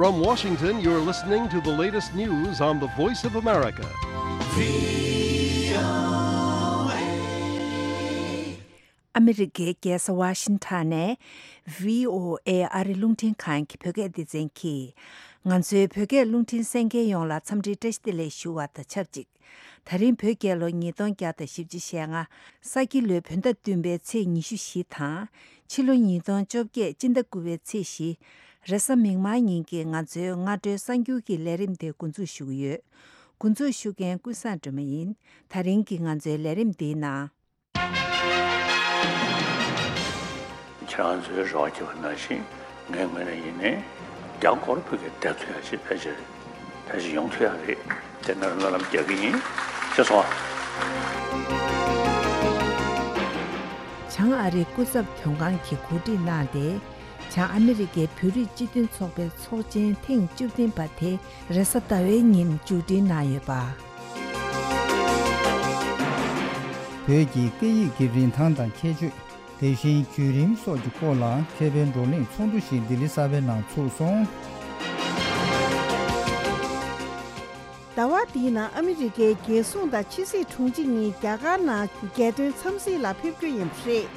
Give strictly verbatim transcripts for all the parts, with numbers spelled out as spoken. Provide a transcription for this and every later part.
From Washington, you're listening to the latest news on the Voice of America. ཨ་མི་རི་ཀའི་རྒྱལ་ས་ཝ་ཤིང་ཊོན་ནས་བྷི་ཨོ་ཨེ་ཨ་རི་རླུང་འཕྲིན་ཁང་གི་བོད་སྐད་སྡེ་ཚན་གྱིས། ང་ཚོའི་བོད་སྐད་རླུང་འཕྲིན་གསན་མཁན་ཡོངས་ལ་འཚམས་འདྲིའི་བཀྲ་ཤིས་བདེ་ལེགས་ཞུ་བ་དང་ཆབས་ཅིག་ད་རིང་བོད་རྒྱལ་ལོ་ཉིས་སྟོང་བརྒྱ་དང་བཞི་བཅུ་ཞེ་ལྔ། ས་ཁྱི་ལོའི་བོད་ཟླ་བདུན་པའི་ཚེས་ཉི་ཤུ་བཞི་དང་། ཕྱི་ལོ་ཉིས་སྟོང་བཅོ་བརྒྱད་སྤྱི་ཟླ་དགུ་པའི་ཚེས་བཞི། རེས་གཟའ་མིག་དམར་ཉིན་གྱི་ང་ཚོའི་སྔ་དྲོའི་གསར་འགྱུར་གྱི་ལས་རིམ་དེ་འགོ་འཛུགས་ཞུ་གི་ཡོད། འགོ་འཛུགས་ཞུ་མཁན་ཀུན་བཟང་སྒྲོལ་མ་ཡིན། ད་རིང་གི་ང་ཚོའི་ལས་རིམ་འདིའི་ནང་། ཁྱེད་རང་ཚོའི་རེ་བ་བརྒྱབ་པ་ནང་བཞིན་ངའི་ངོས་ནས་ཡིན་ནའི་རྒྱ་སྐོར་བོད་སྐད་བསྡད་ཐུབ་ཡ་ཞིག་ཕལ་ཆེར་ཕལ་ཆེར་ཡོང་ཐུབ་ཡ་རེད། དེ་ནས་སྨོན་ལམ་རྒྱག་གི་ཡིན། ཤེས་སོང་ཨ། བྱང་ཨ་རིའི་སྐུ་ཚབ་དོན་ཁང་གིས་གོ་སྒྲིག་གནང་སྟེ། བྱང་ཨ་མི་རི་ཀའི་བོད་རིགས་སྤྱི་མཐུན་ཚོགས་པའི་ཚོགས་ཆེན་ཐེངས་བཅུ་བདུན་པ་དེ་རེས་གཟའ་ཟླ་བའི་ཉིན་མཇུག་སྒྲིལ་གནང་ཡོད་པ། བོད་ཀྱི་སྐད་ཡིག་གི་རིན་ཐང་དང་ཁྱད་ཆོས། དེ་བཞིན་བརྒྱུད་རིམ་སོགས་ཀྱི་སྐོར་ལ་མཁས་པའི་བགྲོ་གླེང་ཚོགས་འདུ་ཞིག་ལྡི་ལི་གསར་པའི་ནང་ཚུགས་སོང་། ཟླ་བ་འདིའི་ནང་ཨ་མི་རི་ཀའི་རྒྱལ་སྲུང་དང་ཕྱི་སྲིད་དྲུང་ཆེ་གཉིས་རྒྱ་གར་ནང་རྒྱལ་དོན་འཚམས་གཟིགས་ལ་ཕེབས་རྒྱུ་ཡིན་པ་རེད།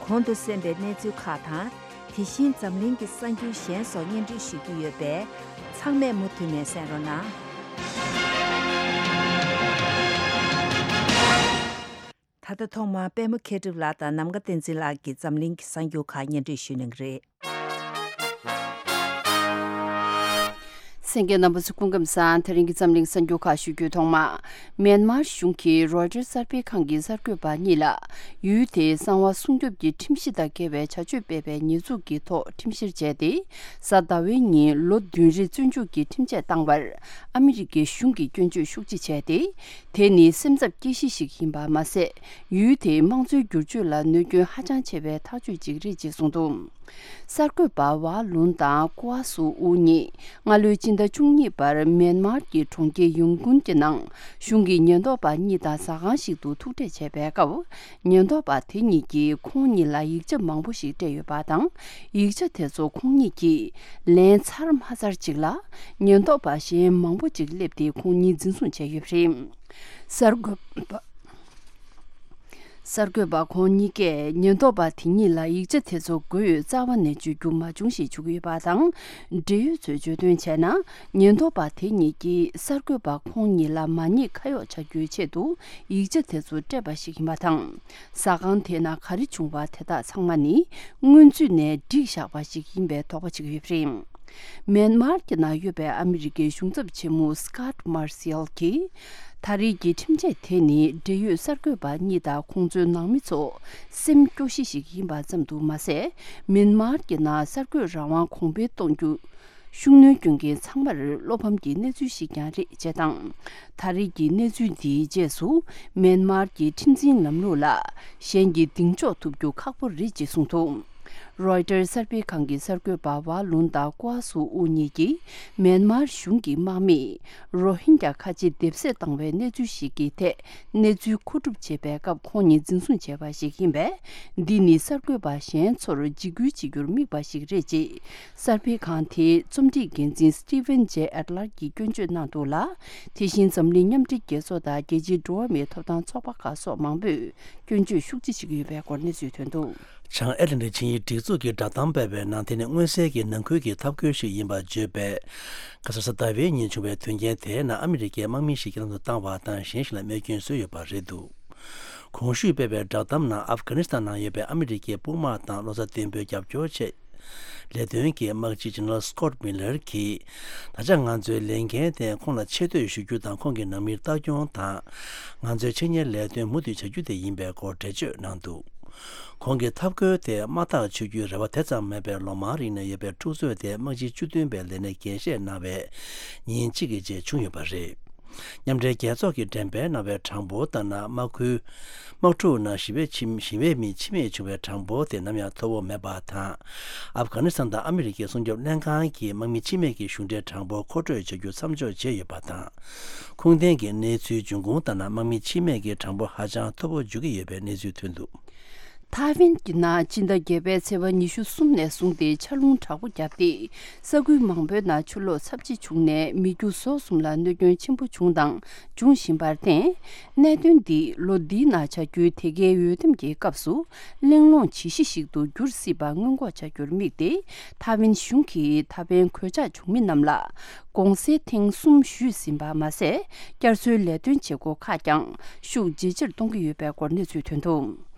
གོང་དུ་གསན་པའི་གནས་ཚུལ་ཁག་དང་། དེ་བཞིན་འཛམ་གླིང་གི་གསར་འགྱུར་གཞན་སོགས་སྙན་སྒྲོན་ཞུ་རྒྱུ་ཡོད་པས། ཚང་མས་མུ་མཐུད་ནས་གསན་རོགས་གནང་། ད་ལྟ་ཐོག་མར་པད་མ་མཁས་གྲུབ་ལགས་དང་ནམ་མཁའ་བསྟན་འཛིན་ལགས་ཀྱིས་འཛམ་གླིང་གི་གསར་འགྱུར་ཁག་སྙན་སྒྲོན་ཞུ་གནང་གི་རེད། གསན་མཁན་རྣམ་པ་ཚོ་སྐུ་ཁམས་བཟང་། དེ་རིང་གི་འཛམ་གླིང་གསར་འགྱུར་ཁག་ཞུ་རྒྱུའི་ཐོག་མ། མེན་མར་གཞུང་གིས་རོའི་ཊར་གསར་སྤེལ་ཁང་གི་གསར་འགོད་པ་གཉིས་ལ། ཡུལ་དེའི་གསང་བ་སྲུང་སྐྱོབ་ཀྱི་ཁྲིམས་གཞི་དང་འགལ་བའི་བྱ་སྤྱོད་སྤེལ་བའི་ཉེས་འཛུགས་ཀྱི་ཐོག་ཁྲིམས་བཤེར་བྱས་ཏེ། གཟའ་ཟླ་བའི་ཉིན་ལོ་བདུན་རེ་བཙོན་འཇུག་གི་ཁྲིམས་ཆད་བཏང་བར། ཨ་མི་རི་ཀའི་གཞུང་གིས་སྐྱོན་བརྗོད་ཤུགས་ཆེ་བྱས་ཏེ། དེ་ནི་སེམས་འཚབ་སྐྱེ་གཞི་ཞིག་ཡིན་པ་མ་ཟད། ཡུལ་དེའི་དམངས་གཙོའི་བསྒྱུར་བཅོས་ལ་གནོད་སྐྱོན་ཧ་ཅང་ཆེ་བའི་ཐག་གཅོད་ཅིག་རེད་ཅེས་གསུངས་འདུག་གསར་འགོད་པ་ཝ་ལུན་དང་ཀུ་ཨ་སུ་ཨུ་གཉིས་སྔ་ལོའི་སྤྱི་ཟླ་བཅུ་གཉིས་པར་མེན་མར་གྱི་གྲོང་ཁྱེར་ཡོང་ཀུན་གྱི་ནང་གཞུང་གི་ཉེན་རྟོག་པ་གཉིས་དང་ཟ་ཁང་ཞིག་ཏུ་ཐུག་འཕྲད་བྱས་པའི་སྐབས། ཉེན་རྟོག་པ་དེ་གཉིས་ཀྱིས་ཁོང་གཉིས་ལ་ཡིག་ཆ་མང་པོ་ཞིག་སྤྲད་ཡོད་པ་དང་། ཡིག་ཆ་དེ་ཚོ་ཁོང་གཉིས་ཀྱིས་ལན་ཚར་མ་ཚར་ཅིག་ལ། ཉེན་རྟོག་པ་གཞན་མང་པོ་ཅིག་སླེབས་ཏེ་ཁོང་གཉིས་འཛིན་བཟུང་བྱས་ཡོད་པ་རེད། གསར་འགོད་པ། གསར་འགོད་པ་ཁོང་གཉིས་ཀས་ཉེན་རྟོག་པ་དེ་གཉིས་ལ་ཡིག་ཆ་དེ་ཚོ་དགོས་ཡོད་རྩ་བ་ནས་བརྗོད་རྒྱུ་མ་བྱུང་ཞེས་བརྗོད་ཀྱི་ཡོད་པ་དང་། འབྲེལ་ཡོད་ཚོས་བརྗོད་དོན་བྱས་ན། ཉེན་རྟོག་པ་དེ་གཉིས་ཀྱིས་གསར་འགོད་པ་ཁོང་གཉིས་ལ་མ་ཉེས་ཁ་གཡོག་བྱ་རྒྱུའི་ཆེད་དུ་ཡིག་ཆ་དེ་ཚོ་སྤྲད་པ་ཞིག་ཡིན་པ་དང་། ཟ་ཁང་དེ་ནང་ག་རེ་བྱུང་བ་དེ་དག་ཚང་མ་ནི་སྔོན་ཚུད་ནས་བསྒྲིགས་བཞག་པ་ཞིག་ཡིན་པའི་དོགས་པ་བྱེད་ཀྱི་ཡོད་པ་རེད། མེན་མར་གྱི་ནང་ཡོད་པའི་ཨ་མི་རི་ཀའི་གཞུང་ཚབ་ཆེན་མོ་སི་ཀཱ་ཊི་མར་སེལ་གྱིས། ད་རེས་ཀྱི་ཁྲིམས་ཆད་དེ་ནི་འབྲེལ་ཡོད་གསར་འགོད་པ་གཉིས་དང་ཁོང་ཚོའི་ནང་མི་ཚོ་སེམས་སྐྱོ་གཞི་ཞིག་ཡིན་པ་ཙམ་དུ་མ་ཟད། མེན་མར་གྱི་ནང་གསར་འགོད་རང་དབང་གོང་འཕེལ་གཏོང་རྒྱུ། ཤུགས་སྣོན་སྐྱོན་མཁན་ཚང་མར་བློ་ཕམ་གྱི་གནས་ཚུལ་ཞིག་ཀྱང་རེད་ཅེས་དང་། ད་རེས་ཀྱི་གནས་ཚུལ་འདིའི་རྗེས་སུ་མེན་མར་གྱི་ཁྲིམས་འཛིན་ལམ་ལུགས་ལ་གཞན་གྱིས་གདེང་འཇོག་ཐུབ་རྒྱུ་ཁག་པོ་རེད་ཅེས་གསུངས་འདུག་རོའི་ཊར་གསར་སྤེལ་ཁང་གི་གསར་འགོད་པ་ཝ་ལུན་དང་ཀུ་ཨ་སུ་ཨུ་གཉིས་ཀྱིས་མེན་མར་གཞུང་གི་དམག་མིས་རོ་ཧིན་རྒྱ་ཁ་ཆེ་སྡེབ་གསོད་བཏང་བའི་གནས་ཚུལ་ཞིག་གི་ཐད། གནས་ཚུལ་མཁོ་སྒྲུབ་བྱེད་པའི་སྐབས་ཁོང་ཉིད་འཛིན་བཟུང་བྱས་པ་ཞིག་ཡིན་པས། འདི་ནི་གསར་འགོད་པ་གཞན་ཚོར་འཇིགས་སྐུལ་བྱེད་རྒྱུར་དམིགས་པ་ཞིག་རེད་ཅེས། གསར་སྤེལ་ཁང་དེའི་རྩོམ་སྒྲིག་འགན་འཛིན་Steven J Adler གྱིས་སྐྱོན་བརྗོད་གནང་འདུག་ལ། དེ་བཞིན་འཛམ་གླིང་མཉམ་འབྲེལ་རྒྱལ་ཚོགས་དང་རྒྱལ་སྤྱིའི་འགྲོ་བ་མིའི་ཐོབ་ཐང་ཚོགས་པ་ཁག་སོགས་མང་པོས་སྐྱོན་བརྗོད་ཤུགས་ཆེ་བྱེད་ཀྱི་ཡོད་པའི་སྐོར་གནས་ཚུལ་ཐོན་འདུག་བྱང་ཨེ་ཊ་ལན་ཊིག་ཆིངས་ཡིག་སྒྲིག་འཛུགས་ཀྱིས་བསྒྲགས་གཏམ་སྤེལ་བའི་ནང་དེ་ནི་མངོན་གསལ་གྱི་ནང་ཁུལ་གྱི་ཐབས་བཀོད་ཞིག་ཡིན་པ་བརྗོད་པས། ཁ་སང་གཟའ་ཟླ་བའི་ཉིན་བྱུང་བའི་དོན་རྐྱེན་དེའི་ནང་ཨ་མི་རི་ཀའི་དམག་མི་ཞིག་རྐྱེན་ལམ་དུ་བཏང་བ་དང་གཞན་ཞིག་ལ་རྨས་སྐྱོན་བཟོས་ཡོད་པ་རེད་འདུག་གོང་ཞུས་སྤེལ་བའི་བསྒྲགས་གཏམ་ནང་ཨབ་གྷ་ནི་སི་ཐན་ནང་ཡོད་པའི་ཨ་མི་རི་ཀའི་དཔུང་དམག་དང་བློ་རྩ་བརྟན་པོའི་རྒྱབ་སྐྱོར་ཆེད། ལས་དོན་གྱི་དམག་སྤྱི་General Scott Miller གྱིས། ད་ཆ་ང་ཚོའི་ལས་འགན་དེ་ཁོང་ལ་ཆེ་བསྟོད་ཞུ་རྒྱུ་དང་ཁོང་གི་ནང་མིར་ལྟ་སྐྱོང་དང་། ང་ཚོའི་ཆེད་གཉེར་ལས་དོན་མུ་མཐུད་བྱ་རྒྱུ་དེ་ཡིན་པའི་སྐོར་འགྲེལ་བརྗོད་གནང་འདུག་ཁོང་གིས་ཐབས་བཀོད་དེ་དམག་ཐག་ཆོད་རྒྱུའི་རེ་བ་དེ་ཙམ་མེད་པའི་ལོ་མང་རིང་ནས་ཡོད་པའི་འཁྲུག་རྩོད་དེ་དམག་སྤྱི་བཅུ་བདུན་པའི་ལས་གནས་རྒྱས་བཤད་གནང་བའི་ཉིན་གཅིག་གི་རྗེས་བྱུང་ཡོད་པ་རེད། མཉམ་འབྲེལ་རྒྱལ་ཚོགས་ཀྱིས་འགྲེམས་སྤེལ་གནང་བའི་གྲངས་འབོར་ལྟར་ན། དམག་ཁུལ། དམག་འཁྲུག་ནང་ཞི་བའི་ཕྱི། ཞི་བའི་མི་འཆི་རྨས་བྱུང་བའི་གྲངས་འབོར་དེ་ནམ་ཡང་མཐོ་བོ་མེད་པ་དང་། ཨབ་གྷ་ནི་སི་ཐན་དང་ཨ་མི་རི་ཀའི་སྲུང་སྐྱོབ་ལྷན་ཁང་གིས་དམག་མི་འཆི་རྨས་ཀྱི་གཞུང་འབྲེལ་གྲངས་འབོར་མཁོ་སྤྲོད་བྱ་རྒྱུ་མཚམས་འཇོག་བྱས་ཡོད་པ་དང་། ཁུངས་ལྡན་གྱི་གནས་ཚུལ་འབྱུང་ཁུངས་ལྟར་ན། དམག་མི་འཆི་རྨས་ཀྱི་གྲངས་འབོར་ཧ་ཅང་མཐོ་བོ་འཇུག་གི་ཡོད་པའི་གནས་ཚུལ་ཐོན་འདུག་ཐའེ་ཝན་གྱི་ནང་སྤྱི་ཟླ་བརྒྱད་པའི་ཚེས་པ་ཉི་ཤུ་གསུམ་ནས་བཟུང་སྟེ་ཆར་རླུང་དྲག་པོ་བརྒྱབ་སྟེ། ས་ཁུལ་མང་པོའི་ནང་ཆུ་ལོག་ཚབས་ཆེ་བྱུང་ནས་མི་རྒྱུ་ཟོག་གསུམ་ལ་གནོད་སྐྱོན་ཆེན་པོ་བྱུང་དང་འབྱུང་བཞིན་པར་བརྟེན། གནད་དོན་འདི་ལོ་འདིའི་ནང་བྱ་རྒྱུའི་དེ་གའི་འོས་འདེམས་ཀྱི་སྐབས་སུ་གླེང་སློང་ཇི་ཞིག་ཞིག་ཏུ་འགྱུར་སྲིད་པ་སྔོན་འགོག་བྱ་རྒྱུར་དམིགས་ཏེ། ཐའེ་ཝན་གཞུང་གིས་ད་ཕན་གོད་ཆག་བྱུང་མི་རྣམས་ལ་དགོངས་སེལ་ཐེངས་གསུམ་ཞུས་ཟིན་པ་མ་ཟད། བསྐྱར་གསོའི་ལས་དོན་བྱེད་སྒོ་ཁག་ཀྱང་ཤུགས་ཇེ་ཆེར་གཏོང་གི་ཡོད་པའི་སྐོར་གནས་ཚུལ་ཐོན་འདུག་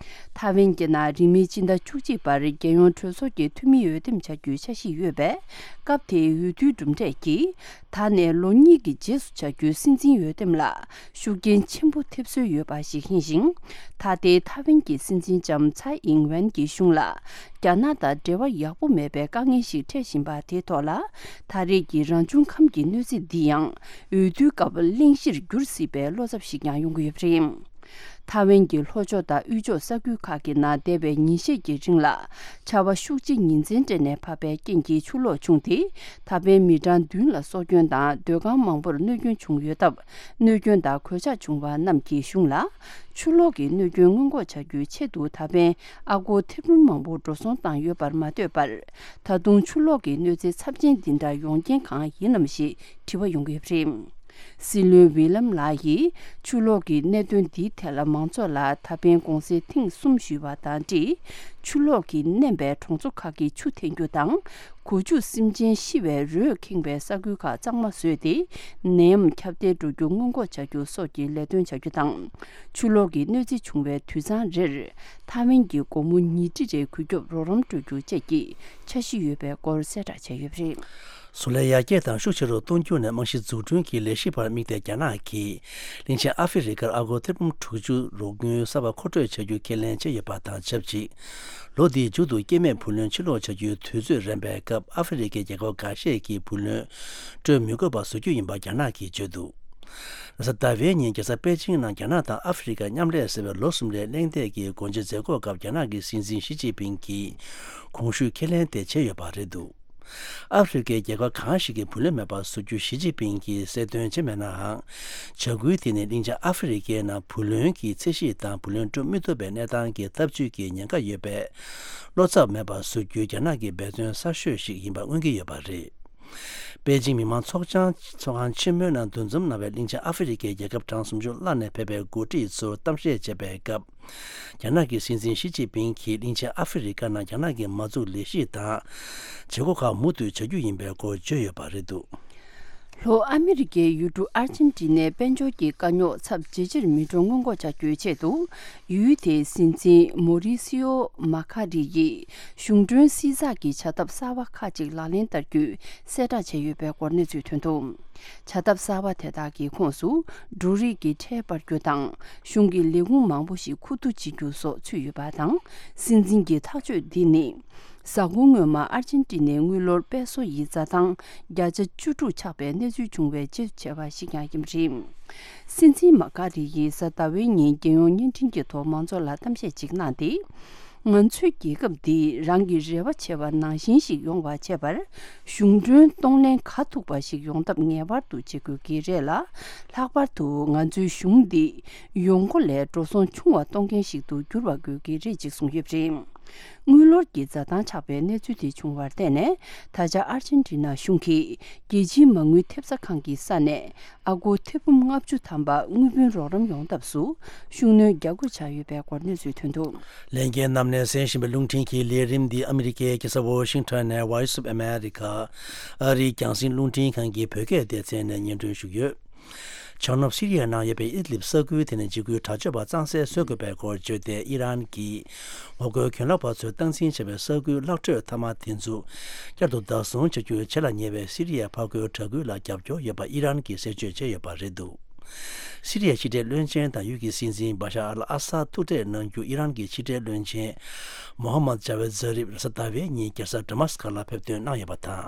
ཐའེ་ཝན་གྱི་ནང་རིང་མིན་སྤྱི་ཟླ་བཅུ་གཅིག་པར་རྒྱལ་ཡོངས་གྲོས་ཚོགས་ཀྱི་འཐུས་མི་འོས་འདེམས་བྱ་རྒྱུའི་འཆར་གཞི་ཡོད་པས། སྐབས་དེའི་འོས་བསྡུའི་གྲུབ་འབྲས་ཀྱིས། ད་ནས་ལོ་གཉིས་ཀྱི་རྗེས་སུ་བྱ་རྒྱུའི་སྲིད་འཛིན་འོས་འདེམས་ལ་ཤུགས་རྐྱེན་ཆེན་པོ་ཐེབས་སྲོལ་ཡོད་པ་ཞིག་ཡིན་ཞིང་། ད་ལྟའི་ཐའེ་ཝན་གྱི་སྲིད་འཛིན་ལྕམ་ཚའེ་ཨིང་ཝེན་གྱི་གཞུང་ལ་རྒྱ་ནག་དང་འབྲེལ་བ་ཡག་པོ་མེད་པའི་དཀའ་ངལ་ཞིག་འཕྲད་བཞིན་པ་དེའི་ཐོག་ལ། ད་རེས་ཀྱི་རང་བྱུང་ཁམས་ཀྱི་གནོད་འཚེ་འདི་ཡང་འོས་བསྡུའི་སྐབས་གླེང་གཞིར་འགྱུར་སྲིད་པའི་བློ་འཚབ་ཞིག་ཀྱང་ཡོང་གི་ཡོད་པ་རེད། ཐའེ་ཝན་གྱི་ལྷོ་ཕྱོགས་དང་དབུས་ཕྱོགས་ས་ཁུལ་ཁག་གི་ནང་འདས་པའི་ཉིན་ཤས་ཀྱི་རིང་ལ་ཆར་པ་ཤུགས་ཆེ་ཉིན་མཚན་སྤྲད་ནས་བབས་པའི་རྐྱེན་གྱིས་ཆུ་ལོག་བྱུང་སྟེ། ད་ཕན་མི་གྲངས་བདུན་ལ་སྲོག་སྐྱོན་དང་སྡོད་ཁང་མང་པོར་གནོད་སྐྱོན་བྱུང་ཡོད་སྟབས། གནོད་སྐྱོན་དང་གོད་ཆག་བྱུང་བ་རྣམས་ཀྱི་གཞུང་ལ་ཆུ་ལོག་གི་གནོད་སྐྱོན་སྔོན་འགོག་བྱ་རྒྱུའི་ཆེད་དུ་ད་ཕན་ཨ་སྒོར་ཐེར་འབུམ་མང་པོ་འགྲོ་སོང་བཏང་ཡོད་པར་མ་ལྟོས་པར། ད་དུང་ཆུ་ལོག་གི་གནོད་འཚེ་ཚབས་ཆེན་འདི་འདྲ་ཡོང་རྐྱེན་གང་ཡིན་ནམ་ཞེས་དྲི་བ་ཡོང་གི་ཡོད་པ་རེད། སྲིད་བློན་ཝི་ལམ་ལགས་ཡིས་ཆུ་ལོག་གི་གནད་དོན་འདིའི་ཐད་ལ་མང་ཚོགས་ལ་ད་ཕན་དགོངས་སེལ་ཐེངས་གསུམ་ཞུས་པ་དང་འབྲེལ། ཆུ་ལོག་གིས་མནན་པའི་གྲོང་ཚོ་ཁག་གི་ཆུ་འཐེན་རྒྱུ་དང་། སྒོ་ཕྱུགས་སེམས་ཅན་ཤི་བའི་རོས་ཁེངས་པའི་ས་ཁུལ་ཁག་གཙང་མ་བཟོས་ཏེ། ནད་ཡམས་ཁྱབ་གདལ་འགྲོ་རྒྱུ་སྔོན་འགོག་བྱ་རྒྱུ་སོགས་ཀྱི་ལས་དོན་བྱ་རྒྱུ་དང་། ཆུ་ལོག་གི་གནོད་འཚེ་བྱུང་བའི་དུད་ཚང་རེར་ཐའེ་ཝན་གྱི་སྒོར་མོ་ཉིས་ཁྲི་རེ་གུད་སྐྱོབ་རོགས་རམ་སྤྲོད་རྒྱུ་བཅས་ཀྱི་འཆར་གཞི་ཡོད་པའི་སྐོར་གསལ་བསྒྲགས་བྱས་ཡོད་པ་རེད། བཟོ་ལས་ཡར་རྒྱས་དང་ཤུགས་ཆེ་རུ་གཏོང་རྒྱུ་ནས་རྨང་གཞི་འཛུགས་སྐྲུན་གྱི་ལས་གཞི་བར་དམིགས་ཏེ། རྒྱ་ནག་གིས་གླིང་ཆེན་ཨ་ཧྥེ་རི་ཁར་ཨ་སྒོར་ཐེར་འབུམ་དྲུག་ཅུ་རོགས་དངུལ་གསར་པ་མཁོ་སྤྲོད་བྱ་རྒྱུ་ཁས་ལེན་བྱས་ཡོད་པ་དང་ཆབས་ཅིག་ལོ་འདིའི་མཇུག་ཏུ་སྐྱེ་དམན་བུ་ལོན་ཕྱིར་སློག་བྱ་རྒྱུའི་དུས་ཚོད་རན་པའི་སྐབས། ཨ་ཧྥེ་རི་ཁའི་རྒྱལ་ཁབ་འགའ་ཤས་ཀྱིས་བུ་ལོན་སྤྲོད་མི་དགོས་པ་བཟོ་རྒྱུ་ཡིན་པ་རྒྱ་ནག་གིས་བརྗོད་འདུག་རེས་གཟའ་ཟླ་བའི་ཉིན་རྒྱལ་ས་པེ་ཅིང་ནང་རྒྱ་ནག་དང་ཨ་ཧྥེ་རི་ཁ་མཉམ་ལས་ཟེར་བའི་ལོ་གསུམ་རིང་གླེང་སྟེགས་ཀྱི་སྒོ་འབྱེད་མཛད་སྒོའི་སྐབས། རྒྱ་ནག་གི་སྲིད་འཛིན་ཞི་ཅིན་ཕིང་གིས་གོང་ཞུས་ཁས་ལེན་དེ་བྱས་ཡོད་པ་རེད་འདུག་ཨ་ཧྥེ་རི་ཁའི་རྒྱལ་ཁབ་གང་ཞིག་གིས་བུ་ལོན་མེད་པར་བཟོ་རྒྱུ་ཞི་ཅིན་ཕིང་གིས་གསལ་སྟོན་བྱས་མེད་ནའང་། བྱ་འགུལ་དེ་ནི་གླིང་ཆེན་ཨ་ཧྥེ་རི་ཁའི་ནང་བུ་ལོན་གྱི་ཚད་གཞི་དང་བུ་ལོན་སྤྲོད་མི་ཐུབ་པའི་གནས་སྟངས་ཀྱི་ཐབས་ཇུས་ཀྱི་ཉེན་ཁ་ཡོད་པས། བློ་འཚབ་མེད་པར་བཟོ་རྒྱུའི་རྒྱ་ནག་གི་འབད་བརྩོན་གསར་ཤོས་ཤིག་ཡིན་པ་མངོན་གྱི་ཡོད་པ་རེད། པེ་ཅིང་མི་དམངས་ཚོགས་ཆང་ཚོགས་ཁང་ཆེན་མོའི་ནང་འདུ་འཛོམས་གནང་བའི་གླིང་ཆེན་ཨ་ཧྥེ་རི་ཁའི་རྒྱལ་ཁབ་གྲངས་སུམ་ཅུ་ལྷག་ནས་ཕེབས་པའི་འགོ་ཁྲིད་ཚོར་གཏམ་བཤད་བྱས་པའི་སྐབས། རྒྱ་ནག་གི་སྲིད་འཛིན་ཞི་ཅིན་ཕིང་གིས་གླིང་ཆེན་ཨ་ཧྥེ་རི་ཁ་ནང་རྒྱ་ནག་གི་མ་འཛུགས་ལས་གཞི་དང་བྱེད་སྒོ་ཁག་མུ་མཐུད་བྱ་རྒྱུ་ཡིན་པའི་སྐོར་བརྗོད་ཡོད་པ་རེད་འདུག་ལྷོ་ཨ་མི་རི་ཀའི་ཡུལ་གྲུ་ཨར་ཅན་ཏི་ནའི་དཔལ་འབྱོར་གྱི་དཀའ་རྙོག་ཚབས་ཇེ་ཆེར་མི་འགྲོ་སྔོན་འགོག་བྱ་རྒྱུའི་ཆེད་དུ། ཡུལ་དེའི་སྲིད་འཛིན་མོ་རི་སི་ཨོ་མ་ཁ་རི་ཡིས་གཞུང་གྲོན་སྲིད་ཚགས་ཀྱི་བྱ་ཐབས་གསར་བ་ཁག་ཅིག་ལག་ལེན་བསྟར་རྒྱུའི་གསལ་བསྒྲགས་བྱས་ཡོད་པའི་སྐོར་གནས་ཚུལ་ཐོན་འདུག་བྱ་ཐབས་གསར་བ་དེ་དག་གི་ཁོངས་སུ། འབྲུ་རིགས་ཀྱི་ཁྲལ་སྤར་རྒྱུ་དང་། གཞུང་གི་ལས་ཁུངས་མང་པོ་ཞིག་ཁུ་བསྡུ་བྱེད་རྒྱུ་སོགས་ཚུད་ཡོད་པ་དང་། སྲིད་འཛིན་གྱི་ཐག་གཅོད་འདི་ནི། གཟའ་འཁོར་སྔོན་མ་ཨར་ཅན་ཏི་ནའི་དངུལ་ལོར་པེ་སོ་ཡི་འཛའ་ཐང་བརྒྱ་ཆ་བཅུ་དྲུག་ཆག་པའི་གནས་ཚུལ་བྱུང་བའི་རྗེས་སུ་བྱས་པ་ཞིག་ཀྱང་ཡིན་པ་རེད། སྲིད་འཛིན་མ་ཀ་རི་ཡིས་གཟའ་ཟླ་བའི་ཉིན་རྒྱལ་ཡོངས་བརྙན་འཕྲིན་གྱི་ཐོག་མང་ཚོགས་ལ་གཏམ་བཤད་ཅིག་གནང་སྟེ། ང་ཚོའི་རྒྱལ་ཁབ་འདི་རང་གི་རེ་བ་བྱས་པ་ནང་བཞིན་ཞིག་ཡོང་བ་བྱེད་པར། གཞུང་གྲོན་གཏོང་ལེན་ག་ཐུབ་པ་ཞིག་ཡོང་ཐབས་ངེས་པར་དུ་བྱེད་དགོས་ཀྱི་རེད་ལ། ལྷག་པར་དུ་ང་ཚོའི་གཞུང་འདི་ཡོང་སྒོ་ལས་འགྲོ་སོང་ཆུང་བ་གཏོང་མཁན་ཞིག་ཏུ་འགྱུར་བ་དགོས་ཀྱི་རེད་ཅེས་གསུངས་ཡོད་པ་རེད། དངུལ་ལོར་གྱི་འཛའ་ཐང་ཆག་པའི་གནས་ཚུལ་དེ་བྱུང་བར་བརྟེན་ནས། ད་ཆ་ཨར་ཅན་ཏི་ན་གཞུང་གིས་རྒྱལ་སྤྱིའི་མ་དངུལ་ཐེབས་རྩ་ཁང་གི་ས་ནས་ཨ་སྒོར་ཐེར་འབུམ་ལྔ་བཅུ་ཐམ་པ་དངུལ་བུན་རོགས་རམ་ཡོང་ཐབས་སུ་ཤུགས་སྣོན་རྒྱག་དགོས་ཆགས་ཡོད་པའི་སྐོར་གནས་ཚུལ་ཐོན་འདུག་ལྷན་རྒྱས་རྣམས་ནས་གསན་བཞིན་པའི་རླུང་འཕྲིན་གྱི་ལས་རིམ་འདི་ཨ་མི་རི་ཀའི་རྒྱལ་ས་ཝོ་ཤིང་ཊོན་ནས་Voice of America ཨ་རིའི་རྒྱང་སྲིང་རླུང་འཕྲིན་ཁང་གི་བོད་སྐད་སྡེ་ཚན་ནས་སྙན་སྒྲོན་ཞུས་ཡོད། བྱང་ནུབ་སི་རི་ཡའི་ནང་ཡོད་པའི་ཨིད་ལིབ་ས་ཁུལ་དེ་ནི་འཇིགས་སྐུལ་དྲག་སྤྱོད་པ་གཙང་སེལ་བཟོ་དགོས་པའི་སྐོར་བརྗོད་དེ། ཨི་རན་གྱིས་ངོ་རྒོལ་གྱོད་ལོག་པ་ཚོས་སྟངས་འཛིན་བྱས་པའི་ས་ཁུལ་གླགས་ཁྲོད་མཐའ་མ་དེ་ཚོ་བསྐྱར་དུ་བདག་བཟུང་བྱ་རྒྱུ་བྱེད་ལ་ཉེ་བའི་སི་རི་ཡའི་ཕར་རྒོལ་དྲག་སྐུལ་ལ་རྒྱབ་སྐྱོར་ཡོད་པ་ཨི་རན་གྱིས་གསལ་བརྗོད་བྱས་ཡོད་པ་རེད་འདུག་སི་རི་ཡའི་ཕྱི་འབྲེལ་བློན་ཆེན་དང་ཡུལ་གྱི་སྲིད་འཛིན་བ་ཤར་ཨལ་ཨ་སཱད་ཐུག་འཕྲད་གནང་རྒྱུ། ཨི་རན་གྱི་ཕྱི་འབྲེལ་བློན་ཆེན་མོ་ཧམ་མད་ཇ་ཝེད་ཛ་རིབ་རེས་གཟའ་ཟླ་བའི་ཉིན་རྒྱལ་ས་ཌ་མཱ་སི་ཀ་ལ་ཕེབས་ཐོན་གནང་ཡོད་པ་དང་།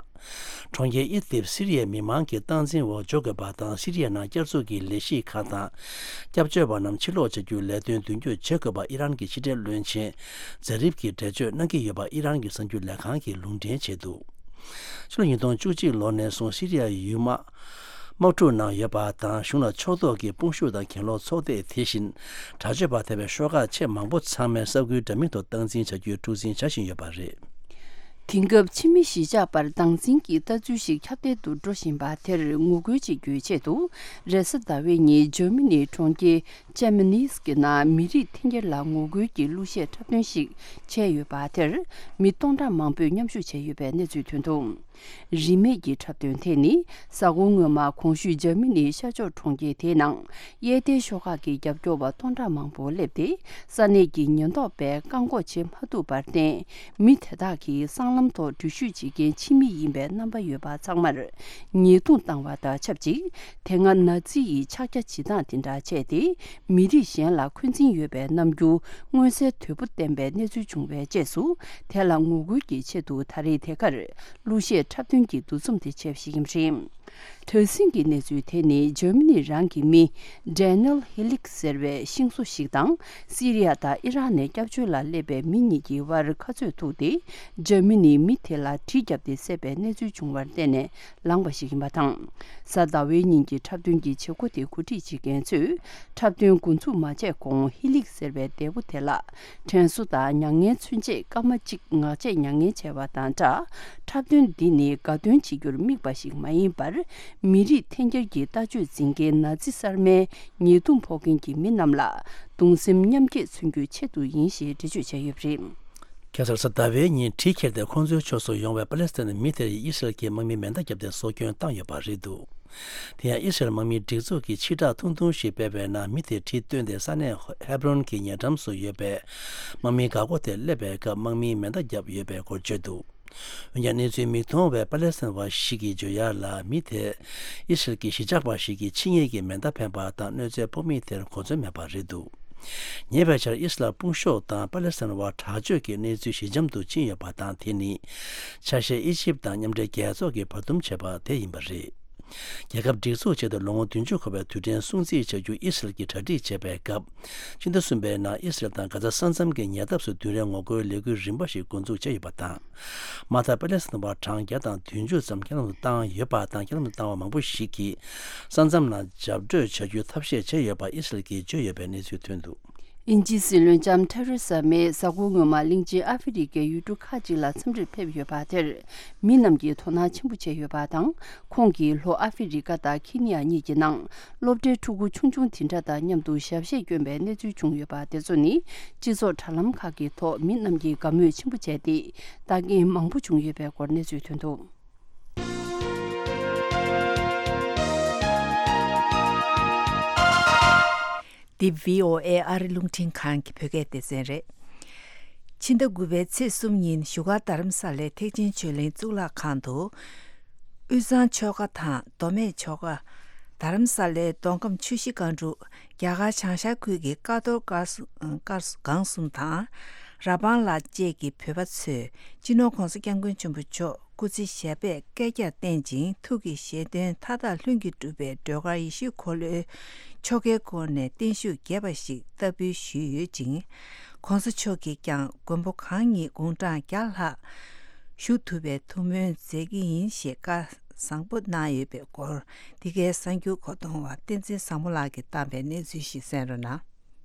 གྲོང་ཁྱེར་ཨིད་ལིབ་སི་རི་ཡའི་མི་མང་གི་སྟངས་འཛིན་འོག་འཇོག་དགོས་པ་དང་། སི་རི་ཡའི་ནང་བསྐྱར་འཛུགས་ཀྱི་ལས་གཞི་ཁག་དང་། སྐྱབས་བཅོལ་བ་རྣམས་ཕྱིར་ལོག་བྱ་རྒྱུའི་ལས་དོན་མདུན་སྐྱོད་བྱེད་དགོས་པ་ཨི་རན་གྱི་ཕྱི་འབྲེལ་བློན་ཆེན་ཛ་རིབ་ཀྱིས་འགྲེལ་བརྗོད་གནང་གི་ཡོད་པ་ཨི་རན་གྱི་གསར་འགྱུར་ལས་ཁང་གིས་ལུང་འདྲེན་བྱས་འདུག་ཕྱི་ལོ་ཉིས་སྟོང་བཅུ་གཅིག་ལོ་ནས་བཟུང་སི་རི་ཡའི་ཡུལ་དམག་ དམག་འཁྲུག་ནང་ཡོད་པ་དང་གཞུང་ལ་ཕྱོགས་གཏོགས་ཀྱི་དཔུང་ཤུགས་དང་གྱེན་ལོག་ཚོགས་སྡེ། དེ་བཞིན་དྲག་སྤྱོད་པ་ཐེ་བའི་ཤོག་ཁག་ཆེས་མང་པོ་ཚང་མའི་ས་ཁུལ་འདྲ་མིན་དུ་སྟངས་འཛིན་བྱ་རྒྱུའི་འཁྲུག་འཛིན་བྱ་བཞིན་ཡོད་པ་རེད། དེང་སྐབས་ཕྱི་མི་གཞིས་ཆགས་བར་སྟངས་འཛིན་གྱི་ལྟ་ཚུལ་ཞིག་ཁྱབ་གདལ་དུ་འགྲོ་བཞིན་པ་དེར་ངོ་རྒོལ་བྱེད་རྒྱུའི་ཆེད་དུ། རེས་གཟའ་ཟླ་བའི་ཉིན་འཇར་མ་ནིའི་གྲོང་ཁྱེར་ཅེམ་ནིས་ཀྱི་ནང་མི་རིགས་འཐེན་འཁྱེར་ལ་ངོ་རྒོལ་གྱི་གླུ་གཞས་འཁྲབ་སྟོན་ཞིག་བྱས་ཡོད་པ་དེར། མི་སྟོང་ཕྲག་མང་པོས་མཉམ་ཞུགས་བྱས་ཡོད་པའི་གནས་ཚུལ་ཐོན་འདུག་རིན་མེད་ཀྱི་འཁྲབ་སྟོན་དེ་ནི་གཟའ་འཁོར་སྔོན་མ་གོང་ཞུས་འཇར་མ་ནིའི་ཤར་ཕྱོགས་གྲོང་ཁྱེར་དེའི་ནང་གཡས་ལྡན་ཤོག་ཁག་གི་རྒྱབ་སྐྱོར་བ་སྟོང་ཕྲག་མང་པོ་སླེབས་ཏེ། ས་གནས་ཀྱི་ཉེན་རྟོག་པས་བཀག་འགོག་བྱེད་མ་ཐུབ་པར་བརྟེན། མི་དེ་དག་གིས་སྲང་ལམ་ཐོག་འགྲུལ་བཞུད་བྱེད་མཁན་ཕྱི་མི་ཡིན་པའི་རྣམ་པ་ཡོད་པ་ཚང་མར་ཉེས་རྡུང་བཏང་བ་དང་ཆབས་ཅིག་དེ་སྔ་ན་ཛི་ཡི་ཕྱག་རྒྱ་བྱེད་སྟངས་དེ་འདྲ་བྱས་ཏེ། མི་རིགས་གཞན་ལ་འཁོན་འཛིན་ཡོད་པའི་རྣམ་འགྱུར་མངོན་གསལ་དོད་པོ་བསྟན་པའི་གནས་ཚུལ་བྱུང་བའི་རྗེས་སུ། དེ་ལ་ངོ་རྒོལ་གྱི་ཆེད་དུ་ད་རེས་དེ་གར་གླུ་གཞས་འཁྲབ་སྟོན་གྱི་འདུ་འཛོམས་དེ་བྱས་པ་ཞིག་ཡིན་པ་རེད། དེ་རིང་གི་གནས་ཚུལ་དེ་ནི་འཇར་མ་ནི་རང་གི་མི་ཌེ་ནེལ་ཧི་ལིག་ཟེར་བའི་ཤིང་བཟོ་ཞིག་དང་སི་རི་ཡ་དང་ཨི་རག་ནས་སྐྱབས་བཅོལ་ལ་སླེབས་པའི་མི་གཉིས་ཀྱི་དབར་ཁ་རྩོད་ཐུག་སྟེ། འཇར་མ་ནིའི་མི་དེ་ལ་གྲི་བརྒྱབ་སྟེ་བསད་པའི་གནས་ཚུལ་བྱུང་བར་བརྟེན་ནས་ལངས་པ་ཞིག་ཡིན་པ་དང་། གཟའ་ཟླ་བའི་ཉིན་གྱི་འཁྲབ་སྟོན་གྱི་བྱེད་སྒོ་དེ་གོ་སྒྲིག་བྱེད་མཁན་ཚོས་འཁྲབ་སྟོན་འགོ་འཛུགས་མ་བྱས་གོང་ཧི་ལིག་ཟེར་བའི་འདས་པོ་དེ་ལ་དྲན་གསོ་དང་མྱ་ངན་མཚོན་ཆེད་སྐར་མ་གཅིག་ངག་བཅད་མྱ་ངན་བྱས་པ་དང་སྦྲགས། འཁྲབ་སྟོན་འདི་ནི་དགའ་སྟོན་བྱེད་རྒྱུར་དམིགས་པ་ཞིག་མ་ཡིན་པར། མི་རིགས་འཐེན་འཁྱེར་གྱི་ལྟ་སྤྱོད་འཛིན་མཁན་ན་ཛི་གསར་མའི་ཉེས་རྡུང་ཕོག་མཁན་གྱི་མི་རྣམས་ལ་གདུང་སེམས་མཉམ་སྐྱེད་མཚོན་རྒྱུའི་ཆེད་དུ་ཡིན་ཞེས་འགྲེལ་བརྗོད་བྱས་ཡོད་པ་རེད། ཁ་སང་གཟའ་ཟླ་བའི་ཉིན་གྲི་ཁྱེར་ཏེ་ཁོང་ཚོའི་ཕྱོགས་སུ་ཡོང་བའི་པ་ལེ་སི་ཐན་མི་དེར་ཨི་སི་རལ་གྱི་དམག་མིས་མེ་མདའ་བརྒྱབ་སྟེ་སྲོག་སྐྱོན་བཏང་ཡོད་པ་རེད་འདུག་དེ་ཡང་ཨི་སི་རལ་དམག་མིའི་སྒྲིག་འཛུགས་ཀྱིས་ཕྱི་བསྒྲགས་ཐུང་ཐུང་ཞིག་སྤེལ་བའི་ནང་མི་དེ་གྲི་བཏོན་ཏེ་ས་གནས་ཧེབ་རོན་གྱི་ཉེ་འགྲམ་དུ་ཡོད་པའི་དམག་མིའི་འགག་སྒོ་དེར་སླེབས་པའི་སྐབས་དམག་མིས་མེ་མདའ་བརྒྱབ་ཡོད་པའི་སྐོར་བརྗོད་འདུག་འོན་ཀྱང་གནས་ཚུལ་མིག་མཐོང་བའི་པ་ལེ་སི་ཐན་བ་ཞིག་གིས་བརྗོད་ཡག་ལ། མི་དེ་ཨི་སི་རལ་གྱི་གཞིས་ཆགས་པ་ཞིག་གིས་ཕྱི་ཉིན་གྱི་མེ་མདའ་འཕེན་པ་དང་གནོད་འཚེ་ཕོག་མི་དེར་གོ་མཚོན་མེད་པ་རེད་འདུག་ཉེ་བའི་ཆར་ཨི་སི་རལ་དཔུང་ཤོག་དང་པ་ལེ་སི་ཐན་བར་དྲག་སྤྱོད་ཀྱི་གནས་ཚུལ་ཞི་འཇམ་དུ་ཕྱིན་ཡོད་པ་དང་། དེ་ནི་ཆ་ཤས་ཨི་ཇིབ་དང་མཉམ་འབྲེལ་རྒྱལ་ཚོགས་ཀྱིས་བར་འདུམ་བྱས་པ་དེ་ཡིན་པ་རེད། རྒྱལ་ཁབ་སྒྲིག་འཛུགས་ཆེད་དུ་ལོ་ངོ་བདུན་ཅུ་འཁོར་བའི་དུས་དྲན་སྲུང་བརྩི་བྱ་རྒྱུ་ཨི་སི་རལ་གྱིས་གྲ་སྒྲིག་བྱས་པའི་སྐབས། ཕྱི་ཟླ་གསུམ་པའི་ནང་ཨི་སི་རལ་དང་གྷ་ཛ་ས་མཚམས་ཀྱི་ཉེ་འདབས་སུ་བདུན་རེའི་ངོ་རྒོལ་ལས་འགུལ་རིམ་པ་ཞིག་འགོ་འཛུགས་བྱས་ཡོད་པ་དང་། མ་མཐར་པ་ལེ་སི་ཐན་བ་གྲངས་བརྒྱ་དང་བདུན་ཅུ་ཙམ་རྐྱེན་ལམ་དུ་བཏང་ཡོད་པ་དང་། རྐྱེན་ལམ་དུ་བཏང་བ་མང་པོ་ཞིག་གིས་ས་མཚམས་ནང་འཇབ་སྤྲོད་བྱ་རྒྱུའི་ཐབས་ཤེས་བྱས་ཡོད་པ་ཨི་སི་རལ་གྱིས་བརྗོད་ཡོད་པའི་གནས་ཚུལ་ཐོན་འདུག་དབྱིན་ཇིའི་སྲིད་བློན་ལྕམ་ཐེ་རེ་ས་མེ་གཟའ་འཁོར་སྔོན་མ་གླིང་ཆེན་ཨ་ཧྥེ་རི་ཁའི་ཡུལ་གྲུ་ཁག་ཅིག་ལ་འཚམས་འདྲིར་ཕེབས་ཡོད་པ་དེར། མི་རྣམས་ཀྱིས་དོ་སྣང་ཆེན་པོ་བྱས་ཡོད་པ་དང་། ཁོང་གིས་ལྷོ་ཨ་ཧྥེ་རི་ཁ་དང་ཁི་ནི་ཡ་གཉིས་ཀྱི་ནང་སློབ་གྲྭའི་ཕྲུ་གུ་ཆུང་ཆུང་དེ་འདྲ་དང་མཉམ་དུ་ཞབས་གཞས་བསྐྱོན་པའི་གནས་ཚུལ་བྱུང་ཡོད་པ་དེ་ཚོ་ནི། སྤྱི་ཚོགས་དྲ་ལམ་ཁག་གི་ཐོག་མི་རྣམས་ཀྱིས་དགའ་མོས་ཆེན་པོ་བྱས་ཏེ། ལྟ་མཁན་མང་པོ་བྱུང་ཡོད་པའི་སྐོར་གནས་ཚུལ་ཐོན་འདུག་འདི་བྷི་ཨོ་ཨེ་ཨ་རི་རླུང་འཕྲིན་ཁང་གི་བོད་སྐད་སྡེ་ཚན་རེད། ཕྱི་ཟླ་དགུ་པའི་ཚེས་གསུམ་ཉིན་བཞུགས་སྒར་རྡ་རམ་ས་ལའི་ཐེག་ཆེན་ཆོས་གླིང་གཙུག་ལག་ཁང་དུ། དབུས་གཙང་ཆོལ་ཁ་དང་མདོ་སྨད་ཆོལ་ཁ། རྡ་རམ་ས་ལའི་མདོ་ཁམས་ཆུ་བཞི་སྒང་དྲུག་རྒྱ་གར་བྱང་ཤར་ཁུལ་གྱི་ཀ་རྡོར་སྒར་གསུ་སྒར་སྒང་གསུམ་དང་། ར་སྦང་ལ་བཅས་ཀྱི་བོད་པ་ཚོས་སྤྱི་ནོར་༧གོང་ས་༧སྐྱབས་མགོན་ཆེན་པོ་མཆོག་སྐུ་ཚེ་ཞབས་པད་བསྐལ་བརྒྱར་བརྟན་ཅིང་། ཐུགས་ཀྱི་བཞེད་དོན་མཐའ་དག་ལྷུན་གྱིས་གྲུབ་པའི་སྒྲོལ་དཀར་ཡེ་ཤེས་འཁོར་ལོའི་ཆོ་གའི་སྒོ་ནས་བརྟན་བཞུགས་རྒྱས་པ་ཞིག་བསྟར་འབུལ་ཞུས་ཡོད་ཅིང་། ༧གོང་ས་མཆོག་གིས་ཀྱང་མགོན་པོ་གང་ཉིད་དགུང་གྲངས་བརྒྱ་ལྷག་བཞུགས་ཐུབ་པའི་ཐུགས་སྨོན་མཛད་ཀྱི་ཡིན་ཞེས་བཀའ་བཟང་པོ་གནང་ཡོད་པའི་སྐོར། འདི་གའི་གསར་འགྱུར་མཁོ་གཏོང་བ་བསྟན་འཛིན་བཟང་མོ་ལགས་ཀྱིས་བཏང་པའི་གནས་ཚུལ་ཞིག་གསན་རོགས་གནང་།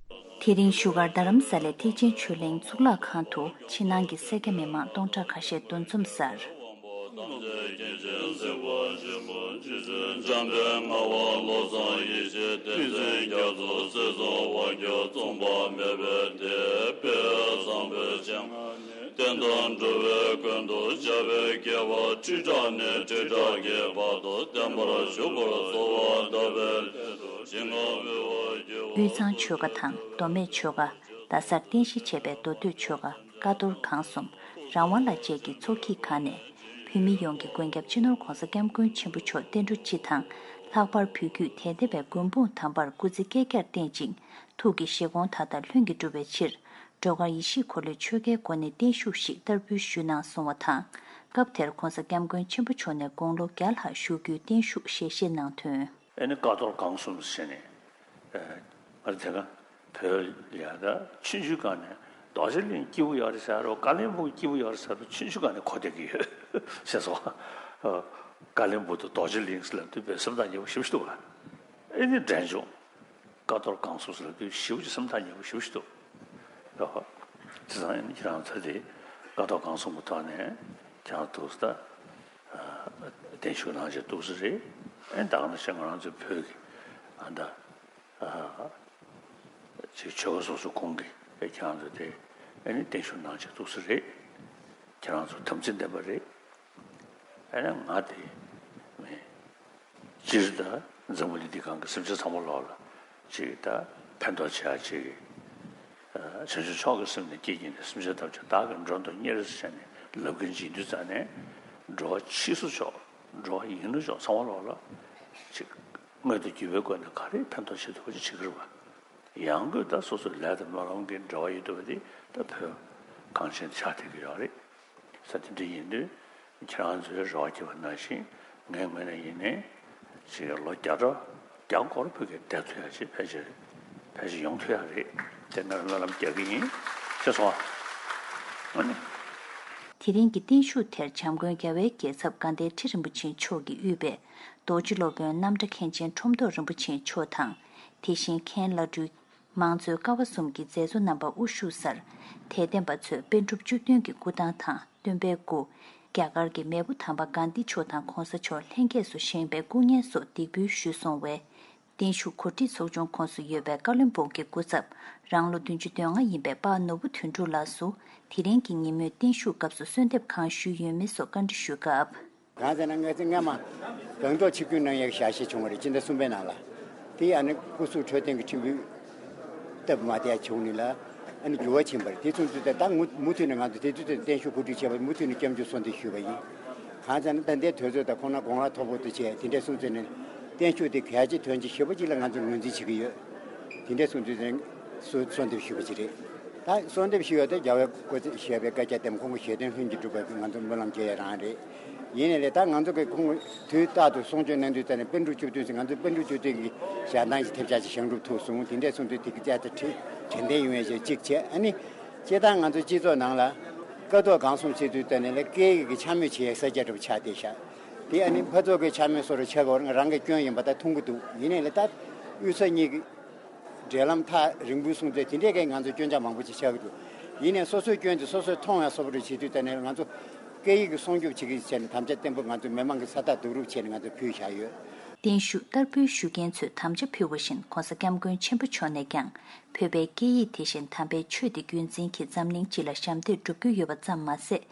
དེ་རིང་བཞུགས་སྒར་རྡ་རམ་ས་ལའི་ཐེག་ཆེན་ཆོས་གླིང་གཙུག་ལག་ཁང་དུ་ཕྱི་ནང་གི་སེར་སྐྱ་མི་མང་སྟོང་ཕྲག་ཁ་ཤས་འདུ་འཛོམས་སར། དབུས་གཙང་ཆོལ་ཁ་དང་མདོ་སྨད་ཆོལ་ཁ། རྡ་སར་རྟེན་གཞི་བྱས་པའི་མདོ་སྟོད་ཆོལ་ཁ། ཀ་རྡོར་སྒང་གསུམ། རང་དབང་ལ་བཅས་ཀྱི་ཚོགས་སྐྱིད་ཁང་ནས། བོད་མི་ཡོངས་ཀྱི་མགོན་སྐྱབས་སྤྱི་ནོར་༧གོང་ས་༧སྐྱབས་མགོན་ཆེན་པོ་མཆོག་བསྟན་འགྲོ་སྤྱི་དང་། ལྷག་པར་བོད་བརྒྱུད་དད་ལྡན་པའི་མགོན་དཔུང་དམ་པར་སྐུ་ཚེ་བསྐལ་བརྒྱར་བརྟན་ཅིང་། ཐུགས་ཀྱི་བཞེད་དགོངས་མཐའ་དག་ལྷུན་གྱིས་འགྲུབ་པའི་ཕྱིར། སྒྲོལ་དཀར་ཡེ་ཤེས་འཁོར་ལོའི་ཆོ་གའི་སྒོ་ནས་བརྟན་བཞུགས་ཤིག་བསྟར་འབུལ་ཞུས་གནང་གསུང་བ་དང་། སྐབས་དེར་༧གོང་ས་༧སྐྱབས་མགོན་ཆེན་པོ་མཆོག་ནས་དགུང་ལོ་བརྒྱ་ལྷག་བཞུགས་རྒྱུའི་བརྟན་བཞུགས་ཞལ་བཞེས་གནང་དོན། ཨེ་ནི་ཀ་རྡོར་སྒང་གསུམ་ཟེར་ནས། ཨ་ང་རང་དེ་སྔ་བོད་ལ་ཡ་ད་ཆུང་ཆུང་སྒང་ནས་རྡོ་རྗེ་གླིང་སྐྱིད་པོ་ཡོད་རེད་ཟེར་རོ། བཀའ་བློན་སྦུག་སྐྱིད་པོ་ཡོད་རེད་ཟེར་རོ། ཆུང་ཆུང་སྒང་ནས་གོ་བསྡད་ཀྱི་ཡོད་ཟེར་སོང་། ཨ་ ཀ་ལོན་སྦུག་ཏུ་རྡོ་རྗེ་གླིང་ཟེར་ལབ་དུས་དཔེ་སེམས་ཐག་ཉེ་པོ་ཞེ་པོ་ཞིག་འདུག་ག་ཨེ་ནི་འབྲས་ལྗོངས་ཀ་རྡོར་སྒང་གསུམ་ཟེར་ལབ་དུས་ཞེ་པོ་ཅིག་སེམས་ཐག་ཉེ་པོ་ཞེ་པོ་ཞིག་འདུག་ཨོ། བྱས་ཙང་ཨེ་ནི་ཁྱེད་རང་ཚོ་དེ་ཀ་རྡོར་སྒང་གསུམ་གྱི་ཐོག་ནས་ཁྱེད་རང་ཐུགས་ས་ད་བརྟན་བཞུགས་གནང་བྱས་ཐུགས་ས་རེད། ཨེ་ད་ག་ནང་བཞིན་ང་རང་ཚོའི་བོད་ཀྱི་ཨ་ད། ཅིག་ཆོལ་ཁ་སོ་སོ་ཁོངས་ཀྱི་ཁྱེད་རང་ཚོ་དེ་ཨ་ནི་བརྟན་བཞུགས་གནང་བྱས་ཐུགས་ས་རེད། ཁྱེད་རང་ཚོ་དམ་ཚིག་ལྡན་པ་རེད། ཨ་ནི་ང་དེ་མེད། སྤྱིར་ད་འཛམ་བུ་གླིང་འདི་སྒང་གི་སེམས་ཅན་ཚང་མ་ལོག་ལ་ཅིག་ད་ཕན་ཐོགས་བྱེད་ཡ་ཅིག་གི་བྱང་ཆུབ་མཆོག་གི་སེམས་ནས་བསྐྱེད་བགྱིས་ནས་སེམས་ཅན་ཐམས་ཅད་བདག་གིས་མགྲོན་དུ་གཉེར་ཟེར་བྱས་ནས་ལབ་མཁན་ཅིག་ཡིན་དུས་ཙང་ནས་འགྲོ་བ་ཕྱིས་སུ་མཆོག་འགྲོ་བ་ཡིན་ནོ་མཆོག་ཚང་མ་ལོག་ལ་ཅིག་དངོས་དང་བརྒྱུད་པའི་སྒོ་ནས་ག་རེ་ཕན་ཐོགས་བྱེད་ཐུབ་པ་ཅིག་བྱེད་ཀྱི་རེད་པ། ཡང་སྒོས་ད་སོ་སོའི་ལས་དང་སྨོན་ལམ་གྱི་འབྲེལ་བ་ཡོད་བསྡད་པ་དེ་ད་བོད་གངས་ཅན་ཆགས་བསྡད་ཀྱི་ཡོད་རེད། ས་དེ་འདྲ་ཡིན་དུས་ཁྱེད་རང་ཚོས་རེ་བ་བསྐྱེད་པ་ནང་བཞིན་ངའི་ངོས་ནས་ཡིན་ནའི་ཅིག་ལོ་བརྒྱ་ཕྲག་བརྒྱ་སྐོར་བོད་སྐད་བསྡད་ཐུབ་ཡ་ཅིག་ཕལ་ཆེར་ཕལ་ཆེར་ཡོང་ཐུབ་ཡ་རེད། དེ་ང་རང་སྨོན་ལམ་རྒྱག་གི་ཡིན། ཤེས་སོང་ཨ། ཨ་ནི། དེ་རིང་གི་བརྟན་བཞུགས་དེར་བྱམས་མགོན་རྒྱལ་བའི་རྒྱལ་ཚབ་དགའ་ལྡན་ཁྲི་རིན་པོ་ཆེ་མཆོག་གིས་དབུས་པའི་རྡོ་རྗེ་སློབ་དཔོན་རྣམ་གྲྭ་མཁན་ཆེན་ཁྲོམ་ཐོག་རིན་པོ་ཆེ་མཆོག་དང་། དེ་བཞིན་མཁན་བླ་སྤྲུལ། མང་གཙོའི་ཀ་བ་གསུམ་གྱི་མཛད་གཙོ་རྣམ་པ་དབུ་བཞུགས་སར། དད་ལྡན་པ་ཚོས་པཎ་གྲུབ་བཅུ་བདུན་གྱི་སྐུ་ཐང་དང་སྟོན་པའི་སྐུ། རྒྱ་གར་གྱི་མེས་པོ་དམ་པ་གྷན་དྷི་མཆོག་དང་གོང་ས་མཆོག་ལྷན་རྒྱས་སུ་བཞེངས་པའི་སྐུ་བརྙན་སོགས་འདེགས་འབུལ་ཞུས་སོང་བས། བརྟན་བཞུགས་གོ་སྒྲིག་ཚོགས་ཆུང་ཁོངས་སུ་ཡོད་པའི་བཀའ་བློན་སྦུག་གི་སྐུ་ཚབ་རང་ལོ་བདུན་ཅུ་དོན་ལྔ་ཡིན་པའི་པ་ནོར་བུ་དོན་གྲུབ་ལགས་སུ། དེ་རིང་གི་ཉིན་མོའི་བརྟན་བཞུགས་སྐབས་སུ་གསོལ་འདེབས་གང་ཞུས་ཡོད་མེད་སོགས་བཀའ་འདྲི་ཞུས་སྐབས། གང་ཟེར་ན་ང་ཚོ་སྔ་མ་སྒང་ཏོག་ཆིབས་བསྒྱུར་གནང་ཡག་ཞལ་བཞེས་བྱུང་བ་རེད། སྤྱི་ཟླ་གསུམ་པའི་ནང་ལ། དེ་ཡང་ནི་སྐུ་གཟུགས་འཕྲོད་བསྟེན་གྱི་ཁྲིམས་དཔོན་སྟབས་མ་བདེ་བྱུང་ནི་ལ་ཨ་ནི་འགྱུར་བ་ཕྱིན་པ་རེད། དེ་སོང་ཙང་ད་ད་མུ་མུ་མཐུད་ནས་ང་ཚོ་དེ་དུས་ཚོད་བརྟན་བཞུགས་གོ་སྒྲིག་བྱས་པ་མུ་མཐུད་ནས་སྐྱབས་འཇུག་གསོལ་འདེབས་ཞུས་པ་ཡིན། གང་ཟེར་ན་ད་ལྟའི་དུས་ཚོད་དང་ཁོང་རང་གོང་ལ་མཐོ་པོ་དུ་བྱས་དེ་འདྲས་སོང་ཙང་ནི་བརྟན་བཞུགས་དེ་གལ་ཆེ་དོན་ཆེ་ཞེ་པོ་ཅིག་ལ་ང་ཚོ་ངོས་འཛིན་བྱེད་ཀྱི་ཡོད། དེ་འདྲས་སོང་ཙང་ནི་གསོལ་གསོལ་འདེབས་ཞུས་པ་ཅིག་རེད། ད་གསོལ་འདེབས་ཞུས་ཡོད་དེ་རྒྱལ་བའི་སྐུ་ཚེ་ཞེས་པའི་བཀའ་རྒྱ་དེ་ཁོང་གི་ཞལ་འདོན་ལྷུན་གྱིས་གྲུབ་པའི་ང་ཚོ་སྨོན་ལམ་རྒྱག་ཡ་རང་རེད། ཡིན་ནའི་ལས་ད་ང་ཚོ་གི་ཁོང་དུས་རྟག་ཏུ་གསུང་ཆོས་གནང་དུས་ཙམ་ནས་པཎ་གྲུབ་བཅུ་བདུན་ཟེར་ང་ཚོ་པཎ་གྲུབ་བཅུ་བདུན་གྱི་ཞལ་ཐང་ཞིག་ཐེབས་ཆག་ཅིག་བཞེངས་གྲུབ་ཐུབ་སོང་། དེ་འདྲས་སོང་དུས་དེ་གི་བཅའ་ཁྲིམས་དྲན་རྟེན་ཡོང་ཡ་ཞིག་གཅིག་བྱས། ཨ་ནི་སྤྱིར་བཏང་ང་ཚོ་སྤྱི་ཚོགས་ནང་ལ་ཀ་རྡོར་སྒང་གསུམ་ཟེར་དུས་ཙམ་ནས་ལས་སྐད་ཡིག་གི་འཕྱ་སྨོད་བྱེད་ཡའི་ས་ཆ་འདྲ་པོ་ཆགས་བསྡད་ཤག་དེ་ཨ་ནི་ཕར་ཚུར་གྱི་འཕྱ་སྨོད་བཟོ་འདྲ་ཆགས་ཀྱི་ཡོད་རེད། ང་རང་གི་སྐྱོན་ཡིན་པ་ད་མཐོང་གི་འདུག་ཡིན་ནའི་ལས་ད་དབུས་ས་གཉིས་ཀྱི་འབྲེལ་ལམ་ཐག་རིང་པོའི་སོང་ཙང་དེ་འདྲས་ཀྱི་ང་ཚོ་སྐྱོན་ཆ་མང་པོ་ཅིག་ཆགས་ཀྱི་འདུག་ཡིན་ནའི་སོ་སོའི་སྐྱོན་དེ་སོ་སོས་མཐོང་ཡ་སོ་པ་རེ་བྱེད་དུས་ཙམ་ནས་ང་ཚོ་སྐད་ཡིག་གི་སྲུང་སྐྱོབ་བྱེད་ཀྱི་བྱས་ནས་དམ་བཅའ་བརྟན་པོ་ང་ཚོ་མི་མང་གི་ས་རྟགས་བསྡུ་རུབ་བྱས་ནས་ང་ཚོ་ཕུལ་བཞག་ཡོད། བརྟན་བཞུགས་བསྟར་འབུལ་ཞུ་མཁན་ཚོས་དམ་བཅའ་ཕུལ་བ་བཞིན་༸གོང་ས་༸སྐྱབས་མགོན་ཆེན་པོ་མཆོག་ནས་ཀྱང་བོད་པའི་སྐད་ཡིག་དེ་བཞིན་དམ་པའི་ཆོས་དེ་རྒྱུན་འཛིན་གྱིས་འཛམ་གླིང་སྤྱི་ལ་ཞབས་འདེགས་སྒྲུབ་ཀྱི་ཡོད་པ་ཙམ་མ་ཟད།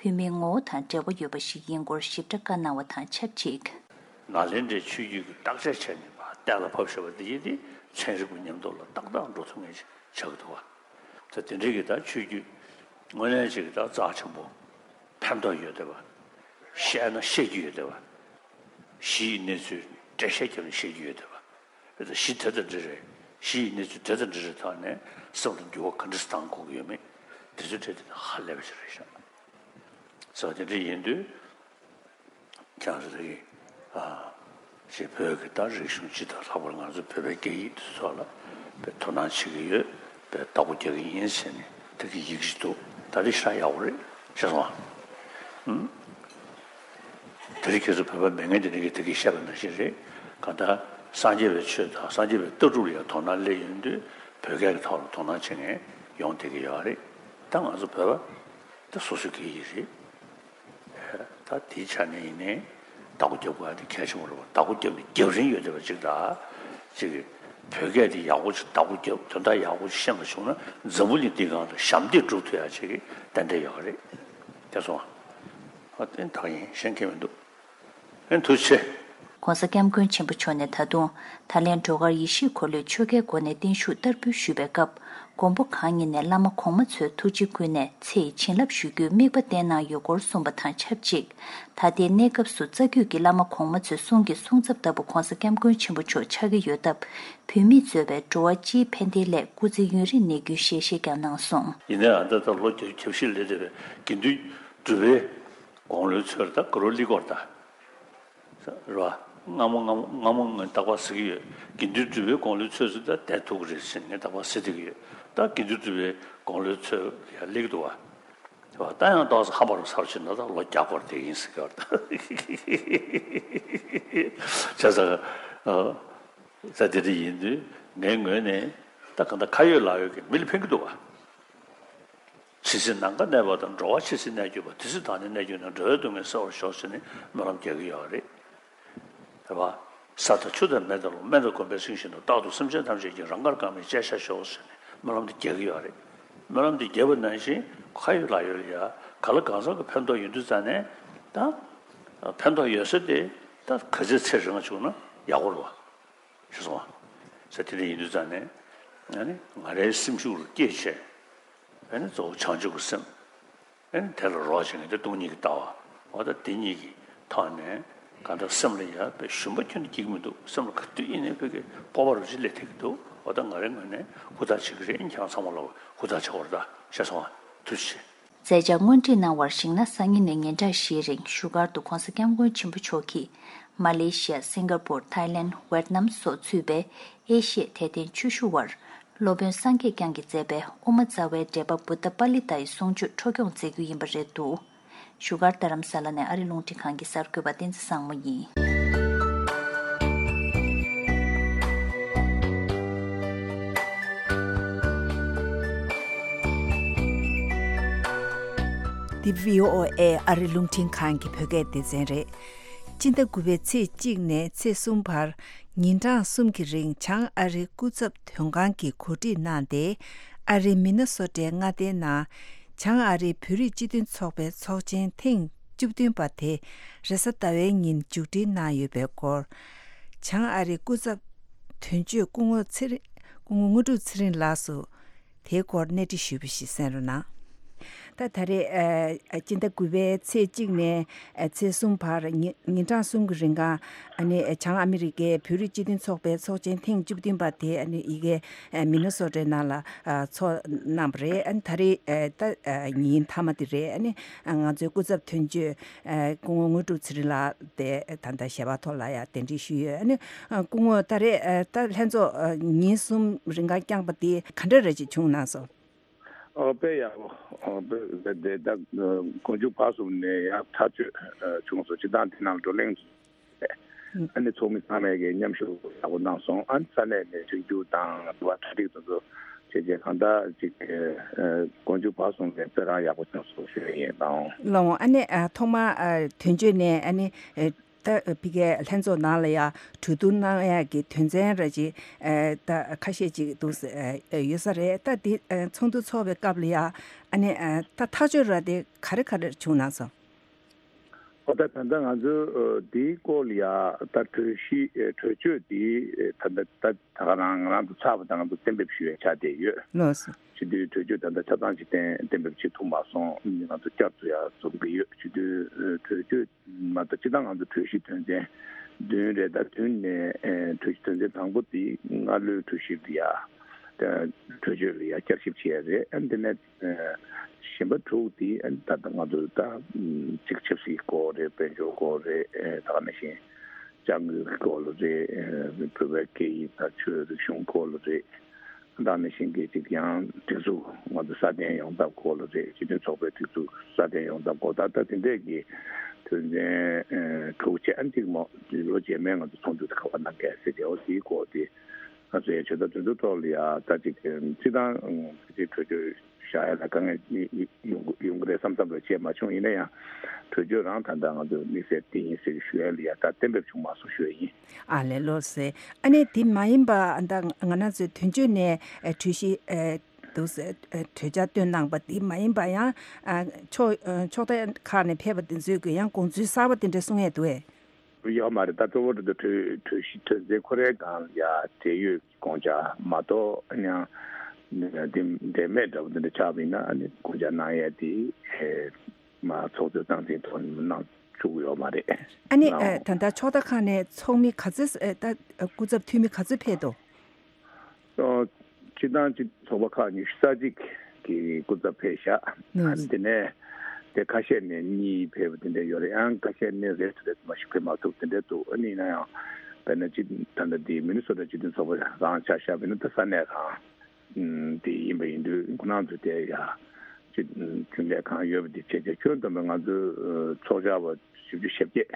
བོད་མིའི་ངོ་བོ་དང་འབྲེལ་བ་ཡོད་པ་ཞིག་ཡིན་སྐོར་ཞིབ་ཕྲ་བཀའ་གནང་བ་དང་ཆབས་ཅིག་ནཱ་ལེནྡྲའི་ཆོས་བརྒྱུད་ཀྱི་བརྟག་དཔྱད་བྱས་ནས་ཕར་གཏན་ལ་ཕབ་བཞག་པ་འདི་ཡིན་ཏེ་ཚན་རིག་པ་མཉམ་དུ་ལ་ཏག་ཏག་འགྲོ་ཐུབ་མཁན་ཞིག་ཆགས་ཀྱི་འདུག་བ། ད་དེ་འདྲའི་གི་ད་ཆོས་བརྒྱུད་དངོས་གནས་ཅིག་གི་ད་རྩ་ཆེན་པོ་ཕན་ཐོགས་ཡོད་བསྡད་པ། བཤད་ན་བཤད་རྒྱུ་ཡོད་བསྡད་པ། གཞི་ཡི་གནས་ཚུལ་འགྲེལ་བཤད་བརྒྱབ་ནས་བཤད་རྒྱུ་ཡོད་བསྡད་པ། རེད་ད་གཞི་དེ་དང་འདྲ་རེད། གཞི་ཡི་གནས་ཚུལ་དེ་དང་འདྲ་རེད་ཐོག་ནས་སེམས་ལ་འགྱུར་བ་ག་འདྲ་ཞིག་བཏང་དགོས་ཀྱི་ཡོད་མེད་དེ་ཚོའི་གྲས་དེ་ཧ་ལས་པ་ཞིག་རེད་ཤག་ཟེར་བ་དེ་འདྲ་ཡིན་དུས། ཁྱེད་རང་ཚོ་གིས་ཨ་ཞེས་བོད་ཀྱི་ད་རིག་གཞུང་སྤྱི་དང་ལྷག་པར་ང་ཚོ་བོད་པའི་སྐད་ཡིག་འདི་ཚོ་ལ་དཔེ་དོ་སྣང་བྱེད་ཀྱི་ཡོད། དཔེ་བདག་པོ་རྒྱག་གི་ཡིན་ཟེར་ནས་དེ་གི་ཡི་གེ་ཞིག་འདུག་ད་རེས་ཤ་ཡག་པོ་རེད་ཤེས་སོང་ཨ། ཨུམ། དེ་རིང་ཁྱེད་ཚོ་བོད་པ་མེད་མཁན་དེ་རིང་གི་དེ་གི་བཤད་པ་ནང་བཞིན་རེད། གང་ལྟར་སངས་རྒྱས་པའི་ཆོས་དང་སངས་རྒྱས་པའི་ལྟ་གྲུབ་ལ་ཡང་དོ་སྣང་སླེབས་ཡོང་དུས་བོད་སྐད་ཀྱི་ཐོག་ལ་དོ་སྣང་བྱེད་མཁན་ཡོང་བསྡད་ཀྱི་ཡོད་རེད། ད་ང་ཚོ་བོད་པ་ད་སོ་སོའི་སྐད་ཡིག་རེད། ད་དེའི་ཆ་ནས་ཡིན་ནའི་བདག་པོ་རྒྱབ་དགོས་ཡ་དེ་གལ་ཆེན་པོ་རེད་པ། བདག་པོ་རྒྱབ་ནས་རྒྱབ་རིན་ཡོད་བསྡད་པ་ཅིག་དང་། ཅིག་གིས་བོད་སྐད་དེ་ཡག་པོ་ཅིག་བདག་པོ་རྒྱབ་དོན་དག་ཡག་པོ་ཅིག་ཤེས་པ་བྱུང་ན་འཛམ་བུ་གླིང་འདིའི་སྒང་ལ་ཞབས་འདེགས་སྒྲུབ་ཐུབ་ཡ་ཅིག་གི་རྟེན་འབྲེལ་ཡོད་རེད། དེ་སོང་ཨ། ཨ་བརྟན་ཐག་ཡིན་གཞན་གང་མི་འདུག་ཨེ་ཐུགས་རྗེ་ཆེ། ༸གོང་ས་༸སྐྱབས་མགོན་ཆེན་པོ་མཆོག་ནས་ད་དུང་ད་ལན་སྒྲོལ་དཀར་ཡེ་ཤེས་འཁོར་ལོའི་ཆོ་གའི་སྒོ་ནས་བརྟན་བཞུགས་བསྟར་འབུལ་ཞུས་པའི་སྐབས། མགོན་པོ་གང་ཉིད་ནས་བླ་མ་གོང་མ་ཚོའི་ཐུགས་རྗེ་བསྐུལ་ནས་ཚེ་ཡི་བྱིན་རླབས་ཞུ་རྒྱུའི་དམིགས་པ་བསྟན་གནང་ཡོད་སྐོར་གསུངས་པ་དང་ཆབས་ཅིག་ད་ལྟའི་གནས་སྐབས་སུ་རྩ་རྒྱུད་ཀྱི་བླ་མ་གོང་མ་ཚོའི་གསུང་གི་གསུང་ཚབ་ལྟ་བུ་༸གོང་ས་༸སྐྱབས་མགོན་ཆེན་པོ་མཆོག་ཆགས་ཀྱི་ཡོད་སྟབས། བོད་མིས་གཙོས་པའི་འགྲོ་བ་སྤྱིའི་ཕན་བདེའི་སླད་སྐུ་ཚེ་ཡུན་རིང་གནས་རྒྱུའི་ཞལ་བཞེས་ཀྱང་གནང་སོང་། ཡིན་ནའང་ད་ལྟ་ལོ་བརྒྱ་བཞི་སླེབས་བསྡད་པའི་དགེ་འདུན་གྲུབ་པའི་དགུང་ལོའི་ཚོད་ད་ག་རོ་ལི་སྐོར་ད། རེད་བ། སྔ་མོ་སྔ་མོ་སྔ་མོ་ངས་རྟག་པར་ཟེར་གྱི་ཡོད། དགེ་འདུན་གྲུབ་པའི་དགུང་ལོའི་ཚོད་ཚོད་ད་བསྡད་ཐུབ་ཀྱི་རེད་ཟེར་ནས་ངས་རྟག་པར་ཟེར་བསྡད་ཀྱི་ཡོད། ད་དགེ་འདུན་གྲུབ་པའི་དགུང་ལོའི་ཚོད་ཡར་སླེབས་ཀྱི་འདུག་བ། དེ་བ་ད་ཡང་ཏོག་ཙམ་ཧམ་པ་རུ་སར་ཕྱིན་ན་ད་ལོ་བརྒྱ་སྐོར་དེ་ཡིན་ཟེར་གི་བར་ད། བྱས་ཙང་། ས་དེ་འདྲ་ཡིན་དུས་ངའི་ངོས་ནས་ད་གང་ལྟར་ཁ་ཡོད་ལག་ཡོད་ཀྱི་མི་ལ་ཕན་གྱི་འདུག་བ། ཇི་སྲིད་ནམ་མཁའ་གནས་པ་དང་། འགྲོ་བ་ཇི་སྲིད་གནས་གྱུར་པ། དེ་སྲིད་བདག་ནི་གནས་གྱུར་ནས། འགྲོ་བའི་སྡུག་བསྔལ་སེལ་བར་ཤོག་ཟེར་ནས་སྨོན་ལམ་རྒྱག་གི་ཡོད་རེད། རེད་བ། ས་དང་ཆུ་དང་མེ་དང་རླུང་། སྨན་དང་སྒོམ་པས་ཚིམ་བཞིན་དུ། རྟག་ཏུ་སེམས་ཅན་ཐམས་ཅད་ཀྱི། རང་དགར་གང་མིན་སྤྱད་བྱ་ཤོག་ཟེར་ནས་སྨོན་ལམ་དེ་རྒྱག་གི་ཡོད་རེད། སྨོན་ལམ་དེ་རྒྱག་པ་ནང་བཞིན་ཁ་ཡོད་ལག་ཡོད་ལ་ཡ་ག་ལ་གང་འཚམ་གྱི་ཕན་ཐོགས་ཡོད་དུས་ཙང་ནས་ད། ཕན་ཐོགས་ཡོད་ས་དེ་ད་ག་ཚོད་ཚེ་རིང་བྱུང་ན་ཡག་པོ་རེད་བ། ཤེས་སོང་ང་། ས་དེ་འདྲ་ཡིན་དུས་ཙང་ནས་ཨ་ནི་ང་རའི་སེམས་ཤུགས་ལ་སྐྱེད་བྱས། ཨ་ནི་གཙོ་བོ་བྱང་ཆུབ་ཀྱི་སེམས། ཨ་ནི་དེ་ལ་རོགས་བྱེད་མཁན་དེ་སྟོང་ཉིད་ཀྱི་ལྟ་བ། འོ་ད་དེ་གཉིས་ཀྱི་ཐོག་ནས་གང་ལྟར་སེམས་ལ་ཡ་དཔེ་ཞུམ་པ་ཁྱོན་ནས་སྐྱེ་གི་མི་འདུག་སེམས་ལ་ག་དུས་ཡིན་ནའི་བོད་ཀྱི་སྤོབས་པ་རུ་ཅིག་སླེབས་ཐུབ་ཀྱི་འདུག་འོ་ད་ང་རའི་ངོས་ནས་ཧུར་ཐག་བྱེད་ཀྱི་རེད། ཁྱེད་རང་ཚང་མ་ལ་ཧུར་ཐག་བྱེད་དགོས་རེད། ད་ཤེས་སོང་ང་། ཐུགས་རྗེ་ཆེ། མཛད་འཆར་སྔོན་ཁྲིད་གནང་བར་གཞིགས་ན། སང་ཉིན་ནས་ཉིན་གྲངས་བཞིའི་རིང་བཞུགས་སྒར་དུ་༸གོང་ས་༸སྐྱབས་མགོན་ཆེན་པོ་མཆོག་གིས་མ་ལེ་ཤི་ཡ། སིང་ག་པུར། ཐའི་ལེན། ཝེད་ནམ་སོགས་ཚུད་པའི་ཨེ་ཤི་ཡའི་དད་ལྡན་ཆོས་ཞུ་བར་སློབ་དཔོན་སངས་རྒྱས་བསྐྱངས་ཀྱིས་མཛད་པའི་དབུ་མ་རྩ་བའི་འགྲེལ་པ་བུདྡྷ་པཱ་ལི་ཏཱ་ཡི་གསུང་ཆོས་འཕྲོ་སྐྱོང་མཛད་རྒྱུ་ཡིན་པ་རེད་འདུག་བཞུགས་སྒར་རྡ་རམ་ས་ལ་ནས་ཨ་རི་རླུང་འཕྲིན་ཁང་གི་གསར་འགོད་པ་བསྟན་འཛིན་བཟང་མོ་ཡིན། འདི་བྷི་ཨོ་ཨེ་ཨ་རི་རླུང་འཕྲིན་ཁང་གི་བོད་སྐད་སྡེ་ཚན་རེད། སྤྱི་ཟླ་དགུ་པའི་ཚེས་གཅིག་ནས་ཚེས་གསུམ་བར་ཉིན་གྲངས་གསུམ་གྱི་རིང་བྱང་ཨ་རིའི་སྐུ་ཚབ་དོན་ཁང་གིས་གོ་སྒྲིག་གནང་སྟེ། ཨ་རིའི་མི་ན་སོ་ཊའི་མངའ་སྡེའི་ནང་བྱང་ཨ་རིའི་བོད་རིགས་སྤྱི་མཐུན་ཚོགས་པའི་ཚོགས་ཆེན་ཐེངས་བཅུ་བདུན་པ་དེ་རེས་གཟའ་ཟླ་བའི་ཉིན་མཇུག་སྒྲིལ་གནང་ཡོད་པའི་སྐོར། བྱང་ཨ་རིའི་སྐུ་ཚབ་དོན་གཅོད་སྐུ་ངོ་ཚེ་རིང་། སྐུ་ངོ་དངོས་གྲུབ་ཚེ་རིང་ལགས་སུ་དེའི་སྐོར་གནས་འདྲི་ཞུས་པ་ཞིག་གསན་རོགས་གནང་། ད་ད་རེས་ཨ་སྤྱི་ཟླ་དགུ་པའི་ཚེས་གཅིག་ནས་ཨ་ཚེས་གསུམ་བར་ཉི་ཉིན་གྲངས་གསུམ་གྱི་རིང་ག་ཨ་ནི་བྱང་ཨ་མི་རི་ཀའི་བོད་རིགས་སྤྱི་མཐུན་ཚོགས་པའི་ཚོགས་ཆེན་ཐེངས་བཅུ་བདུན་པ་དེ་ཨ་ནི་ཡི་གེ་ཨ་མི་ནི་སོ་ཊའི་ནང་ལ་ཨ་ཚོགས་གནང་བ་རེད། ཨ་ནི་ད་རེས་ཨ་ད་ཨ་ཉིན་མཐའ་མ་དེ་རེད། ཨ་ནི་ང་ཚོའི་སྐུ་ཚབ་དོན་གཅོད་ཨ་སྐུ་ངོ་དངོས་གྲུབ་ཚེ་རིང་ལགས་དེ་ད་ལྟ་ཞལ་པར་ཐོག་ལ་ཡང་གདན་འདྲེན་ཞུས་ཡོད། ཨ་ནི་ཨ་སྐུ་ངོ་ད་རེས་ཨ་ད་ལྷན་ཚོགས་ཨ་ཉིན་གསུམ་རིང་ག་བསྐྱངས་པ་དེ་ག་འདྲ་རེ་ཅིག་བྱུང་གནང་སོང་། ཨོ་དཔེ་ཡག་པོ། ཨོ་དཔེ་དེ་ད་མགོ་མཇུག་བར་གསུམ་ནས་ཡང་ཐག་གཅོད་ཨ་བྱུང་སོང་། སྤྱི་བཏང་དེ་ནང་བགྲོ་གླེང་ཨ་ནི་ཚོགས་མི་ཚང་མས་ཀྱི་མཉམ་ཞུགས་ཡག་པོ་གནང་སོང་། ཨ་ནི་ས་གནས་ནས་མཐུན་འགྱུར་དང་དུ་བ་གྲ་སྒྲིག་དེ་ཚོ་བྱས་རྗེས་གང་ལྟར་ཅིག་ཨ་མགོ་མཇུག་བར་གསུམ་ནས་དཔེ་རང་ཡག་པོ་བྱུང་སོང་ཞུ་ཡ་ཡིན། ལགས་འོང་། ལགས་འོང་། ཨ་ནི་ཨ་ཐོག་མ་ཨ་དོན་གཅོད་ནས་ཨ་ནི་ཨ་ད་ཕ་གིའི་ལྷན་ཚོགས་ནང་ལ་ཡ་གྲོས་བསྡུར་གནང་ཡ་གི་དོན་ཚན་ར་ཅིག་ཨ་ད་ཁ་ཤས་ཅིག་འདུག་ཨ་ཡོད་ས་རེད། ད་འདི་ཨ་ཚོགས་འདུ་ཚོགས་པའི་སྐབས་ལ་ཡ་ཨ་ནི་ཨ་ད་ཐག་གཅོད་ར་དེ་ག་རེ་ག་རེ་བྱུང་གནང་སོང་། ཨོ་ད་ད་ལྟ་ང་ཚོས་ཨ་འདིའི་སྐོར་ལ་ཡ་ད་གྲོས་གཞི་ཨ་གྲོས་ཆོད་འདི་ཨ་ད་ལྟ་ད་ད་ག་རང་ང་རང་ཚོ་ཚར་བ་དང་ང་ཚོ་གཏན་འབེབས་ཞུ་ཡ་ཆགས་བསྡད་ཡོད། ལགས་སོ། སྤྱི་འཐུས་གྲོས་ཆོད་ད་ལྟ་ཆ་ཚང་ཅིག་གཏན་གཏན་འབེབས་བྱེད་ཐུབ་མ་སོང་། ང་ཚོ་བསྐྱར་དུ་ཡ་འཛོམས་ཀྱི་ཡོད། སྤྱི་འཐུས་ཨ་གྲོས་ཆོད་མ་གཏོགས་སྤྱི་བཏང་ང་ཚོ་གྲོས་གཞི་དོན་ཚན་བདུན་རེད། ད་བདུན་ནས་ཨེ་གྲོས་གཞི་དོན་ཚན་དང་པོ་དེ་སྔ་ལོའི་གྲོས་གཞི་ལ་ཡ་ད་གྲོས་ཆོད་ལ་ཡ་བསྐྱར་ཞིབ་བྱས་རེད། ཨ་འདི་ནས་ཨེ་གཞན་པ་དྲུག་དེ་ཨ་ད་ལྟ་ང་ཚོ་ད་ཨམ་གཅིག་ཆབ་སྲིད་སྐོར་རེད། དཔལ་འབྱོར་སྐོར་རེད། ཨེ་ད་ག་ནང་བཞིན་ཅ་དངོས་ཀྱི་སྐོར་ལ་རེད། ཨེ་བོད་པའི་སྐད་ཡིག་དང་ཆོས་རིག་གཞུང་སྐོར་ལ་རེད། ད་ནང་བཞིན་གྱི་ཅིག་ཡང་སྒྲིག་འཛུགས་ང་ཚོ་སྲ་བརྟན་ཡོང་ཐབས་སྐོར་ལ་རེད། སྤྱི་མཐུན་ཚོགས་པའི་སྒྲིག་འཛུགས་སྲ་བརྟན་ཡོང་ཐབས་སྐོར། ད་ལྟ་དེ་འདྲས་ཀྱི་དོན་ཚན་ཨ་དྲུག་བྱས། ཨ་གཅིག་མོ་ལོ་རྗེས་མའི་ང་ཚོ་ཚོགས་འདུ་དེ་ག་པར་གནང་གལ་སྲིད་དེ་འོ་དེའི་སྐོར་དེ་ང་ཚོ་ཡང་ཇི་ལྟར་དོན་དུ་ཐོག་ལ་ཡ་ད་ཅིག་སྤྱི་བཏང་ཕལ་ཆེར་གྲོས་ཆོད་བཞག་ཡ་ལ་དཀའ་ངལ་ཡོང་ཡོང་གི་རེད་བསམ་བསམ་རེ་བྱས་མ་བྱུང་། ཡིན་ན་ཡང་གྲོས་ཆོད་རང་ད་ལྟ་ང་ཚོ་དམིགས་བསལ་འདི་ཡིན་ཟེར་ཞུ་ཡ་ལ་ཡ་ད་གཏན་འབེབས་བྱུང་མ་སོང་ཞུ་ཡ་ཡིན། ཨ་ལས། ལགས་སེ། ཨ་ནི་དེ་མ་ཡིན་པ་ད་ང་རང་ཚོའི་དོན་གཅོད་ནས་ཨ་གྲོས་གཞི་ཨ་འདུག་སེ་ཨ་གྲོས་འཆར་བཏོན་གནང་པ་དེ་མ་ཡིན་པ་ཡང་ཨ་ཕྱོགས་ཨ་ཕྱོགས་མཐའ་ཁག་ནས་ཕེབས་པ་དེ་ཚོས་ཀྱི་ཡང་དགོངས་ཚུལ་གསར་པ་དེ་འདྲ་གསུང་ཡས་འདུག་ཨེ། ཡོད་མ་རེད། ད་གཙོ་བོ་དེ་གྲོས་གྲོས་གཞི་དོན་ཚན་ཁོ་རའི་སྒང་ལ་ཡ་འབྲེལ་ཡོད་དགོངས་འཆར་མ་གཏོགས་ཡང་དེ་འབྲེལ་མེད་འདྲ་བོ་དེ་འདྲ་ཆགས་པ་ཡིན་ན་ཨ་ནི་དགོངས་འཆར་གནང་ཡས་དེ་ཨེ། མ་ཚོགས་གཙོས་སྟངས་འཛིན་ཐོག་ནས་གནང་བཅུག་ཡོད་མ་རེད། ཨ་ནི་ལའོ། ཨ་ད་ལྟ་ཕྱོགས་མཐའ་ཁག་ནས་ཚོགས་མི་ག་ཚོད་ཨ་ད་སྐུ་ཚབ་འཐུས་མི་ག་ཚོད་ཕེབས་འདུག་ཨོ། སྤྱི་བཏང་སྤྱི་ཚོགས་པ་ཁག་ཉི་ཤུ་རྩ་གཅིག་གི་སྐུ་ཚབ་ཕེབས་ཤག་ཨ་ནི་དེ་ནས་དེ་ཁ་ཤས་ནས་གཉིས་ཕེབས་པ་དེ་འདྲ་ཡོད་རེད། ཡང་ཁ་ཤས་ནས་རེ་ཞིག་རེ་ཞིག་མ་ཞིག་ཕེབས་མ་ཐུབ་དེ་འདྲ་འདུག་ཨ་ནི་ཡིན་ན་ཡང་དཔེར་ན་སྤྱི་ད་ལྟ་འདི་མི་ནི་སོ་ཊ་སྤྱི་མཐུན་ཚོགས་པ་རང་ཆ་བཞག་པ་ཡིན་ན་ད་ས་གནས་རང་དེ་ཡིན་པ་ཡིན་དུས་ཁོ་རང་ཚོ་དེ་ཡ་ ཅིག་གྲུབ་འབྲས་གང་ཡོད་པ་དེ་བྱས་བྱས། ཁྱོན་བསྡོམས་པའི་ང་ཚོའི་ཚོགས་བཅར་བ་བཞི་བཅུ་ཞེ་བརྒྱད་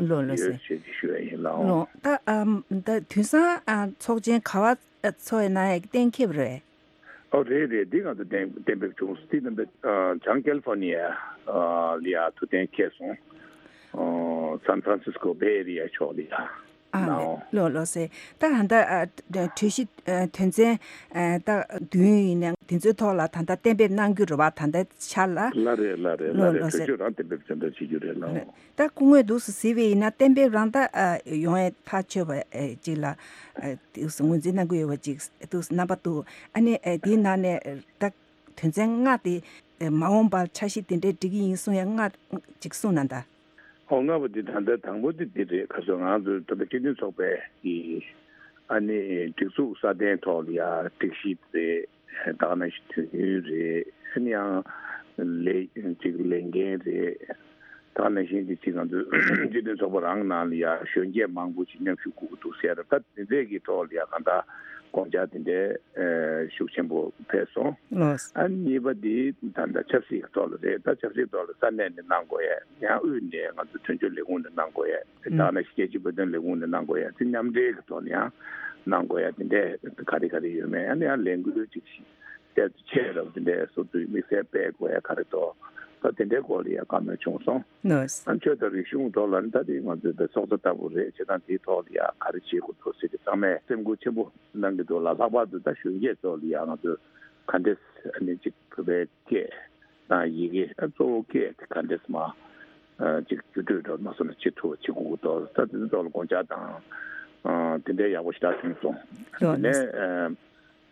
ལོ་ལོ་ཡོད་ཟེར། ཅེས་ཞུ་ཡ་ཡིན་ལགས། ལོ་ད་ཨམ་ད་དུས་སང་ཨ་ཚོགས་ཆེན་ག་བ་ཚོགས་ཡ་གནང་ཡ་གི་གཏན་འཁེལ་རེད། ཨོ་རེད་རེད། འདི་ང་ཚོ་གཏན་གཏན་འབེབས་བྱུང་སོང་། དེ་གཏན་འབེབས་ཨ་བྱང་ཀེ་ལི་ཧྥོ་ནི་ཡ་ཨ་ལ་ཡ་ཐུགས་གཏན་འཁེལ་སོང་། ཨ་སན་ཧྥ་རན་སིས་ཀོ་བྷེ་ཨེ་རི་ཡ་ཕྱོགས་ལ་ཡ་ཨ་ནའོ། ལོ་ལོ་ཟེར། ད་ད་ལྟ་ཨ་གྲོས་གཞི་ཨ་དོན་ཚན་ཨ་ད་བདུན་ཡིན་ནའང་དེ་ཚོའི་ཐོག་ལ་ད་ལྟ་གཏན་འབེབས་གནང་རྒྱུ་རེད་བ། ད་ལྟའི་ཆར་ལ། ལ་རེད་ལ་རེད་ལ་ལོ་རེད། ལོ་གྲོས་ཟེར། ཆོད་རང་གཏན་འབེབས་བྱ་འདྲ་བྱེད་རྒྱུ་རེད་ལ། ད་སྐུ་ངོས་འདུག་སེ་གཟིགས་པ་ཡིན་ན་གཏན་འབེབས་རང་ད་ཨ་ཡོང་ཡས་ཐག་ཆོད་པ་ཨ་ཅིག་ལ་ཨ་འདུག་སེ་ངོས་འཛིན་གནང་གི་ཡོད་པ་ཅིག་འདུག་སེ་རྣམ་པ་འདུག་ཨ་ནི་ཨ་དེའི་ནང་ནས་ད་དོན་ཚན་ལྔ་དེ་ཨ་མ་འོངས་པར་འཆར་གཞི་དེ་འདྲའི་སྒྲིག་གི་ཡིན་གསུང་ཡས་ལྔ་ཅིག་གསུང་གནང་ད། ཨོ་ལྔ་པོ་འདི་ད་ལྟ་དང་པོ་འདི་འདི་རེད། ག་ཚོད་ང་ཚོའི་ད་ལྟ་སྤྱི་མཐུན་ཚོགས་པའི་གི་ཨ་ནི་སྒྲིག་འཛུགས་སྲ་བརྟན་ཐོག་ལ་ཡ་སྒྲིག་གཞི་རེད། ད་ག་ནང་བཞིན་དུས་ཡུན་རེད། ཨ་ནི་ཡང་ལས་ཅིག་ལས་འགན་རེད། ད་ག་ནང་བཞིན་དུ་ཅིག་ང་ཚོའི་སྤྱི་མཐུན་ཚོགས་པ་རང་ནང་ལ་ཡ་གཞོན་སྐྱེས་མང་པོ་ཅིག་མཉམ་ཞུགས་དགོས་ཀྱི་འདུག་ཟེར། ད་འདི་འདྲས་ཀྱི་ཐོག་ལ་ཡ་གང་ལྟར་དགོངས་འཆར་དེ་འདྲའི་ཨ་ཤུགས་ཆེན་པོ་ཕེབས་སོང་། ལགས། ཨ་གཉིས་པ་འདི་ད་ལྟ་ཆབ་སྲིད་ཀྱི་ཐོག་ལ་རེད། ད་ཆབ་སྲིད་ཐོག་ལ་ས་གནས་ནས་གནང་དགོས་ཡས། ཡང་དབུས་ནས་ང་ཚོ་དོན་གཅོད་ལས་ཁུངས་ནས་གནང་དགོས་ཡས། ད་ནི་རྒྱལ་སྤྱིའི་བོད་དོན་ལས་ཁུངས་ནས་གནང་དགོས་ཡས། དེ་མཉམ་འབྲེལ་གྱི་ཐོག་ནས་ཡང་གནང་དགོས་ཡས། དེ་འདྲས་ག་རེ་ག་རེ་ཡོད་མེད། ཨ་ནི་ཡང་ལས་འགུལ་ཅིག་ཤེས་ཚད་ཆེ་རབས་དེ་འདྲས་བཟོ་དུས་དམིགས་བསལ་སྤེལ་དགོས་ཡས་ག་རེ་འདུག་ད་དེ་འདྲའི་སྐོར་ལ་ཡང་བཀའ་མོལ་བྱུང་སོང་། ལགས། ཨ་ཆོས་དང་རིག་གཞུང་ཐོག་ལ་ནི་ད་དེ་ང་ཚོའི་བོད་ཚོགས་གཙོ་ལྟ་བུ་རེད། བྱས་ཙང་དེའི་ཐོག་ལ་ཡང་ག་རེ་བྱེད་དགོས་འདུག་ཟེར་ཏེ་ཚང་མས་སེམས་ཁུར་ཆེན་པོ་གནང་གི་འདུག་ལ། ལྷག་པར་དུ་ད་གཞོན་སྐྱེས་ཚོ་ལ་ཡང་ང་ཚོས་ག་འདྲས་ཨ་ནི་ཅིག་བོད་པའི་སྐད་དང་ཡི་གེ་ཨ་གཙོ་བོ་སྐད་དེ་ག་འདྲས་མ་ཨ་ཅིག་བརྒྱུད་སྤྲོད་འགྲོ་མ་སོང་ན་ཅི་ཐུབ་བྱེད་དགོས་ཀྱི་འདུག་ད་དེ་ཚོའི་ཐོག་ལ་དགོངས་འཆར་དང་ཨ་དེ་འདྲའི་ཡག་པོ་ཞེ་དྲག་བྱུང་སོང་། ལགས། དེ་ནས་ཨ་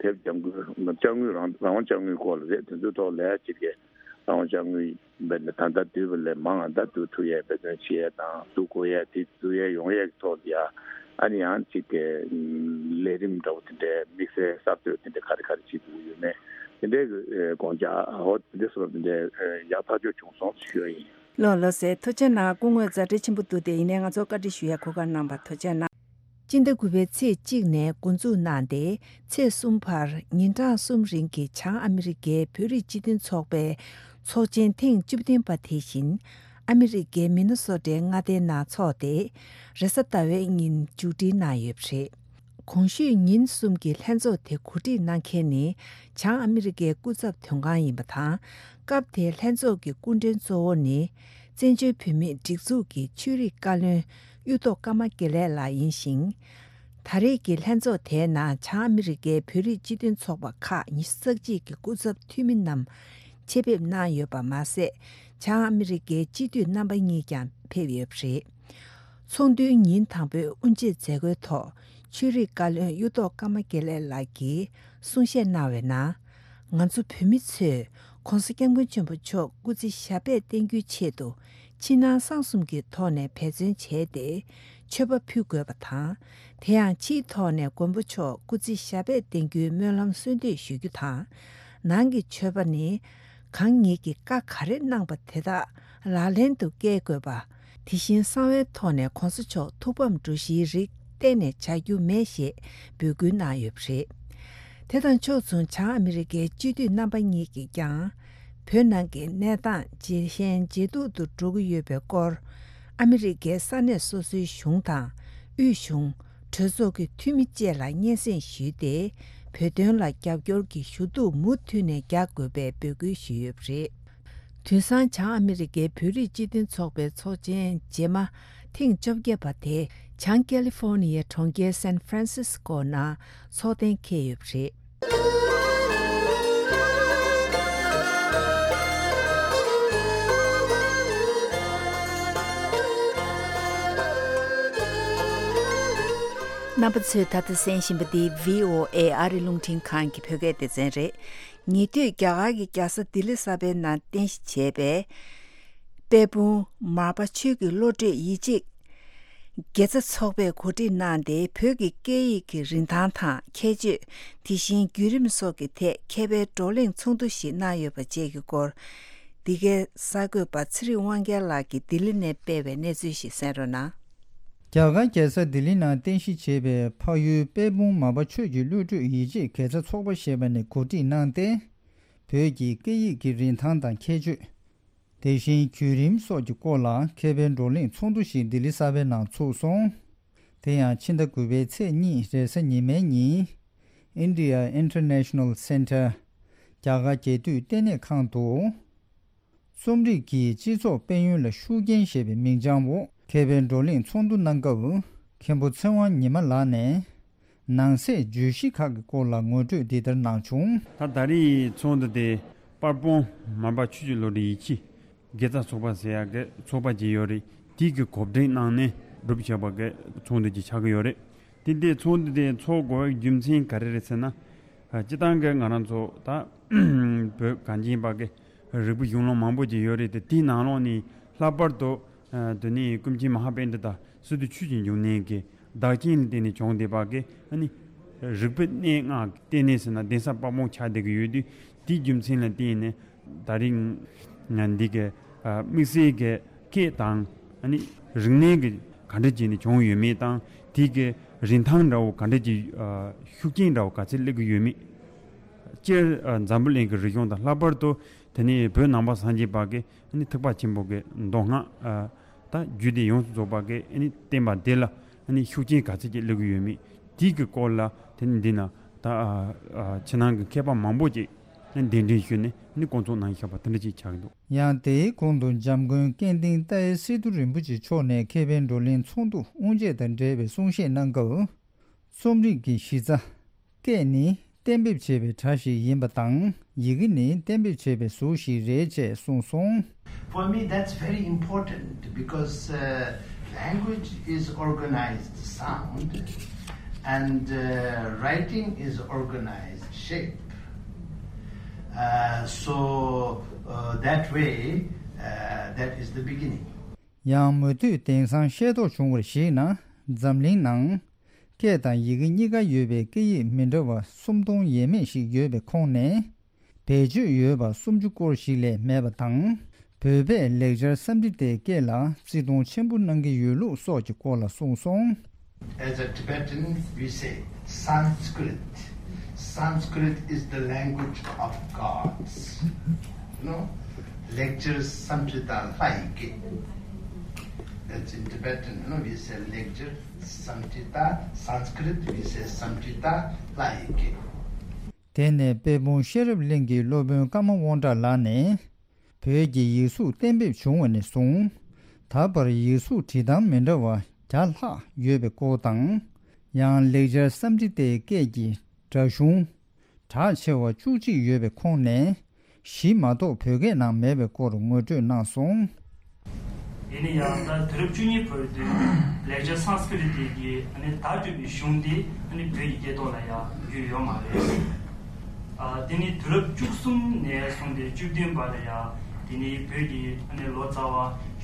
དེབ་ལྗང་ཁུ་ལྕགས་དངུལ་རང་རང་དབང་ལྕགས་དངུལ་སྐོར་ལ་རེད། དེ་ཚོའི་ཐོག་ལ་ཅིག་གི་རང་དབང་ལྕགས་དངུལ་འབད་ནས་ད་ལྟ་བསྡུས་པ་ལས་མང་ང་ད་བསྡུ་ཐུབ་ཡས་འབད་བརྩོན་བྱེད་ཡས་དང་བསྡུ་དགོས་ཡས་དེ་བསྡུ་ཡས་ཡོང་ཡས་ཀྱི་ཐོག་ལ་ཡ་ཨ་ནི་ཡང་ཅིག་གི་ལས་རིམ་འདྲ་བོ་དེ་འདྲའི་དམིགས་བསལ་གསར་གཏོད་དེ་འདྲ་ག་རེ་ག་རེ་བྱེད་དགོས་ཡོད་མེད་དེ་འདྲའི་གི་དགོངས་འཆར་ཨོ་དེ་འདྲ་སོགས་དེ་འདྲའི་ཡག་ཐག་ཆོད་བྱུང་སོང་ཞུ་ཡས་ཡིན། ལགས་ལགས་སེ། ཐུགས་རྗེ་གནང་། སྐུ་ངོ་མཛའ་འཕྲིན་ཆེན་པོ་འདུག་སྟེ། ཡིན་ནའི་ང་ཚོ་བཀའ་འདྲི་ཞུ་ཡས་གོ་སྐབས་གནང་བར་ཐུགས་རྗེ་གནང་། སྤྱི་ཟླ་དགུ་པའི་ཚེས་གཅིག་ནས་འགོ་འཛུགས་གནང་སྟེ་ཚེས་གསུམ་བར་ཉིན་གྲངས་གསུམ་རིང་གི་བྱང་ཨ་མི་རི་ཀའི་བོད་རིགས་སྤྱི་མཐུན་ཚོགས་པའི་ཚོགས་ཆེན་ཐེངས་བཅུ་བདུན་པ་དེ་བཞིན་ཨ་མི་རི་ཀའི་མི་ནི་སོ་ཊའི་མངའ་སྡེའི་ནང་འཚོགས་ཏེ་རེས་གཟའ་ཟླ་བའི་ཉིན་མཇུག་སྒྲིལ་གནང་ཡོད་པ་རེད། གོང་ཞུས་ཉིན་གསུམ་གྱི་ལྷན་ཚོགས་དེ་གོ་སྒྲིག་གནང་མཁན་ནི་བྱང་ཨ་མི་རི་ཀའི་སྐུ་ཚབ་དོན་ཁང་ཡིན་པ་དང་། སྐབས་དེའི་ལྷན་ཚོགས་ཀྱི་སྐུ་མགྲོན་གཙོ་བོ་ནི་བཙན་བྱོལ་བོད་མིའི་སྒྲིག་འཛུགས་ཀྱི་ཆོས་རིག་བཀའ་བློན་གཡུ་ཐོག་ཀརྨ་དགེ་ལེགས་ལགས་ཡིན་ཞིང་། ད་རེས་ཀྱི་ལྷན་ཚོགས་དེའི་ནང་བྱང་ཨ་མི་རི་ཀའི་བོད་རིགས་སྤྱི་མཐུན་ཚོགས་པ་ཁག་ཉི་ཤུ་རྩ་གཅིག་གི་སྐུ་ཚབ་འཐུས་མི་རྣམས་ཆེད་ཕེབས་གནང་ཡོད་པ་མ་ཟད། བྱང་ཨ་མི་རི་ཀའི་སྤྱི་འཐུས་རྣམ་པ་གཉིས་ཀྱང་ཕེབས་ཡོད་པ་རེད། ཚོགས་འདུའི་ཉིན་དང་པོའི་དབུ་འབྱེད་མཛད་སྒོའི་ཐོག་ཆོས་རིག་བཀའ་བློན་གཡུ་ཐོག་ཀརྨ་དགེ་ལེགས་ལགས་ཀྱིས་གསུང་བཤད་གནང་བའི་ནང་། ང་ཚོ་བོད་མི་ཚོས་༸གོང་ས་༸སྐྱབས་མགོན་ཆེན་པོ་མཆོག་སྐུ་ཚེ་ཞབས་པད་བརྟན་རྒྱུའི་ཆེད་དུ་ཕྱི་ནང་གསང་གསུམ་གྱི་ཐོག་ནས་འབད་བརྩོན་བྱས་ཏེ་མཆོད་པ་ཕུལ་དགོས་པ་དང་། དེ་ཡང་ཕྱིའི་ཐོག་ནས་མགོན་པོ་མཆོག་སྐུ་ཚེ་ཞབས་པད་བརྟན་རྒྱུའི་སྨོན་ལམ་གསོལ་འདེབས་ཞུ་རྒྱུ་དང་། ནང་གི་མཆོད་པ་ནི་གང་ཉིད་ཀྱིས་བཀའ་ག་རེ་གནང་པ་དེ་དག་ལག་ལེན་དུ་བཀལ་དགོས་པ། དེ་བཞིན་གསང་བའི་ཐོག་ནས་༸གོང་ས་མཆོག་ཐུགས་ཕམ་འགྲོ་གཞིའི་རིགས་གཏན་ནས་བྱ་རྒྱུ་མེད་ཞེས་འབོད་སྐུལ་གནང་ཡོད་པ་རེད། དེ་དང་ཕྱོགས་མཚུངས་བྱང་ཨ་མི་རི་ཀའི་སྤྱི་འཐུས་རྣམ་པ་གཉིས་ཀྱིས་ཀྱང་། བོད་ནང་གི་གནས་སྟངས་ཇེ་ཞན་ཇེ་སྡུག་ཏུ་འགྲོ་གི་ཡོད་པའི་སྐོར། ཨ་མི་རི་ཀའི་ས་གནས་སོ་སོའི་གཞུང་དང་། དབུས་གཞུང་། གྲོས་ཚོགས་ཀྱི་འཐུས་མི་བཅས་ལ་སྙན་སེང་ཞུས་ཏེ། བོད་དོན་ལ་རྒྱབ་སྐྱོར་གྱི་ཞུ་གཏུག་མུ་མཐུད་ནས་རྒྱག་དགོས་པའི་འབོད་སྐུལ་ཞུས་ཡོད་པ་རེད། དུས་སང་བྱང་ཨ་མི་རི་ཀའི་བོད་རིགས་སྤྱི་མཐུན་ཚོགས་པའི་ཚོགས་ཆེན་རྗེས་མ་ཐེངས་བཅོ་བརྒྱད་པ་དེ་བྱང་ཀེ་ལི་ཧྥོ་ནི་ཡའི་གྲོང་ཁྱེར་སན་ཧྥ་རན་སིས་ཀོ་ནང་ཚོགས་གཏན་འཁེལ་ཡོད་པ་རེད། རྣམ་པ་ཚོས་ད་ལྟ་གསན་བཞིན་པ་འདི་བྷི་ཨོ་ཨེ་ཨ་རི་རླུང་འཕྲིན་ཁང་གི་བོད་སྐད་སྡེ་ཚན་རེད། ཉེ་དུས་རྒྱ་གར་གྱི་རྒྱལ་ས་ལྡི་ལི་གསར་པའི་ནང་རྟེན་གཞི་བྱས་པའི་དཔལ་སྤུངས་མར་པ་ཆོས་ཀྱི་བློ་གྲོས་ཡིད་ཆེས་དགེ་རྩ་ཚོགས་པས་གོ་སྒྲིག་གནང་སྟེ། བོད་ཀྱི་སྐད་ཡིག་གི་རིན་ཐང་དང་ཁྱད་ཆོས། དེ་བཞིན་བརྒྱུད་རིམ་སོགས་ཀྱི་ཐད་མཁས་པའི་བགྲོ་གླེང་ཚོགས་འདུ་ཞིག་གནང་ཡོད་པ་བཅས་ཀྱི་སྐོར། འདི་གའི་གསར་འགོད་པ་ཚེ་རིང་དབང་རྒྱལ་ལགས་ཀྱིས་ལྡི་ལི་ནས་སྤེལ་བའི་གནས་ཚུལ་ཞིག་གསན་རོགས་གནང་། རྒྱ་གར་རྒྱལ་ས་ལྡི་ལི་ནང་རྟེན་གཞི་བྱས་པའི་འཕགས་ཡུལ་དཔལ་སྤུངས་མར་པ་ཆོས་ཀྱི་བློ་གྲོས་ཡིད་ཆེས་དགེ་རྩ་ཚོགས་པ་ཞེས་པ་ནས་གོ་སྒྲིག་གནང་སྟེ། བོད་ཀྱི་སྐད་ཡིག་གི་རིན་ཐང་དང་ཁྱད་ཆོས། དེ་བཞིན་བརྒྱུད་རིམ་སོགས་ཀྱི་སྐོར་ལ་མཁས་པའི་བགྲོ་གླེང་ཚོགས་འདུ་ཞིག་ལྡི་ལི་གསར་པའི་ནང་ཚུགས་སོང་། དེ་ཡང་ཕྱི་ཟླ་དགུ་པའི་ཚེས་གཉིས་རེས་གཟའ་ཉི་མའི་ཉིན། India International Center། རྒྱ་གར་རྒྱལ་དུས་ལྟེ་གནས་ཁང་དུ། རྩོམ་རིག་གིས་སྤྱི་ཚོགས་དཔལ་ཡོན་ལ་ཤུགས་རྐྱེན་ཞེས་པའི་མིང་བྱང་འོག་མཁས་པའི་བགྲོ་གླེང་ཚོགས་འདུ་གནང་སྐབས། མཁན་པོ་ཚེ་དབང་ཉི་མ་ལགས་ནས། ནང་གསེས་བརྗོད་གཞི་ཁག་གི་སྐོར་ལ་ངོ་སྤྲོད་འདི་ལྟར་གནང་བྱུང་། ད་ད་རེས་ཚོགས་འདུ་དེ་དཔལ་སྤུངས་མར་པ་ཆོས་ཀྱི་བློ་གྲོས་ཡིད་ཆེས་དགེ་རྩ་ཚོགས་པ་ཟེར་ཡག་གི་ཚོགས་པ་ཅིག་ཡོད་རེད། དེ་གི་གོ་སྒྲིག་གནང་ནས་གྲུབ་བྱས་པ་གི་ཚོགས་འདུ་ཅིག་ཆགས་ཀྱི་ཡོད་རེད། དེ་འདྲའི་ཚོགས་འདུ་དེ་ཚོགས་དགོས་པའི་རྒྱུ་མཚན་ག་རེ་རེད་ཟེར་ན། ཨ། སྤྱིར་བཏང་གི་ང་རང་ཚོ་ད་བོད་གངས་ཅན་པ་གི་རིག་པའི་གཞུང་ལུགས་མང་པོ་ཅིག་ཡོད་རེད་དེ། དེའི་ནང་ལོགས་ནས་ལྷག་པར་དུ། ཨ། དེ་ནས་ཀུན་མཁྱེན་མ་ཧཱ་པཎྜི་ཏ་སི་ཏུ་ཆོས་ཀྱི་འབྱུང་གནས་ཀྱི་བདག་རྐྱེན་ལ་བརྟེན་ནས་བྱུང་བསྡད་པ་གི། ཨ་ནི་རིག་པའི་གནས་ལྔ་གི་ལྟེ་གནས་ཟེར་ན་གདན་ས་དཔལ་སྤུངས་ཆགས་བསྡད་ཀྱི་ཡོད་དུས། དེའི་རྒྱུ་མཚན་ལ་བརྟེན་ནས་ད་རིང་ང་འདི་གི། ཨ། དམིགས་བསལ་གྱི་སྐད་དང་། ཨ་ནི་རིག་གནས་ཀྱི་ག་འདྲ་བྱས་ནས་བྱུང་ཡོད་མེད་དང་། དེ་གི་རིན་ཐང་འདྲ་བོ་ག་འདྲ་གྱི། ཨ། ཤུགས་རྐྱེན་འདྲ་བོ་ག་ཚད་སླེབས་ཀྱི་ཡོད་མེད། སྤྱིར། ཨ། འཛམ་བུ་གླིང་གི་རིག་གཞུང་དང་། ལྷག་པར་དུ་དེ་ནས་བོད་ནང་པ་སངས་རྒྱས་པ་གི། ཨ་ནི་ཐེག་པ་ཆེན་པོ་གི་མདོ་སྔགས། ཨ། ད་རྒྱུད་སྡེ་ཡོངས་སུ་རྫོགས་པ་གི། ཨ་ནི་བསྟན་པ་འདི་ལ། ཨ་ནི་ཤུགས་རྐྱེན་ག་ཚད་ཅིག་སླེབས་ཀྱི་ཡོད་མེད། དེའི་གི་སྐོར་ལ་དེ་ནི་འདི་ན་ད། ཨ། ཨ། ཕྱི་ནང་གི་མཁས་པ་མང་པོ་ཅིག་གདན་འདྲེན་ཞུས་ནས་ནི་བསྐོང་ཚོགས་གནང་བཞག་པ་དེ་འདྲ་ཅིག་ཆགས་ཀྱི་འདུག། ཡང་དེའི་གོང་དུ་འཇམ་མགོན་སྐལ་ལྡན་ཏཱའི་སི་ཏུ་རིན་པོ་ཆེ་མཆོག་ནས་མཁས་པའི་བགྲོ་གླེང་ཚོགས་འདུ་དབུ་འབྱེད་དང་འབྲེལ་བའི་གསུང་བཤད་གནང་སྐབས། རྩོམ་རིག་གི་གཞི་རྩ། སྐད་ནི་གཏན་འབེབས་བྱས་པའི་སྒྲ་ཞིག་ཡིན་པ་དང་། ཡི་གེ་ནི་གཏན་འབེབས་བྱས་པའི་གཟུགས་ཤིག་རེད་ཅེས་གསུངས་སོང་། For me, that's very important because uh, language is organized sound and uh, writing is organized shape. Uh, so uh, that way, uh, that is the beginning. ཡང་མུ་མཐུད་དེང་སང་ཤེས་རྟོགས་བྱུང་བར་གཞིགས་ན། འཛམ་གླིང་ནང་། སྐད་དང་ཡི་གེ་གཉིས་ཀ་ཡོད་པའི་སྐད་ཡིག་མི་འདྲ་བ་སུམ་སྟོང་ཡས་མས་ཤིག་ཡོད་པའི་ཁོངས་ནས། བེད་སྤྱོད་ཡོད་པ་སུམ་ཅུ་སྐོར་ཞིག་ལས་མེད་པ་དང་། བོད་པས་ལེགས་སྦྱར་སཾ་སྐྲྀ་ཏའི་སྐད་ལ་བརྩི་མཐོང་ཆེན་པོ་གནང་གི་ཡོད་ལུགས་སོགས་ཀྱི་སྐོར་ལ་གསུངས་སོང་། As a Tibetan, we say Sanskrit. Sanskrit is the language of gods. You know, ལེགས་སྦྱར་སཾ་སྐྲྀ་ཏ་ལྷ་ཡི་སྐད། That's in Tibetan, you know, we say ལེགས་སྦྱར་སཾ་སྐྲྀ་ཏ། Sanskrit, we say སཾ་སྐྲྀ་ཏ་ལྷ་ཡི་སྐད། དེ་ནས་དཔལ་སྤུངས་ཤེས་རབ་གླིང་གི་སློབ་དཔོན་ཀརྨ་དབང་གྲགས་ལགས་ནས། བོད་ཀྱི་ཡིག་གཟུགས་གཏན་འབེབས་བྱུང་བ་ནས་བཟུང་། ད་བར་ཡིག་གཟུགས་བྲིས་སྟངས་མི་འདྲ་བ་བརྒྱ་ལྷག་ཡོད་པའི་སྐོར་དང་། ཡང་ལེགས་སྦྱར་སཾ་སྐྲྀ་ཏའི་སྐད་ཀྱི་སྒྲ་གཞུང་གྲགས་ཆེ་བ་བཅུ་གཅིག་ཡོད་པའི་ཁོངས་ནས། བཞི་མ་གཏོགས་བོད་སྐད་ནང་མེད་པའི་སྐོར་ངོ་སྤྲོད་གནང་སོང་། ཡིན་ན་ཡང་ད་དུས་རབས་བཅུ་གཉིས་བར་དུ་ལེགས་སྦྱར་སཾ་སྐྲྀ་ཏ་གི་ཨ་ནི་བརྡ་སྤྲོད་པའི་གཞུང་དེ་ཨ་ནི་བོད་ཀྱི་སྐད་ཐོག་ལ་ཡང་བརྒྱུད་ཡོད་མ་རེད། ཨ། དེ་ནི་དུས་རབས་བཅུ་གསུམ་ནས་བཟུང་སྟེ་བཅུ་བདུན་བར་ལ་ཡང་དེ་ནི་བོད་ཀྱི་ཨ་ནི་ལོ་ཙཱ་བ་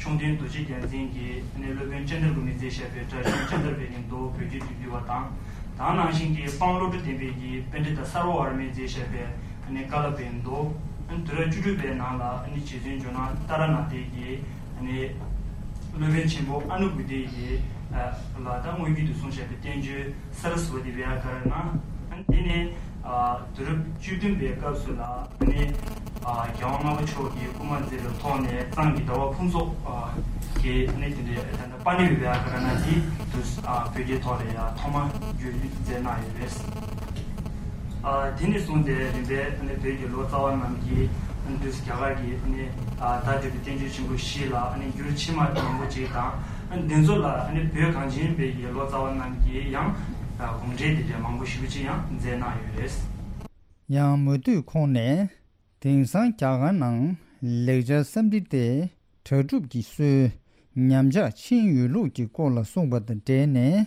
ཤོང་སྟོན་རྡོ་རྗེ་རྒྱལ་མཚན་གྱིས་ཨ་ནི་སློབ་དཔོན་ཅན་དར་པུ་མིས་མཛད་བཞག་པའི་སྒྲ་གཞུང་ཅན་དར་པའི་གི་མདོ་བོད་བརྒྱུད་དུ་བསྒྱུར་བ་དང་། དེ་ནང་བཞིན་གྱི་སྤང་བློ་གྲོས་ལྡན་པའི་གི་པཎྜི་ཏ་སརྦ་ཝར་མས་མཛད་བཞག་པའི་ཨ་ནི་ཀ་ལཱ་པའི་མདོ། ཨ་ནི་དུས་རབས་བཅུ་དྲུག་པའི་ནང་ལ་ཨ་ནི་རྗེ་བཙུན་ཇོ་ནང་ཏཱ་ར་ནཱ་ཐའི་གི་ཨ་ནི་སློབ་དཔོན་ཆེན་པོ་ཨ་ནུ་གུ་ཏའི་གི་ལ་ད་དངོས་བརྒྱུད་དུ་གསུངས་བཞག་པའི་བསྟན་བཅོས་སཱ་ར་སི་ཝ་ཏི་བྱཱ་ཀ་ར་ཎ། ཨ་ནི་དེ་ནས་ཨ་དུས་རབས་བཅུ་བདུན་པའི་སྐབས་སུ་ལ་ཨ་ནི་ཨ་རྒྱལ་དབང་ལྔ་པ་མཆོག་གིས་སྐུལ་མ་མཛད་པའི་ཐོག་ནས་གཙང་གི་ཟླ་བ་ཕུན་ཚོགས་ཨ་གིས་ཨ་ནི་དེ་འདྲའི་ད་ལྟ་པཱ་ཎི་བྱཱ་ཀ་ར་ཎ་དེ་དུས་ཨ་བོད་སྐད་ཐོག་ལ་ཡང་ཐོག་མ་བསྒྱུར་མཛད་གནང་ཡོད་པས། ཨ་དེ་ནས་བཟུང་སྟེ་རིམ་པས་ཨ་ནི་བོད་ཀྱི་ལོ་ཙཱ་བ་རྣམས་ཀྱིས་ཨ་ནི་དུས་རྒྱ་གར་གྱི་ཨ་ནི་ཨ་བརྡ་སྤྲོད་པའི་བསྟན་བཅོས་ཆེན་པོ་བཞི་ལ་ཨ་ནི་འགྱུར་ཕྱི་མ་མང་པོ་ཅིག་དང་། ཨ་ནི་འདི་ཚོ་ལ་ཨ་ནི་བོད་གངས་ཅན་པའི་ཡི་ལོ་ཙཱ་བ་རྣམས་ཀྱིས་ཡང་ཨ་དགོངས་འགྲེལ་འདི་འདྲའི་མང་པོ་ཞེ་པོ་ཅིག་ཡང་མཛད་གནང་ཡོད་རེད། ཡང་མུ་མཐུད་ཁོང་ནས། དེང་སང་རྒྱ་གར་ནང་ལེགས་སྦྱར་སཾ་སྐྲྀ་ཏའི་གྲ་སྒྲུབ་ཀྱི་སྲོལ་ཉམས་ཆག་ཕྱིན་ཡོད་ལུགས་ཀྱི་སྐོར་ལ་གསུངས་པ་དང་འབྲེལ་ནས།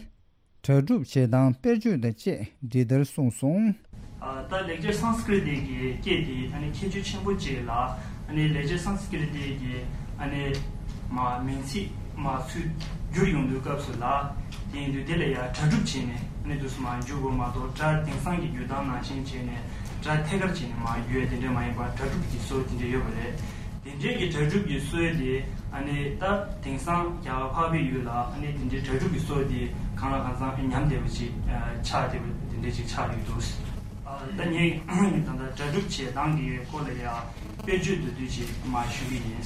གྲ་སྒྲུབ་བྱེད་སྟངས་དཔེར་བརྗོད་དང་བཅས་འདི་ལྟར་གསུངས་སོང་། ཨ་ད་ལེགས་སྦྱར་སཾ་སྐྲྀ་ཏ་གི་སྐད་དེ་ཨ་ནི་ཁྱད་ཆོས་ཆེན་པོ་ཅིག་ལ། ཨ་ནི་ལེགས་སྦྱར་སཾ་སྐྲྀ་ཏ་གི་ཨ་ནི་མ་མིང་ཚིག་མ་ཚུར་བསྒྱུར་ཡོང་དུས་སྐབས་སུ་ལ། དེ་ཡིན་དུས་དེ་ལ་ཡང་གྲ་སྒྲུབ་བྱས་ནས་ཨ་ནི་དུས་སུ་མ་བསྒྱུར་དགོས་མ་གཏོགས། སྒྲ་དེང་སང་གི་བསྒྱུར་སྟངས་ནང་བཞིན་བྱས་ནས་སྒྲ་ཐད་ཀར་བྱས་ནས་མ་བསྒྱུར་ཡ་དེ་འདྲ་མ་ཡིན་པར་གྲ་སྒྲུབ་ཀྱི་སྲོལ་དེ་འདྲ་ཡོད་པ་རེད། དེ་འདྲའི་གི་གྲ་སྒྲུབ་ཀྱི་སྲོལ་དེ་ཨ་ནི་ད་དེང་སང་རྒྱ་གར་འཕགས་པའི་ཡུལ་ལ་ཨ་ནི་དེ་འདྲའི་གྲ་སྒྲུབ་ཀྱི་སྲོལ་དེ་གང་ལ་གང་འཚམ་ཉམས་བསྡད་པ་ཅིག་ཆགས་བསྡད་པ་དེ་འདྲ་ཅིག་ཆགས་ཡོད་འདུག། ཨ་ ད་ངས་ད་ལྟ་གྲ་སྒྲིག་བྱེད་སྟངས་ཀྱི་སྐོར་ལ་ཡང་དཔེར་བརྗོད་མདོར་བསྡུས་ཅིག་མར་ཞུ་གི་ཡིན།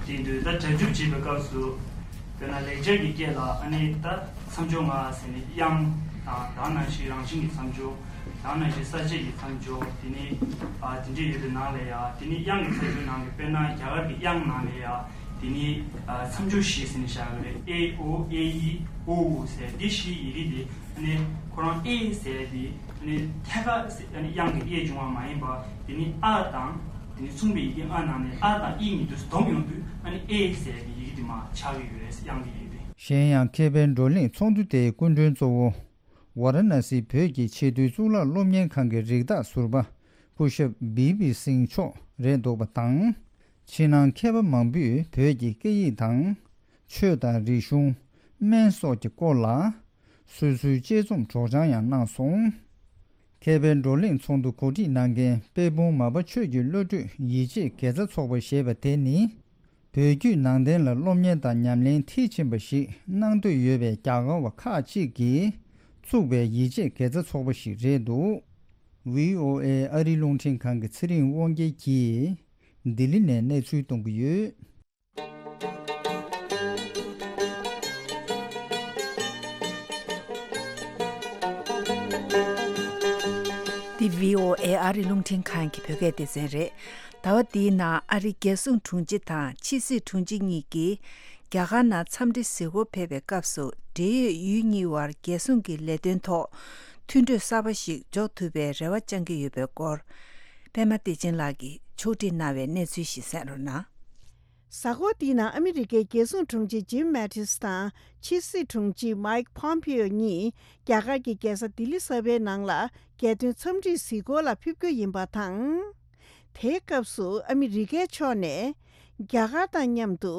དེ་དུས་ད་གྲ་སྒྲིག་བྱེད་པའི་སྐབས་སུ། དཔེར་ན་ལེགས་སྦྱར་གྱི་སྐད་ལ་ཨ་ནི་ད་མཚམས་སྦྱོར་ལྔ་ཟེར་ནས་དབྱངས་དང་དེ་ནང་བཞིན་རང་བཞིན་གྱི་མཚམས་སྦྱོར། དེ་ནང་བཞིན་ས་བཅད་ཀྱི་མཚམས་སྦྱོར། དེ་ནི་ཨ་དེ་འདྲ་ཡོད་པའི་ནང་ལ་ཡང་དེ་ནི་དབྱངས་ཀྱི་མཚམས་སྦྱོར་ནང་གི་དཔེར་ན་རྒྱ་གར་གྱི་དབྱངས་ནང་ལ་ཡང་དེ་ནི་ཨ་མཚམས་སྦྱོར་བཞི་ཟེར་ནས་བཞག་གི་རེད། ཨེ་ཨོ་ཨེ་ཨི་ཨོ་ཨུ་ཟེར་འདི་བཞི་ཡི་གེ་དེ། ཨ་ནི་ཁོ་རང་ཨེ་ཟེར་དེ་ཨ་ནི་ཐད་ཀར་ཟེར་ཨ་ནི་དབྱངས་ཀྱི་ཨེ་བྱུང་བ་མ་ཡིན་པ། དེ་ནི་ཨ་དང་དེ་ནི་མཚུངས་པའི་ཡི་གེ་ཨ་ནང་ནས་ཨ་དང་ཨི་གཉིས་དུས་སུ་སྡོམ་ཡོང་དུས་ཨ་ནི་ཨེ་ཟེར་གྱི་ཡི་གེ་དེ་མར་ཆགས་ཀྱི་ཡོད་རེད། དབྱངས་ཀྱི་ཡི་གེ་དེ། གཞན་ཡང་མཁས་པའི་བགྲོ་གླེང་ཚོགས་འདུ་དེའི་སྐུ་མགྲོན་གཙོ་བོ་ཝཱ་ར་ཎ་སི་བོད་ཀྱི་ཆེས་མཐོའི་གཙུག་ལག་སློབ་གཉེར་ཁང་གི་རིགས་བདག་ཟུར་པ་སྐུ་ཞབས་བི་པི་སིང་མཆོག་རེད་འདུག་པ་དང་། ཕྱི་ནང་མཁས་པ་མང་པོས་བོད་ཀྱི་སྐད་ཡིག་དང་། ཆོས་དང་རིག་གཞུང་། སྨན་སོགས་ཀྱི་སྐོར་ལ་སོ་སོའི་དཔྱད་རྩོམ་སྒྲོག་སྦྱང་ཡང་གནང་སོང་། མཁས་པའི་བགྲོ་གླེང་ཚོགས་འདུ་གོ་སྒྲིག་གནང་མཁན་དཔལ་སྤུངས་མར་པ་ཆོས་ཀྱི་བློ་གྲོས་ཡིད་ཆེས་དགེ་རྩ་ཚོགས་པ་ཞེས་པ་དེ་ནི། བོད་བརྒྱུད་ནང་བསྟན་ལ་སློབ་གཉེར་དང་ཉམས་ལེན་མཐིལ་ཕྱིན་པ་ཞིག་གནང་འདོད་ཡོད་པའི་རྒྱ་གར་བ་ཁག་ཅིག་གིས་བཙུགས་པའི་ཡིད་ཆེས་དགེ་རྩ་ཚོགས་པ་ཞིག་རེད་འདུག། བྷི་ཨོ་ཨེ་ཨ་རིའི་རླུང་འཕྲིན་ཁང་གི་ཚེ་རིང་དབང་རྒྱལ་གྱིས་ལྡི་ལི་ནས་གནས་ཚུལ་གཏོང་གི་ཡོད། འདི་བྷི་ཨོ་ཨེ་ཨ་རིའི་རླུང་འཕྲིན་ཁང་གི་བོད་སྐད་སྡེ་ཚན་རེད། ཟླ་བ་འདིའི་ནང་ཨ་རིའི་རྒྱལ་སྲུང་དྲུང་ཆེ་དང་ཕྱི་སྲིད་དྲུང་ཆེ་གཉིས་ཀྱིས་རྒྱ་གར་ནང་འཚམས་འདྲི་གཟིགས་སྐོར་ཕེབས་པའི་སྐབས་སུ། འབྲེལ་ཡོད་ཡུལ་གཉིས་དབར་རྒྱལ་སྲུང་གི་ལས་དོན་ཐོག་མཐུན་གྲོས་གསར་པ་ཞིག་འཇོག་ཐུབ་པའི་རེ་བ་བཅང་གི་ཡོད་པའི་སྐོར། པད་མ་བདེ་ཆེན་ལགས་ཀྱིས་ཕྱོགས་སྒྲིག་གནང་བའི་གནས་ཚུལ་ཞིག་གསན་རོགས་གནང་། གཟའ་འཁོར་འདིའི་ནང་ཨ་མི་རི་ཀའི་རྒྱལ་སྲུང་དྲུང་ཆེ་ཇིམ་མེ་ཏིས་དང་ཕྱི་སྲིད་དྲུང་ཆེ་མའིག་པོམ་པིའོ་གཉིས་རྒྱ་གར་གྱི་རྒྱལ་ས་ལྡི་ལི་གསར་པའི་ནང་ལ་རྒྱལ་དོན་འཚམས་འདྲིའི་གཟིགས་སྐོར་ལ་ཕེབས་རྒྱུ་ཡིན་པ་དང་། དེའི་སྐབས་སུ་ཨ་མི་རི་ཀའི་ཕྱོགས་ནས་རྒྱ་གར་དང་མཉམ་དུ་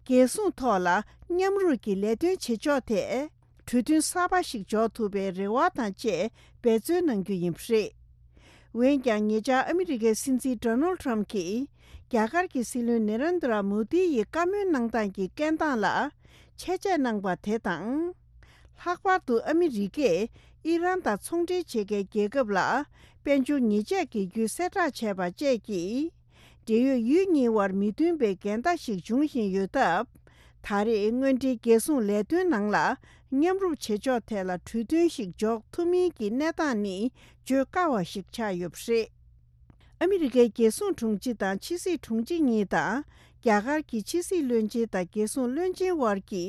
རྒྱལ་སྲུང་ཐོག་ལ་མཉམ་རུབ་ཀྱི་ལས་དོན་བྱེད་ཕྱོགས་ཐད། གྲོས་མཐུན་གསར་པ་ཞིག་འཇོག་ཐུབ་པའི་རེ་བ་དང་བཅས་འབད་བརྩོན་གནང་རྒྱུ་ཡིན་པ་རེད། འོན་ཀྱང་ཉེ་ཆར་ཨ་མི་རི་ཀའི་སྲིད་འཛིན་ཌོ་ནལ་ཊམ་གྱིས་རྒྱ་གར་གྱི་སྲིད་བློན་ནེ་རེན་དྲ་མོ་དི་ཡི་བཀའ་མོལ་གནང་སྟངས་ཀྱི་སྐད་གདངས་ལ་བཅད་རྒྱ་གནང་པ་དེ་དང་། ལྷག་པར་དུ་ཨ་མི་རི་ཀས་ཨི་རན་དང་ཚོང་འབྲེལ་བྱེད་མཁན་རྒྱལ་ཁབ་ལ་དཔལ་འབྱོར་ཉེས་ཆད་འགེལ་རྒྱུའི་གསལ་བསྒྲགས་བྱས་པ་བཅས་ཀྱིས། འབྲེལ་ཡོད་ཡུལ་གཉིས་དབར་མི་མཐུན་པའི་འགལ་ཟླ་ཞིག་འབྱུང་བཞིན་ཡོད་སྟབས། ད་རེས་དངོས་འབྲེལ་རྒྱལ་སྲུང་ལས་དོན་ནང་ལ་མཉམ་རུབ་བྱེད་ཕྱོགས་ཐད་ལ་གྲོས་མཐུན་ཞིག་འཇོག་ཐུབ་མིན་གྱི་གནས་སྟངས་ནི་བརྗོད་དཀའ་བ་ཞིག་ཆགས་ཡོད་པ་རེད། ཨ་མི་རི་ཀའི་རྒྱལ་སྲུང་དྲུང་ཆེ་དང་ཕྱི་སྲིད་དྲུང་ཆེ་གཉིས་དང་རྒྱ་གར་གྱི་ཕྱི་སྲིད་བློན་ཆེན་དང་རྒྱལ་སྲུང་བློན་ཆེན་དབར་གྱི་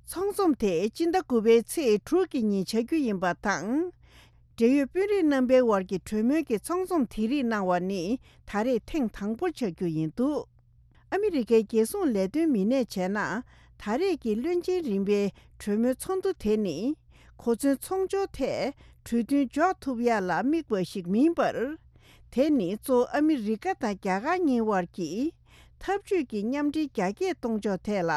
ཚོགས་འཛོམས་དེ་སྤྱི་ཟླ་དགུ་པའི་ཚེས་དྲུག་གི་ཉིན་བྱ་རྒྱུ་ཡིན་པ་དང་། འབྲེལ་ཡོད་དཔོན་རིགས་རྣམ་པའི་དབར་གྱི་གྲོས་མོལ་གྱི་ཚོགས་འཛོམས་དེ་རིགས་གནང་བ་ནི་ད་རེས་ཐེངས་དང་པོ་ཆགས་རྒྱུ་ཡིན་འདུག། ཨ་མི་རི་ཀའི་རྒྱལ་སྲུང་ལས་དོན་མི་སྣས་བྱས་ན། ད་རེས་ཀྱི་བློན་ཆེན་རིམ་པའི་གྲོས་མོལ་ཚོགས་འདུ་དེ་ནི། གོ་མཚོན་ཚོང་སྦྱོར་ཐད་གྲོས་མཐུན་འཇོག་ཐུབ་ཡ་ལ་དམིགས་པ་ཞིག་མིན་པར། དེ་ནི་གཙོ་བོ་ཨ་མི་རི་ཀ་དང་རྒྱ་གར་གཉིས་དབར་གྱི་འཐབ་ཇུས་ཀྱི་མཉམ་འབྲེལ་རྒྱ་སྐྱེད་གཏོང་ཕྱོགས་ཐད་ལ་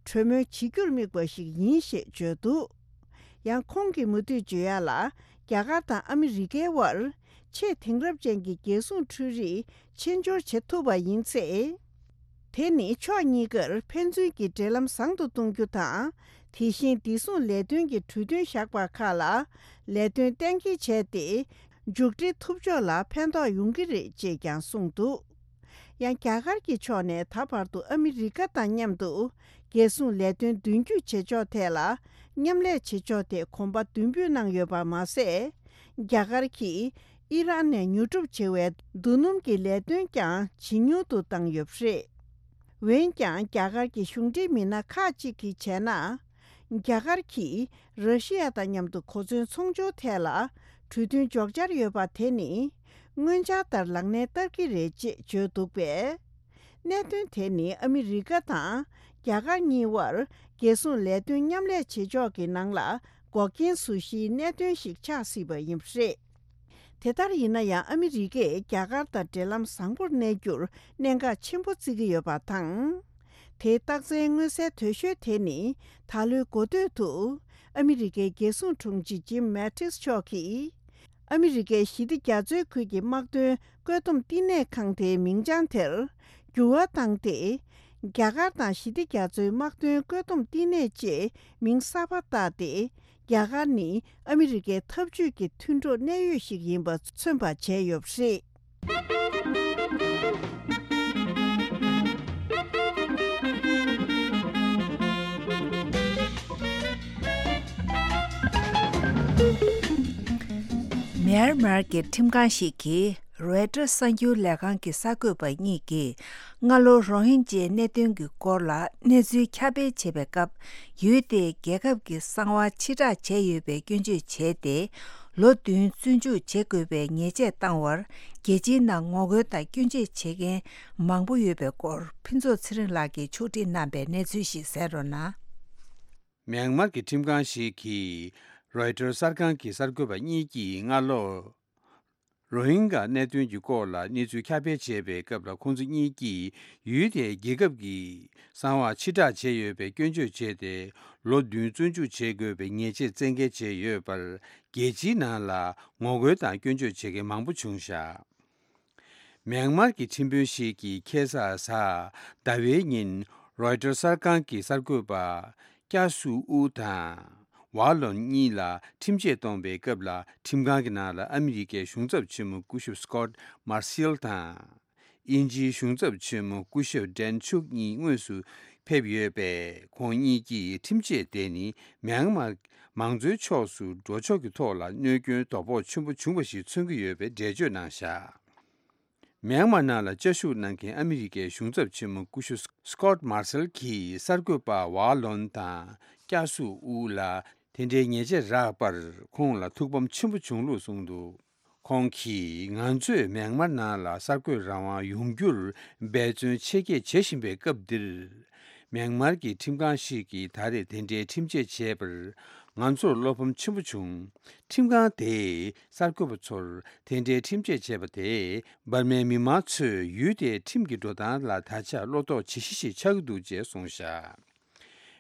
གྲོས་མོལ་བྱེད་རྒྱུར་དམིགས་པ་ཞིག་ཡིན་ཞེས་བརྗོད་འདུག། ཡང་ཁོང་གིས་མུ་མཐུད་བརྗོད་ཡ་ལ། རྒྱ་གར་དང་ཨ་མི་རི་ཀའི་དབར་ཆེས་དེང་རབས་ཅན་གྱི་རྒྱལ་སྲུང་འཕྲུལ་རིག་ཕྱིར་འབྱོར་བྱེད་ཐུབ་པ་ཡིན་ཚེ། དེ་ནི་ཕྱོགས་གཉིས་ཀར་ཕན་ཚུན་གྱི་འབྲེལ་ལམ་བཟང་དུ་གཏོང་རྒྱུ་དང་། དེ་བཞིན་བདེ་སྲུང་ལས་དོན་གྱི་གྲོས་མཐུན་བཞག་པ་ཁག་ལ་ལས་དོན་གཏན་འཁེལ་བྱས་ཏེ། མཇུག་སྒྲིལ་ཐུབ་ཕྱོགས་ལ་ཕན་ཐོགས་ཡོང་གི་རེད་ཅེས་ཀྱང་གསུངས་འདུག། ཡང་རྒྱ་གར་གྱི་ཕྱོགས་ནས་ད་བར་དུ་ཨ་མི་རི་ཀ་དང་མཉམ་དུ་རྒྱལ་སྲུང་ལས་དོན་མདུན་སྐྱོད་བྱེད་ཕྱོགས་ཐད་ལ་མཉམ་ལས་བྱེད་ཕྱོགས་ཐད་གོམ་པ་མདུན་སྤོས་གནང་ཡོད་པ་མ་ཟད། རྒྱ་གར་གྱིས་ཨི་རན་ནས་ཉོ་སྒྲུབ་བྱེད་པའི་རྡོ་སྣུམ་གྱི་ལས་དོན་ཀྱང་ཇེ་ཉུང་དུ་བཏང་ཡོད་པ་རེད། འོན་ཀྱང་རྒྱ་གར་གྱི་གཞུང་འབྲེལ་མི་སྣ་ཁག་ཅིག་གིས་བྱས་ན། རྒྱ་གར་གྱིས་ར་ཤི་ཡ་དང་མཉམ་དུ་གོ་མཚོན་ཚོང་སྦྱོར་ཐད་ལ་གྲོས་མཐུན་འཇོག་འཆར་ཡོད་པ་དེ་ནི་སྔོན་འཆར་ལྟར་ལག་ལེན་བསྟར་གྱི་རེད་ཅེས་བརྗོད་འདུག་པས། གནད་དོན་དེ་ནི་ཨ་མི་རི་ཀ་དང་རྒྱ་གར་གཉིས་དབར་རྒྱལ་སྲུང་ལས་དོན་མཉམ་ལས་བྱེད་ཕྱོགས་ཀྱི་ནང་ལ་འགོག་རྐྱེན་བཟོ་གཞིའི་གནད་དོན་ཞིག་ཆགས་སྲིད་པ་ཡིན་པ་རེད། དེ་ལྟར་ཡིན་ན་ཡང་ཨ་མི་རི་ཀས་རྒྱ་གར་དང་འབྲེལ་ལམ་བཟང་པོར་གནས་རྒྱུར་གནད་འགག་ཆེན་པོ་བརྩི་གི་ཡོད་པ་དང་། དེའི་རྟགས་མཚན་མངོན་གསལ་དོད་ཤོས་དེ་ནི་ད་ལོའི་འགོ་སྟོད་དུ་ཨ་མི་རི་ཀའི་རྒྱལ་སྲུང་དྲུང་ཆེ་ཇིམ་མེ་ཏིས་མཆོག་གིས། ཨ་མི་རི་ཀའི་ཞི་བདེ་རྒྱ་མཚོའི་ཁུལ་གྱི་དམག་དོན་བཀོད་འདོམས་བསྟི་གནས་ཁང་དེའི་མིང་བྱང་དེར་འགྱུར་བ་བཏང་སྟེ། རྒྱ་གར་དང་ཞི་བདེ་རྒྱ་མཚོའི་དམག་དོན་བཀོད་འདོམས་བསྟི་གནས་ཅེས་མིང་གསར་པ་བཏགས་ཏེ། རྒྱ་གར་ནི་ཨ་མི་རི་ཀའི་འཐབ་ཇུས་ཀྱི་མཐུན་གྲོགས་གནད་ཡོད་ཞིག་ཡིན་པ་མཚོན་པ་བྱས་ཡོད་པ་རེད། མེན་མར་གྱི་ཁྲིམས་ཁང་ཞིག་གིས་རོའི་ཊར་གསར་འགྱུར་ལས་ཁང་གི་གསར་འགོད་པ་གཉིས་ཀྱིས་སྔ་ལོ་རོ་ཧིན་ཇའི་གནད་དོན་གྱི་སྐོར་ལ་གནས་ཚུལ་ཁྱབ་སྤེལ་བྱེད་པའི་སྐབས། ཡུལ་དེའི་རྒྱལ་ཁབ་ཀྱི་གསང་བ་ཕྱིར་བསྒྲགས་བྱས་ཡོད་པའི་སྐྱོན་བརྗོད་བྱས་ཏེ། ལོ་བདུན་བཙོན་འཇུག་བྱེད་དགོས་པའི་ཉེས་ཆད་བཏང་བར། རྒྱལ་སྤྱིའི་ནང་ངོ་རྒོལ་དང་སྐྱོན་བརྗོད་བྱེད་མཁན་མང་པོ་ཡོད་པའི་སྐོར། ཕུན་ཚོགས་ཚེ་རིང་ལགས་ཀྱིས་ཕྱོགས་སྒྲིག་གནང་པའི་གནས་ཚུལ་ཞིག་གསན་རོགས་གནང་། མྱན་མར་གྱི་ཁྲིམས་ཁང་ཞིག་གིས་རོའི་ཊར་གསར་ཁང་གི་གསར་འགོད་པ་གཉིས་ཀྱིས་སྔ་ལོ། རོ་ཧིན་གྷ་གནད་དོན་གྱི་སྐོར་ལ་གནས་ཚུལ་ཁྱབ་སྤེལ་བྱས་པའི་སྐབས་ལ། ཁོང་ཚོ་གཉིས་ཀྱིས་ཡུལ་དེའི་རྒྱལ་ཁབ་ཀྱི་གསང་བ་ཕྱིར་བསྒྲགས་བྱས་ཡོད་པའི་སྐྱོན་བརྗོད་བྱས་ཏེ། ལོ་བདུན་བཙོན་འཇུག་བྱེད་དགོས་པའི་ཉེས་ཆད་བཙན་འགེལ་བྱས་ཡོད་པར། རྒྱལ་སྤྱིའི་ནང་ལ་ངོ་རྒོལ་དང་སྐྱོན་བརྗོད་བྱེད་མཁན་མང་པོ་བྱུང་བཞག། མྱན་མར་གྱི་ཁྲིམས་དཔོན་ཞིག་གིས་ཁ་སང་གཟའ་ཟླ་བའི་ཉིན་རོའི་ཊར་གསར་ཁང་གི་གསར་འགོད་པ་ཀྱ་སུ་ཨུ་དང་ཝ་ལོན་གཉིས་ལ་ཁྲིམས་ཆད་གཏོང་པའི་སྐབས་ལ། ཁྲིམས་ཁང་གི་ནང་ལ་ཨ་མི་རི་ཀའི་གཞུང་ཚབ་ཆེན་མོ་སྐུ་ཞབས་སི་ཀོཊ་མར་སེལ་དང་། དབྱིན་ཇིའི་གཞུང་ཚབ་ཆེན་མོ་སྐུ་ཞབས་ཌན་ཆུག་གཉིས་དངོས་སུ་ཕེབས་ཡོད་པས། ཁོང་གཉིས་ཀྱིས་ཁྲིམས་ཆད་དེ་ནི་མྱན་མར་མང་གཙོའི་ཕྱོགས་སུ་འགྲོ་ཕྱོགས་ཀྱི་ཐོག་ལ་གནོད་སྐྱོན་དོ་ཕོག་ཆེན་པོ་བྱུང་བ་ཞིག་མཚོན་གྱི་ཡོད་པའི་འགྲེལ་བརྗོད་གནང་བཞག། མྱན་མར་ནང་ལ་བཅའ་བཞུགས་གནང་མཁན་ཨ་མི་རི་ཀའི་གཞུང་ཚབ་ཆེན་མོ་སྐུ་ཞབས་སི་ཀོཊ་མར་སེལ་གྱིས་གསར་འགོད་པ་ཝ་ལོན་དང་ཀྱ་སུ་ཨུ་ལ་དེ་འདྲའི་ཉེས་ཆད་རག་པར། ཁོང་ལ་ཐུགས་ཕམ་ཆེན་པོ་བྱུང་ལུགས་གསུངས་འདུག། ཁོང་གིས། ང་ཚོས་མྱན་མར་ནང་ལ་གསར་འགོད་རང་དབང་ཡོང་རྒྱུར་འབད་བརྩོན་ཆེ་བསྐྱེད་བྱེད་བཞིན་པའི་སྐབས་འདིར། མྱན་མར་གྱི་ཁྲིམས་ཁང་ཞིག་གིས་ད་རེས་དེ་འདྲའི་ཁྲིམས་ཆད་བྱས་པར། ང་ཚོར་བློ་ཕམ་ཆེན་པོ་བྱུང་། ཁྲིམས་ཁང་དེས་གསར་འགོད་པ་ཚོར་དེ་འདྲའི་ཁྲིམས་ཆད་བྱས་པ་དེས། འབར་མའི་མི་མང་ཚོས་ཡུལ་དེའི་ཁྲིམས་ཀྱི་འགྲོ་སྟངས་ལ་ད་ཆ་བློ་དོགས་ཇེ་ཞིག་ཞིག་ཆགས་ཀྱི་འདུག་ཅེས་གསུངས་བཞག།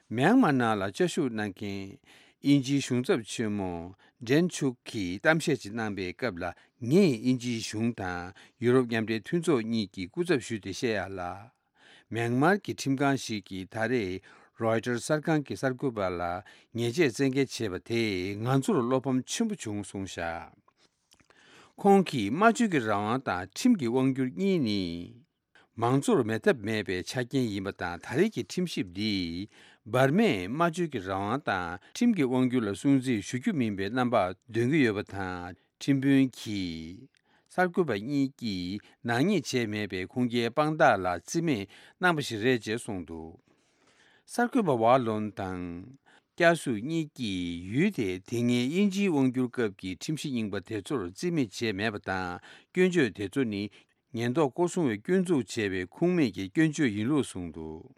མྱན་མར་ནང་ལ་བཅའ་བཞུགས་གནང་མཁན་དབྱིན་ཇིའི་གཞུང་ཚབ་ཆེན་མོ་ཌན་ཆུག་གིས་གཏམ་བཤད་ཅིག་གནང་པའི་སྐབས་ལ། ངས་དབྱིན་ཇིའི་གཞུང་དང་ཡུ་རོབ་མཉམ་འབྲེལ་མཐུན་ཚོགས་གཉིས་ཀྱི་སྐུ་ཚབ་ཞུས་ཏེ་བཤད་ཡག་ལ། མྱན་མར་གྱི་ཁྲིམས་ཁང་ཞིག་གིས་ད་རེས་རོའི་ཊར་གསར་ཁང་གི་གསར་འགོད་པ་ལ་ཉེས་ཆད་བཙན་འགེལ་བྱས་པ་དེས་ང་ཚོར་བློ་ཕམ་ཆེན་པོ་བྱུང་གསུངས་བཞག། ཁོང་གིས། སྨྲ་བརྗོད་ཀྱི་རང་དབང་དང་ཁྲིམས་ཀྱི་དབང་སྒྱུར་གཉིས་ནི། མང་གཙོར་མེད་ཐབས་མེད་པའི་ཆ་རྐྱེན་ཡིན་པ་དང་། ད་རེས་ཀྱི་ཁྲིམས་ཞིབ་འདིས་འབར་མས་སྨྲ་བརྗོད་ཀྱི་རང་དབང་དང་ཁྲིམས་ཀྱི་དབང་སྒྱུར་ལ་སྲུང་བརྩི་ཞུ་རྒྱུ་མིན་པའི་རྣམ་པ་འདོན་གྱི་ཡོད་པ་དང་། ཁྲིམས་དཔོན་གྱིས་གསར་འགོད་པ་གཉིས་ཀྱིས་ནག་ཉེས་བྱས་མེད་པའི་ཁུངས་སྐྱེལ་དཔང་རྟགས་ལ་རྩིས་མེད་གནང་པ་ཞིག་རེད་ཅེས་གསུངས་འདུག། གསར་འགོད་པ་ཝ་ལོན་དང་། ཀྱ་སུ་གཉིས་ཀྱིས་ཡུལ་དེས་དེ་སྔའི་དབྱིན་ཇིའི་དབང་སྒྱུར་སྐབས་ཀྱི་ཁྲིམས་གཞི་རྙིང་པ་དེ་ཚོར་རྩིས་མེད་བྱས་མེད་པ་དང་། སྐྱོན་བརྗོད་དེ་ཚོ་ནི་ཉེན་རྟོག་སྐོར་སྲུང་བས་སྐྱོན་འཛུགས་བྱས་པའི་ཁུངས་མེད་ཀྱི་སྐྱོན་བརྗོད་ཡིན་ལུགས་གསུངས་འདུག།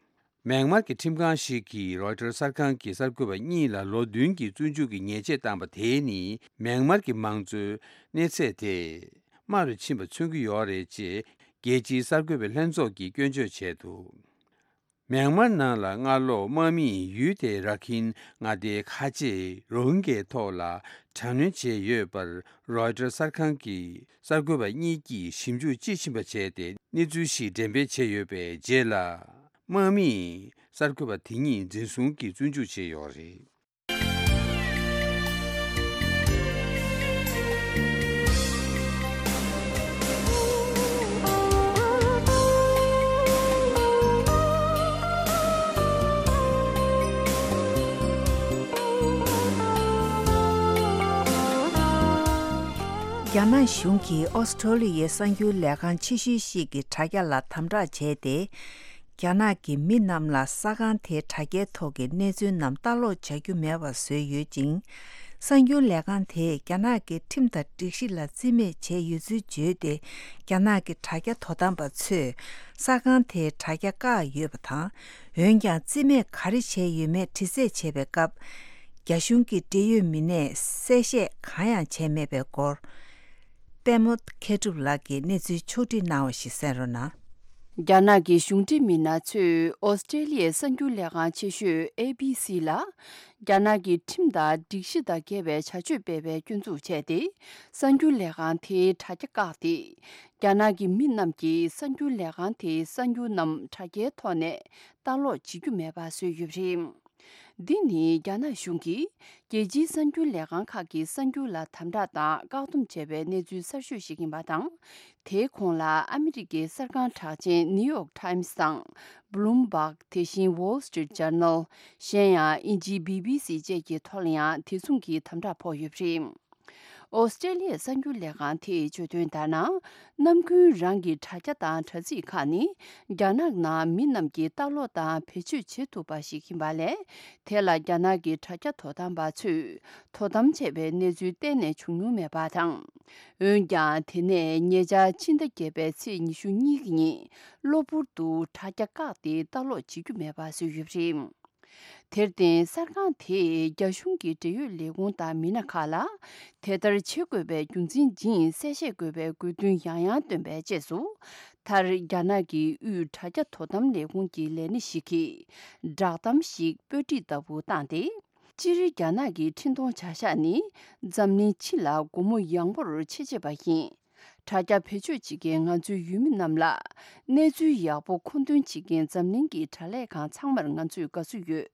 མྱན་མར་གྱི་ཁྲིམས་ཁང་ཞིག་གིས་རོའི་ཊར་གསར་ཁང་གི་གསར་འགོད་པ་གཉིས་ལ་ལོ་བདུན་གྱི་བཙོན་འཇུག་གི་ཉེས་ཆད་བཏང་པ་དེས་ནི། མྱན་མར་གྱི་མང་གཙོའི་གནས་ཚད་དེ་དམའ་རུ་ཕྱིན་པ་མཚོན་གྱི་ཡོད་རེད་ཅེས་རྒྱལ་སྤྱིའི་གསར་འགོད་པའི་ལྷན་ཚོགས་ཀྱིས་སྐྱོན་བརྗོད་བྱས་འདུག། མྱན་མར་ནང་ལ་སྔ་ལོ་དམག་མིས་ཡུལ་དེའི་ར་ཁིན་མངའ་སྡེའི་ཁ་ཆེ་རོ་ཧིན་གྱའི་ཐོག་ལ་དྲག་གནོན་བྱས་ཡོད་པར། རོའི་ཊར་གསར་ཁང་གི་གསར་འགོད་པ་གཉིས་ཀྱིས་ཞིབ་འཇུག་དཔྱིས་ཕྱིན་པ་བྱས་ཏེ། གནས་ཚུལ་ཞིག་འགྲེམས་སྤེལ་བྱས་ཡོད་པའི་རྗེས་ལ། དམག་མིས་གསར་འགོད་པ་དེ་གཉིས་འཛིན་བཟུང་གིས་བཙོན་འཇུག་བྱས་ཡོད་རེད། རྒྱ་ནག་གཞུང་གིས་ཨོ་སི་ཁྲོ་ལི་ཡའི་གསར་འགྱུར་ལས་ཁང་ཆེ་ཤོས་ཤིག་གི་དྲ་རྒྱ་ལ་དམ་དྲག་བྱས་ཏེ། རྒྱ་ནག་གི་མི་རྣམས་ལ་གསར་ཁང་དེའི་དྲ་རྒྱའི་ཐོག་གི་གནས་ཚུལ་རྣམས་ལྟ་ཀློག་བྱ་རྒྱུ་མེད་པ་བཟོས་ཡོད་ཅིང་། གསར་འགྱུར་ལས་ཁང་དེས་རྒྱ་ནག་གི་ཁྲིམས་དང་སྒྲིག་གཞི་ལ་རྩིས་མེད་བྱས་ཡོད་ཚུལ་བརྗོད་དེ། རྒྱ་ནག་གི་དྲ་རྒྱ་དོ་དམ་པ་ཚོས་གསར་ཁང་དེའི་དྲ་རྒྱ་བཀག་ཡོད་པ་དང་། འོན་ཀྱང་རྩིས་མེད་ག་རེ་བྱས་ཡོད་མེད་དྲི་རྩད་བྱས་པའི་སྐབས། རྒྱ་གཞུང་གི་འབྲེལ་ཡོད་མི་སྣས་གསལ་བཤད་གང་ཡང་བྱས་མེད་པའི་སྐོར། པད་མོ་མཁས་གྲུབ་ལགས་ཀྱིས་གནས་ཚུལ་ཕྱོགས་སྒྲིག་གནང་བ་ཞིག་གསན་རོགས་གནང་། རྒྱ་ནག་གི་གཞུང་འབྲེལ་མི་སྣ་ཚོས་ཨོ་སི་ཀྲེ་ལི་ཡའི་གསར་འགྱུར་ལས་ཁང་ཆེ་ཤོས་ཨེ་བི་སི་ལ། རྒྱ་ནག་གི་ཁྲིམས་དང་སྒྲིག་གཞི་དང་འགལ་བའི་བྱ་སྤྱོད་སྤེལ་བའི་སྐྱོན་འཛུགས་བྱས་ཏེ། གསར་འགྱུར་ལས་ཁང་དེའི་དྲ་རྒྱ་བཀག་སྟེ། རྒྱ་ནག་གི་མི་རྣམས་ཀྱིས་གསར་འགྱུར་ལས་ཁང་དེའི་གསར་འགྱུར་རྣམས་དྲ་རྒྱའི་ཐོག་ནས་ལྟ་ཀློག་བྱེད་རྒྱུ་མེད་པ་བཟོས་ཡོད་པ་རེད། འདི་ནི་རྒྱ་ནག་གཞུང་གིས་རྒྱལ་སྤྱིའི་གསར་འགྱུར་ལས་ཁང་ཁག་གི་གསར་འགྱུར་ལ་དམ་དྲག་དང་བཀག་སྡོམ་བྱས་པའི་གནས་ཚུལ་གསར་ཤོས་ཤིག་ཡིན་པ་དང་། དེའི་གོང་ལ་ཨ་མི་རི་ཀའི་གསར་ཁང་གྲགས་ཅན་ནིའུ་ཡོག་ཊའིམ་སི་དང་། བྷུ་ལུམ་བྷག་དེ་བཞིན་Wall Street Journal། གཞན་ཡང་དབྱིན་ཇིའི་བྷི་བྷི་སི་བཅས་ཀྱི་ཐོག་ལ་ཡང་དེ་མཚུངས་ཀྱི་དམ་དྲག་ཕོག་ཡོད་པ་རེད། ཨོ་སི་ཀྲེ་ལི་ཡའི་གསར་འགྱུར་ལས་ཁང་དེས་བརྗོད་དོན་ལྟར་ན། ནམ་རྒྱུན་རང་གི་དྲ་རྒྱ་དང་དྲ་ཚིགས་ཁག་ནི་རྒྱ་ནག་ནང་མི་རྣམས་ཀྱིས་ལྟ་ཀློག་དང་བེད་སྤྱོད་བྱེད་ཐུབ་པ་ཞིག་ཡིན་པ་ལས། དེ་ལ་རྒྱ་ནག་གི་དྲ་རྒྱ་དོ་དམ་པ་ཚོས་དོ་དམ་བྱས་པའི་གནས་ཚུལ་གཏན་ནས་བྱུང་མྱོང་མེད་པ་དང་། འོན་ཀྱང་། དེ་ནས་ཉེ་ཆར་ཕྱི་ཟླ་བརྒྱད་པའི་ཚེས་ཉི་ཤུ་གཉིས་ཀྱི་ཉིན། གློ་བུར་དུ་དྲ་རྒྱ་བཀག་སྟེ་ལྟ་ཀློག་བྱེད་རྒྱུ་མེད་པ་བཟོས་ཡོད་པ་རེད། དེར་བརྟེན། གསར་ཁང་དེས་རྒྱ་གཞུང་གི་འབྲེལ་ཡོད་ལས་ཁུངས་དང་མི་སྣ་ཁག་ལ། དེ་ལྟར་བྱེད་དགོས་པའི་རྒྱུ་མཚན་སྦྱིན་གསལ་བཤད་དགོས་པའི་དགོས་འདུན་ཡང་ཡང་བཏོན་པའི་རྗེས་སུ། མཐར། རྒྱ་ནག་གི་དབུས་དྲ་རྒྱ་དོ་དམ་ལས་ཁུངས་ཀྱི་ལས་སྣེ་ཞིག་གིས། བསྒྲགས་གཏམ་ཞིག་པར་སྐྲུན་ལྟ་བུ་བཏང་སྟེ། སྤྱིར། རྒྱ་ནག་གི་འཕྲིན་གཏོང་བྱ་གཞག་ནི། འཛམ་གླིང་སྤྱི་ལ་སྒོ་མོ་ཡངས་པོར་ཕྱེ་བྱེད་པ་ཡིན། དྲ་རྒྱ་བེད་སྤྱོད་བྱེད་མཁན་ང་ཚོའི་ཡུལ་མི་རྣམས་ལ། གནས་ཚུལ་ཡག་པོ་མཁོ་འདོན་བྱེད་མཁན་འཛམ་གླིང་གི་དྲ་ལས་ཁང་ཚང་མར་ང་ཚོས་དགའ་བསུ་ཡོད།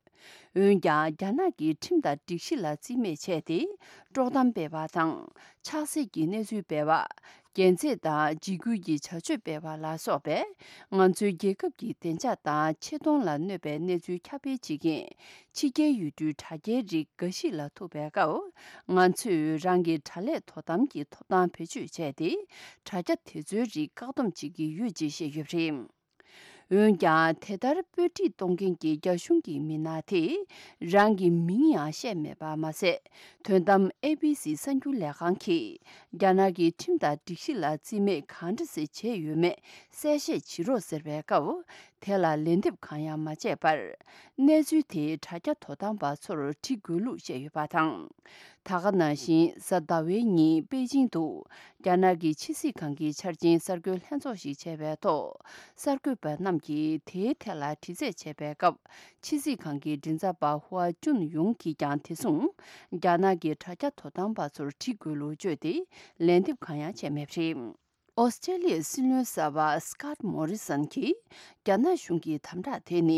འོན་ཀྱང་། རྒྱ་ནག་གིས་ཁྲིམས་དང་སྒྲིག་གཞི་ལ་རྩིས་མེད་བྱས་ཏེ། དཀྲོག་གཏམ་སྤེལ་བ་དང་། ཆགས་སྲེད་ཀྱི་གནས་ཚུལ་སྤེལ་བ། རྒྱལ་རྩེད་དང་འཇིགས་སྐུལ་གྱི་བྱ་སྤྱོད་སྤེལ་བ་ལ་སོགས་པས། ང་ཚོའི་རྒྱལ་ཁབ་ཀྱི་བདེ་འཇགས་དང་ཆེ་མཐོང་ལ་གནོད་པའི་གནས་ཚུལ་ཁྱབ་སྤེལ་བྱེད་མཁན། ཕྱི་རྒྱལ་ཡུལ་གྲུའི་དྲ་རྒྱའི་རིགས་འགའ་ཞིག་ལ་ཐུག་པའི་སྐབས། ང་ཚོས་རང་གི་དྲ་ལས་དོ་དམ་གྱི་ཐོབ་ཐང་བེད་སྤྱོད་བྱས་ཏེ། དྲ་རྒྱ་དེ་ཚོའི་རིགས་བཀག་སྡོམ་བྱེད་ཀྱི་ཡོད་ཅེས་བཤད་ཡོད་པ་རེད། འོན་ཀྱང་། དེ་ལྟར་པར་སྐྲུན་གཏོང་མཁན་གྱི་རྒྱ་གཞུང་གི་མི་སྣ་དེས། རང་གི་མིང་ཡང་བཤད་མེད་པ་མ་ཟད། དོན་དམ། ཨེ་བྷི་སི་གསར་འགྱུར་ལས་ཁང་གིས། རྒྱ་ནག་གི་ཁྲིམས་དང་སྒྲིག་གཞི་ལ་རྩིས་མེད་གང་འདྲ་ཞིག་བྱས་ཡོད་མེད་གསལ་བཤད་བྱེད་རོགས་ཟེར་བའི་སྐབས། དེ་ལ་ལན་འདེབས་གང་ཡང་མ་བྱས་པར། གནས་ཚུལ་དེ་དྲ་རྒྱ་དོ་དམ་པ་ཚོར་འབྲི་དགོས་ལུགས་བཤད་ཡོད་པ་དང་། ད་ག་ནང་བཞིན། གཟའ་ཟླ་བའི་ཉིན་པེ་ཅིང་དུ། རྒྱ་ནག་གི་ཕྱི་སྲིད་ཁང་གི་འཆར་ཅན་གསར་འགོད་ལྷན་ཚོགས་ཤིག་བྱས་པའི་ཐོག་གསར་འགོད་པ་རྣམས་ཀྱིས་དེའི་ཐད་ལ་དྲི་རྩད་བྱས་པའི་སྐབས། ཕྱི་སྲིད་ཁང་གི་མགྲིན་ཚབ་པ་ཧུའ་ཅུན་ཡུང་གིས་ཀྱང་དེ་མཚུངས། རྒྱ་ནག་གི་དྲ་རྒྱ་དོ་དམ་པ་ཚོར་འབྲི་དགོས་ལུགས་བརྗོད་དེ། ལན་འདེབས་གང་ཡང་བྱས་མེད་པ་རེད། ཨོ་སི་ཀྲེ་ལི་ཡའི་སྲིད་བློན་གསར་པ་སི་ཀོཊ་མོ་རི་སན་གྱིས། རྒྱ་ནག་གཞུང་གི་དམ་དྲག་དེ་ནི།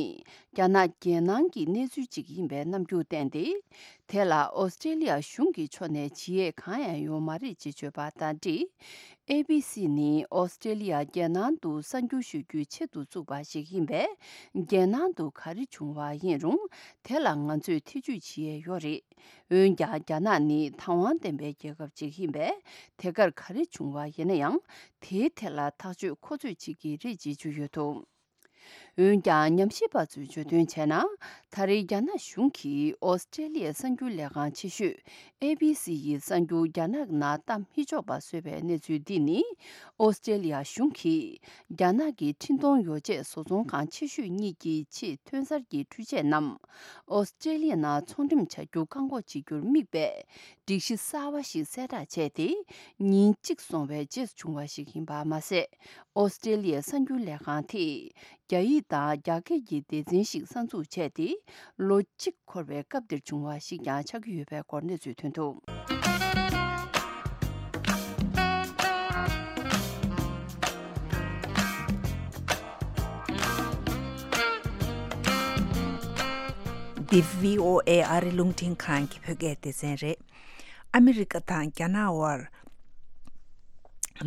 རྒྱ་ནག་རྒྱལ་ནང་གི་གནས་ཚུལ་ཅིག་ཡིན་པའི་རྣམ་འགྱུར་བསྟན་ཏེ། དེ་ལ་ཨོ་སི་ཀྲེ་ལི་ཡ་གཞུང་གི་ཕྱོགས་ནས་ཇི་ཡས་གང་ཡང་ཡོད་མ་རེད་ཅེས་བརྗོད་པ་དང་འབྲེལ། ཨེ་བྷི་སི་ནི་ཨོ་སི་ཀྲེ་ལི་ཡ་རྒྱལ་ནང་དུ་གསར་འགྱུར་ཞུ་རྒྱུའི་ཆེད་དུ་བཙུགས་པ་ཞིག་ཡིན་པས། རྒྱལ་ནང་དུ་ག་རེ་བྱུང་བ་ཡིན་རུང་། དེ་ལ་ང་ཚོས་ཐེ་ཇུས་བྱེད་ཡས་ཡོད་རེད། འོན་ཀྱང་། རྒྱ་ནག་ནི་དང་བ་ལྡན་པའི་རྒྱལ་ཁབ་ཅིག་ཡིན་པས། དེ་གར་ག་རེ་བྱུང་བ་ཡིན་ན་ཡང་། དེའི་ཐད་ལ་ཐག་གཅོད་ཁོ་ཚོས་བྱེད་ཀྱི་རེད་ཅེས་བརྗོད་ཡོད་འདུག་འོན་ཀྱང་། ཉམས་ཞིབ་པ་ཚོས་བརྗོད་དོན་བྱས་ན། ད་རེས་རྒྱ་ནག་གཞུང་གིས་ཨོ་སི་ཀྲེ་ལི་ཡའི་གསར་འགྱུར་ལས་ཁང་ཆེ་ཤོས་ཨེ་བྷི་སི་ཡི་གསར་འགྱུར་རྒྱ་ནག་ནང་བཏང་མི་ཆོག་པ་བཟོས་པའི་གནས་ཚུལ་འདི་ནི། ཨོ་སི་ཀྲེ་ལི་ཡ་གཞུང་གིས་རྒྱ་ནག་གི་འཕྲིན་གཏོང་ཡོ་བྱད་བཟོ་ཚོང་ཁང་ཆེ་ཤོས་གཉིས་ཀྱི་ཆེས་ཐོན་གསར་གྱི་འཕྲུལ་ཆས་རྣམས། ཨོ་སི་ཀྲེ་ལི་ཡ་ནང་ཚོང་འགྲེམས་བྱ་རྒྱུ་བཀག་འགོག་བྱེད་རྒྱུར་དམིགས་པའི་སྒྲིག་གཞི་གསར་བ་ཞིག་གསལ་བསྒྲགས་བྱས་ཏེ། ཉིན་གཅིག་སོང་བའི་རྗེས་སུ་བྱུང་བ་ཞིག་ཡིན་པ་མ་ཟད། ཨོ་སི་ཀྲེ་ལི་ཡའི་གསར་འགྱུར་ལས་ཁང་དེས་རྒྱ་ཡིག་དང་རྒྱ་སྐད་ཀྱི་སྡེ་ཚན་ཞིག་གསར་འཛུགས་བྱས་ཏེ། ལོ་གཅིག་འཁོར་བའི་སྐབས་འདིར་བྱུང་བ་ཞིག་ཀྱང་ཆགས་ཀྱི་ཡོད་པའི་སྐོར་གནས་ཚུལ་ཐོན་འདུག་འདི་བྷི་ཨོ་ཨེ་ཨ་རི་རླུང་འཕྲིན་ཁང་གི་བོད་སྐད་སྡེ་ཚན་རེད། ཨ་མི་རི་ཀ་དང་རྒྱ་ནག་དབར།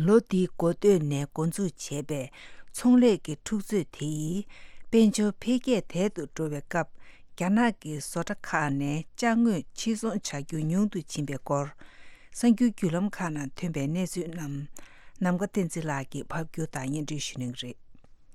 ལོ་འདིའི་འགོ་སྟོད་ནས་འགོ་འཛུགས་བྱས་པའི་ཚོང་ལས་ཀྱི་འཁྲུག་རྩོད་དེ་ཡིས། དཔལ་འབྱོར་འཕེལ་རྒྱས་དལ་དུ་འགྲོ་བའི་སྐབས། རྒྱ་ནག་གི་བཟོ་གྲྭ་ཁག་ནས་ཅ་དངོས་ཕྱིར་ཚོང་བྱ་རྒྱུ་ཉུང་དུ་ཕྱིན་པའི་སྐོར། གསར་འགྱུར་བརྒྱུད་ལམ་ཁག་ནང་ཐོན་པའི་གནས་ཚུལ་རྣམས། ནམ་མཁའ་བསྟན་འཛིན་ལགས་ཀྱིས་ཕབ་སྒྱུར་དང་སྙན་སྒྲོན་ཞུ་གནང་གི་རེད།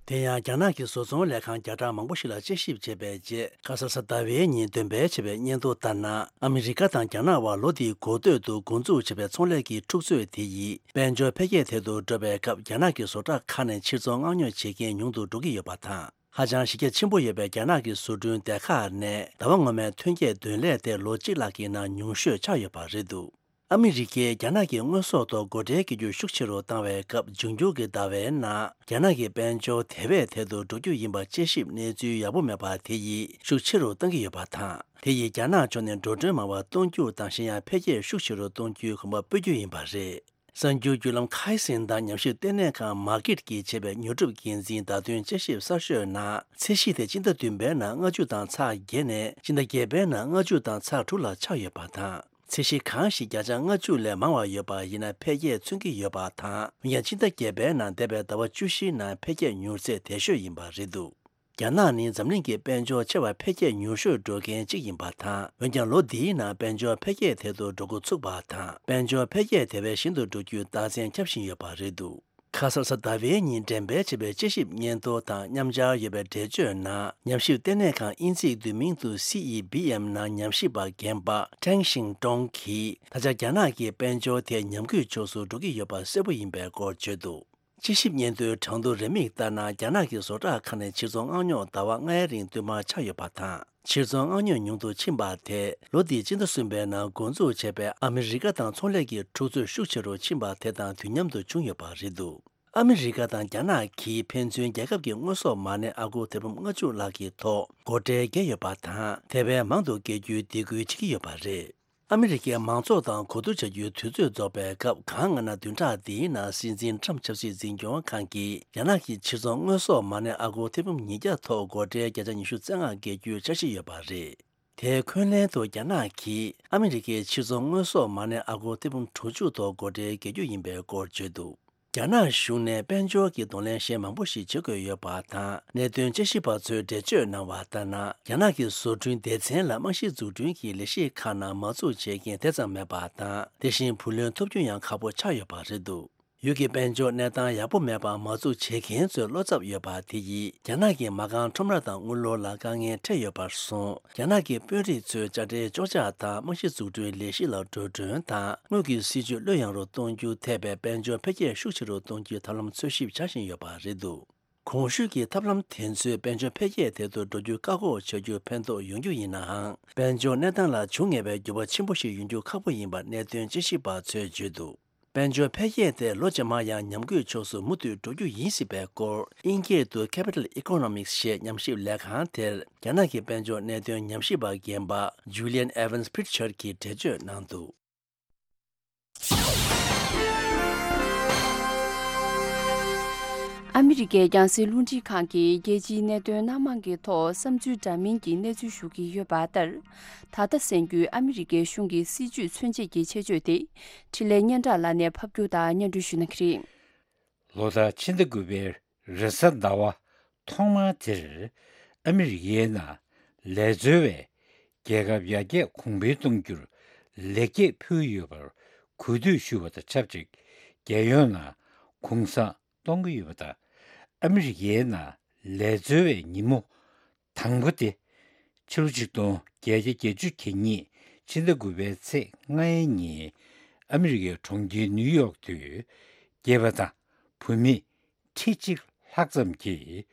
དེ་ཡང་། རྒྱ་ནག་གི་བཟོ་ཚོང་ལས་ཁང་བརྒྱ་ཕྲག་མང་པོ་ཞིག་ལ་དཔྱད་ཞིབ་བྱས་པའི་རྗེས། ཁ་ས་གཟའ་ཟླ་བའི་ཉིན་འདོན་སྤེལ་བྱས་པའི་སྙན་ཐོ་ལྟར་ན། ཨ་མི་རི་ཀ་དང་རྒྱ་ནག་དབར་ལོ་འདིའི་འགོ་སྟོད་དུ་འགོ་འཛུགས་བྱས་པའི་ཚོང་ལས་ཀྱི་འཁྲུག་རྩོད་དེ་ཡིས། དཔལ་འབྱོར་འཕེལ་རྒྱས་དལ་དུ་འགྲོ་བའི་སྐབས། རྒྱ་ནག་གི་བཟོ་གྲྭ་ཁག་ནས་ཕྱིར་ཚོང་མངགས་ཉོ་བྱེད་མཁན་ཉུང་དུ་འགྲོ་གི་ཡོད་པ་དང་། ཧ་ཅང་གཞི་རྒྱ་ཆེན་པོ་ཡོད་པའི་རྒྱ་ནག་གི་བཟོ་སྐྲུན་སྡེ་ཁག་ནས། ཟླ་བ་སྔོན་མའི་ཐོན་སྐྱེད་འདོན་ལས་དེ་ལོ་གཅིག་ལྷག་གི་ནང་ཉུང་ཤོས་ཆགས་ཡོད་པ་རེད་འདུག་ཨ་མི་རི་ཀས་རྒྱ་ནག་གི་དངོས་ཟོག་ཐོག་སྒོ་ཁྲལ་བཀལ་རྒྱུ་ཤུགས་ཆེ་རུ་བཏང་བའི་སྐབས། འབྱུང་འགྱུར་གྱི་ཟླ་བའི་ནང་། རྒྱ་ནག་གི་དཔལ་འབྱོར་དེ་བས་དལ་དུ་འགྲོ་རྒྱུ་ཡིན་པ་དཔྱད་ཞིབ་གནས་ཚུལ་ཡག་པོ་མེད་པ་དེ་ཡིས་ཤུགས་ཆེ་རུ་གཏང་གི་ཡོད་པ་དང་། དེ་ཡིས་རྒྱ་ནག་ཕྱོགས་ནས་འགྲོ་གྲོན་མང་བ་གཏོང་རྒྱུ་དང་། གཞན་ཡང་འཕེལ་རྒྱས་ཤུགས་ཆེ་རུ་གཏོང་རྒྱུའི་གོམ་པ་སྤོ་རྒྱུ་ཡིན་པ་རེད། གསར་འགྱུར་བརྒྱུད་ལམ་ཁའི་སིན་དང་ཉམས་ཞིབ་ལྟེ་གནས་ཁང་མར་ཀིད་ཀྱིས་བྱས་པའི་ཉོ་སྒྲུབ་འགན་འཛིན་བརྡ་དོན་དཔྱད་ཞིབ་གསར་ཤོས་ནང་ཚད་གཞི་དེ་སྤྱི་ཟླ་བདུན་པའི་ནང་ལྔ་བཅུ་དང་ཚེག་བརྒྱད་ནས་སྤྱི་ཟླ་བརྒྱད་པའི་ནང་ལྔ་བཅུ་དང་ཚེག་དྲུག་ལ་ཆག་ཡོད་པ་དང་། ཚད་གཞི་གང་ཞིག་བརྒྱ་ཆ་ལྔ་བཅུ་ལས་མང་བ་ཡོད་པ་ཡིན་ན་འཕེལ་རྒྱས་མཚོན་གྱི་ཡོད་པ་དང་། འོན་ཀྱང་སྤྱི་ཟླ་བརྒྱད་པའི་ནང་འདས་པའི་ཟླ་བ་བཅུ་བཞིའི་ནང་འཕེལ་རྒྱས་མྱུར་ཚད་དལ་ཤོས་ཡིན་པ་རེད་འདུག་རྒྱ་ནག་ནི་འཛམ་གླིང་གི་དཔལ་འབྱོར་ཆེ་བ་འཕེལ་རྒྱས་མྱུར་ཤོས་འགྲོ་མཁན་གཅིག་ཡིན་པ་དང་། འོན་ཀྱང་ལོ་འདིའི་ནང་དཔལ་འབྱོར་འཕེལ་རྒྱས་དལ་དུ་འགྲོ་འགོ་ཚུགས་པ་དང་། དཔལ་འབྱོར་འཕེལ་རྒྱས་དེ་བས་ཞན་དུ་འགྲོ་རྒྱུའི་རྟགས་མཚན་ཁྱབ་བཞིན་ཡོད་པ་རེད་འདུག་ཁ་སང་གཟའ་ཟླ་བའི་ཉིན་འགྲེམས་སྤེལ་བྱས་པའི་དཔྱད་ཞིབ་སྙན་ཐོ་དང་མཉམ་སྦྱར་ཡོད་པའི་འགྲེལ་བརྗོད་ནང་། ཉམས་ཞིབ་ལྟེ་གནས་ཁང་དབྱིན་ཇིའི་བསྡུས་མིང་དུ་སི་ཨི་བི་ཨེམ་ནང་ཉམས་ཞིབ་པ་རྒན་པ་ཀྲེང་ཤིང་ཀྲོང་གིས། ད་ཆ་རྒྱ་ནག་གི་དཔལ་འབྱོར་དེ་ཉམས་རྒུད་ཕྱོགས་སུ་འགྲོ་གི་ཡོད་པ་གསལ་པོ་ཡིན་པའི་སྐོར་བརྗོད་འདུག་དཔྱད་ཞིབ་སྙན་ཐོའི་གྲངས་ཐོ་རེའུ་མིག་ལྟར་ན། རྒྱ་ནག་གི་བཟོ་གྲྭ་ཁག་ནས་ཕྱིར་ཚོང་མངགས་ཉོ་ཟླ་བ་ལྔའི་རིང་བསྟུད་མར་ཆག་ཡོད་པ་དང་། ཕྱིར་ཚོང་མངགས་ཉོ་ཉུང་དུ་ཕྱིན་པ་དེ་ལོ་འདིའི་སྤྱི་ཟླ་གསུམ་པའི་ནང་འགོ་འཛུགས་བྱས་པའི་ཨ་མི་རི་ཀ་དང་ཚོང་ལས་ཀྱི་འཁྲུག་རྩོད་ཤུགས་ཆེ་རུ་ཕྱིན་པ་དེ་དང་དུས་མཉམ་དུ་བྱུང་ཡོད་པ་རེད་འདུག་ཨ་མི་རི་ཀ་དང་རྒྱ་ནག་གིས་ཕན་ཚུན་རྒྱལ་ཁབ་ཀྱི་དངོས་ཟོག་མ་གནས་ཨ་སྒོར་ཐེར་འབུམ་ལྔ་བཅུ་ལྷག་གི་ཐོག་སྒོ་ཁྲལ་བཀལ་ཡོད་པ་དང་། དེ་བས་མང་དུ་བཀལ་རྒྱུའི་སྡིགས་སྐུལ་བྱེད་ཀྱི་ཡོད་པ་རེད། ཨ་མི་རི་ཀའི་མང་ཚོགས་དང་གོ་བསྡུར་བྱ་རྒྱུའི་དུས་ཚོད་རྫོགས་པའི་སྐབས། གང་སྔ་ན་བདུན་ཕྲག་འདིའི་ནང་སྲིད་འཛིན་ཊམ་ཆབ་སྲིད་འཛིན་སྐྱོང་ཁང་གིས་རྒྱ་ནག་གི་ཕྱིར་ཚོང་དངོས་ཟོག་མ་གནས་ཨ་སྒོར་ཐེར་འབུམ་ཉིས་བརྒྱ་ཐོག་སྒོ་ཁྲལ་བརྒྱ་ཆ་ཉི་ཤུ་རྩ་ལྔ་བཀལ་རྒྱུའི་འཆར་གཞི་ཡོད་པ་རེད། དེའི་འཁོན་ལན་དུ་རྒྱ་ནག་གིས་ཨ་མི་རི་ཀའི་ཕྱིར་ཚོང་དངོས་ཟོག་མ་གནས་ཨ་སྒོར་ཐེར་འབུམ་དྲུག་ཅུ་ཐོག་སྒོ་ཁྲལ་བཀལ་རྒྱུ་ཡིན་པའི་སྐོར་བརྗོད་འདུག་རྒྱ་ནག་གཞུང་ནས་དཔལ་འབྱོར་གྱི་གདོང་ལེན་གཞན་མང་པོ་ཞིག་བྱེད་དགོས་ཡོད་པ་དང་། གནད་དོན་དཔྱད་ཞིབ་པ་ཚོས་འགྲེལ་བརྗོད་གནང་བ་ལྟར་ན། རྒྱ་ནག་གི་བཟོ་སྐྲུན་སྡེ་ཚན་ལ་རྨང་གཞི་འཛུགས་སྐྲུན་གྱི་ལས་གཞི་ཁག་ནང་མ་འཛུགས་བྱེད་མཁན་དེ་ཙམ་མེད་པ་དང་། དེ་བཞིན་བུ་ལོན་ཐོབ་རྒྱུ་ཡང་ཁག་པོ་ཆགས་ཡོད་པ་རེད་འདུག་ཡུལ་གྱི་དཔལ་འབྱོར་གནས་སྟངས་ཡག་པོ་མེད་པར་མ་འཛུགས་བྱེད་མཁན་ཚོའི་བློ་འཚབ་ཡོད་པ་དེ་ཡིས་རྒྱ་ནག་གི་མ་རྐང་ཁྲོམ་ར་དང་དངུལ་ལོར་ལ་དཀའ་ངལ་འཕྲད་ཡོད་པར་སོང་། རྒྱ་ནག་གི་དཔོན་རིགས་ཚོས་དཔྱ་ཁྲལ་གཅོག་ཆ་དང་རྨང་གཞི་འཛུགས་སྐྲུན་ལས་གཞི་ལ་འགྲོ་གྲོན་དང་དངུལ་གྱི་སྲིད་ཇུས་བློས་ཡངས་རུ་གཏོང་རྒྱུ་ཐེ་བའི་དཔལ་འབྱོར་འཕེལ་རྒྱས་ཤུགས་ཆེ་རུ་གཏོང་རྒྱུའི་ཐབས་ལམ་འཚོལ་ཞིབ་བྱ་བཞིན་ཡོད་པ་རེད་འདུག་གོང་ཞུས་ཀྱི་ཐབས་ལམ་དེ་ཚོས་དཔལ་འབྱོར་འཕེལ་རྒྱས་དེ་ཚོ་འགྲོ་རྒྱུ་བཀག་འགོག་བྱ་རྒྱུར་ཕན་ཐོགས་ཡོང་རྒྱུ་ཡིན་ནའང་། དཔལ་འབྱོར་གནས་སྟངས་ལ་འབྱུང་ངེས་པའི་འགྱུར་བ་ཆེན་པོ་ཞིག་ཡོང་རྒྱུ་ཁག་པོ་ཡིན་པ་གནད་དོན་དཔྱད་ཞིབ་པ་ཚོས་བརྗོད་འདུག་དཔལ་འབྱོར་འཕེལ་རྒྱས་དེ་ལོ་རྗེས་མར་ཡང་ཉམས་རྒུད་ཕྱོགས་སུ་མུ་མཐུད་འགྲོ་རྒྱུ་ཡིན་སྲིད་པའི་སྐོར། དབྱིན་སྐད་དུ་Capital Economics ཞེས་ཉམས་ཞིབ་ལས་ཁང་དེར་རྒྱ་ནག་གི་དཔལ་འབྱོར་གནད་དོན་ཉམས་ཞིབ་པ་རྒན་པ་Julian Evans Pritchard གྱིས་འགྲེལ་བརྗོད་གནང་འདུག་ཨ་མི་རི་ཀའི་རྒྱང་སྲིང་རླུང་འཕྲིན་ཁང་གིས་རྒྱལ་སྤྱིའི་གནད་དོན་སྣ་མང་གི་ཐོག་བསམ་ཚུལ་འདྲ་མིན་གྱི་གནས་ཚུལ་ཞུ་གི་ཡོད་པ་ལྟར། ད་ལྟ་གསན་རྒྱུའི་ཨ་མི་རི་ཀའི་གཞུང་གི་སྲིད་ཇུས་མཚོན་བྱེད་ཀྱི་ཆེད་བརྗོད་དེ། འཕྲིན་ལས་སྙན་གྲགས་ལགས་ནས་ཕབ་སྒྱུར་དང་སྙན་སྒྲོན་ཞུ་གནང་གི་རེད། ལོ་ལྟར་ཕྱི་ཟླ་དགུ་པའི་རེས་གཟའ་ཟླ་བ་ཐོག་མ་དེར། ཨ་མི་རི་ཀའི་ནང་ལས་འཛོལ་བའི་རྒྱལ་ཁབ་ཡར་རྒྱས་གོང་འཕེལ་གཏོང་རྒྱུར་ལེགས་སྐྱེས་ཕུལ་ཡོད་པར་གུས་འདུད་ཞུ་བ་དང་ཆབས་ཅིག་རྒྱལ་ཡོངས་ནང་གུང་སེང་གཏོང་གི་ཡོད་པ་དང་། ཨ་མི་རི་ཀའི་ནང་ལས་འཛོལ་བའི་ཉིན་མོ་དང་པོ་དེ། ཕྱི་ལོ་ཆིག་སྟོང་བརྒྱད་བརྒྱ་བརྒྱད་ཅུ་གྱ་གཉིས་ཕྱི་ཟླ་དགུ་པའི་ཚེས་ལྔའི་ཉིན། ཨ་མི་རི་ཀའི་གྲོང་ཁྱེར་ནིའུ་ཡོག་ཏུ། སྐྱེས་པ་དང་བུད་མེད་ཁྲི་གཅིག་ལྷག་ཙམ་གྱིས་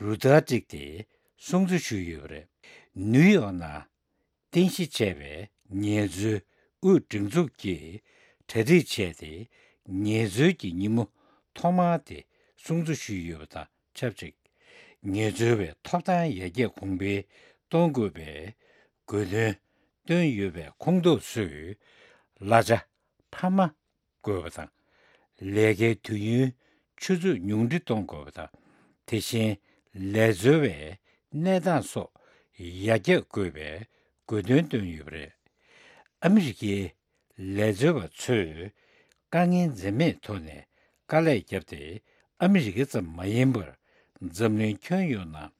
རུ་སྟར་བསྒྲིགས་ཏེ་སྲུང་བརྩི་ཞུས་ཡོད་པ་རེད། ནིའུ་ཡོག་ནང་རྟེན་གཞི་བྱས་པའི་ངལ་རྩོལ་དབུས་སྒྲིག་འཛུགས་ཀྱིས་གྲ་སྒྲིག་བྱས་ཏེ། ངལ་རྩོལ་གྱི་ཉིན་མོ་ཐོག་མ་དེ་སྲུང་བརྩི་ཞུས་ཡོད་པ་དང་ཆབས་ཅིག་ངལ་རྩོལ་བའི་ཐོབ་ཐང་ཡར་རྒྱས་གོང་འཕེལ་གཏོང་དགོས་པའི་དགོས་འདུན་བཏོན་ཡོད་པའི་ཁོངས་གཏོགས་ཚོས། གླ་ཆ་འཕར་མ་དགོས་པ་དང་། ལས་ཀའི་དུས་ཡུན་ཆུ་ཚོད་ཉུང་འཕྲི་གཏོང་དགོས་པ་དང་། དེ་བཞིན་ལས་འཛོལ་བའི་གནས་སྟངས་སོགས་ཡར་རྒྱས་དགོས་པའི་དགོས་འདུན་བཏོན་ཡོད་པ་རེད། ཨ་མི་རི་ཀའི་ལས་འཛོལ་བ་ཚོས་དཀའ་ངལ་འཛེམས་མེད་ཐོག་ནས་དཀའ་ལས་བརྒྱབ་སྟེ། ཨ་མི་རི་ཀ་ཙམ་མ་ཡིན་པར་འཛམ་གླིང་ཁྱོན་ཡོངས་ནང་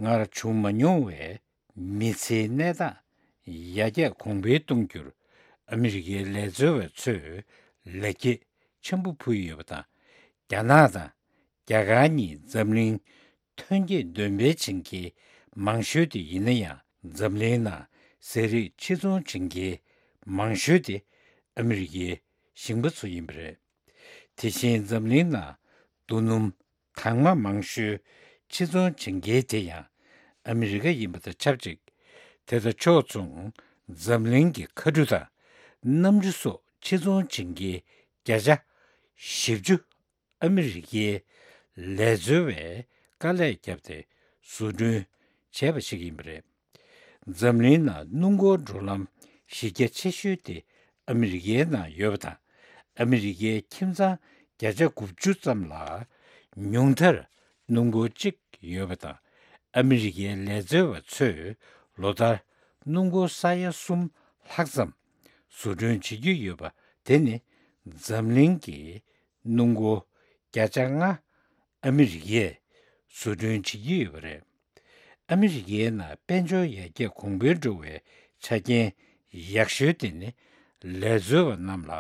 སྔར་བྱུང་མ་མྱོང་བའི་མི་ཚེའི་གནས་སྟངས་ཡར་རྒྱས་གོང་འཕེལ་གཏོང་རྒྱུར་ཨ་མི་རི་ཀའི་ལས་འཛོལ་བ་ཚོས་ལེགས་སྐྱེས་ཆེན་པོ་ཕུལ་ཡོད་པ་དང་། རྒྱ་ནག་དང་རྒྱ་གར་གཉིས་འཛམ་གླིང་ཐོན་སྐྱེད་འདོན་སྤེལ་བྱེད་མཁན་མང་ཤོས་དེ་ཡིན་ན་ཡང་། འཛམ་གླིང་ནང་ཟས་རིགས་ཕྱིར་ཚོང་བྱེད་མཁན་མང་ཤོས་དེ་ཨ་མི་རི་ཀའི་ཞིང་པ་ཚོ་ཡིན་པ་རེད། དེ་བཞིན་འཛམ་གླིང་ནང་རྡོ་སྣུམ་དྭངས་མ་མང་ཤོས་ཕྱིར་ཚོང་བྱེད་མཁན་དེ་ཡང་ཨ་མི་རི་ཀ་ཡིན་པ་དང་ཆབས་ཅིག་དེ་དང་ཕྱོགས་མཚུངས་འཛམ་གླིང་གི་མཁའ་གྲུ་དང་གནམ་གྲུ་སོགས་ཕྱིར་ཚོང་བྱེད་མཁན་བརྒྱ་ཆ་བཞི་བཅུ་ཨ་མི་རི་ཀའི་ལས་འཛོལ་བས་དཀའ་ལས་བརྒྱབ་སྟེ་བཟོ་སྐྲུན་བྱས་པ་ཞིག་ཡིན་པ་རེད། འཛམ་གླིང་ནང་སྣུམ་འཁོར་འགྲོ་ལམ་གཞི་རྒྱ་ཆེ་ཤོས་དེ་ཨ་མི་རི་ཀའི་ནང་ཡོད་པ་དང་། ཨ་མི་རི་ཀའི་ཁྱིམ་ཚང་བརྒྱ་ཆ་དགུ་བཅུ་ཙམ་ལ་ཉུང་མཐར་སྣུམ་འཁོར་གཅིག་ཡོད་པ་དང་། ཨ་མི་རི་ཀའི་ལས་བཟོ་བ་ཚོས་ལོ་ལྟར་སྣུམ་འཁོར་ས་ཡ་གསུམ་ལྷག་ཙམ་བཟོ་སྐྲུན་བྱེད་ཀྱི་ཡོད་པ་དེ་ནི་འཛམ་གླིང་གི་སྣུམ་འཁོར་བརྒྱ་ཆ་ལྔ་ཨ་མི་རི་ཀས་བཟོ་སྐྲུན་བྱེད་ཀྱི་ཡོད་པ་རེད། ཨ་མི་རི་ཀའི་ནང་དཔལ་འབྱོར་ཡར་རྒྱས་གོང་འཕེལ་འགྲོ་བའི་ཆ་རྐྱེན་ཡག་ཤོས་དེ་ནི་ལས་བཟོ་བ་རྣམས་ལ་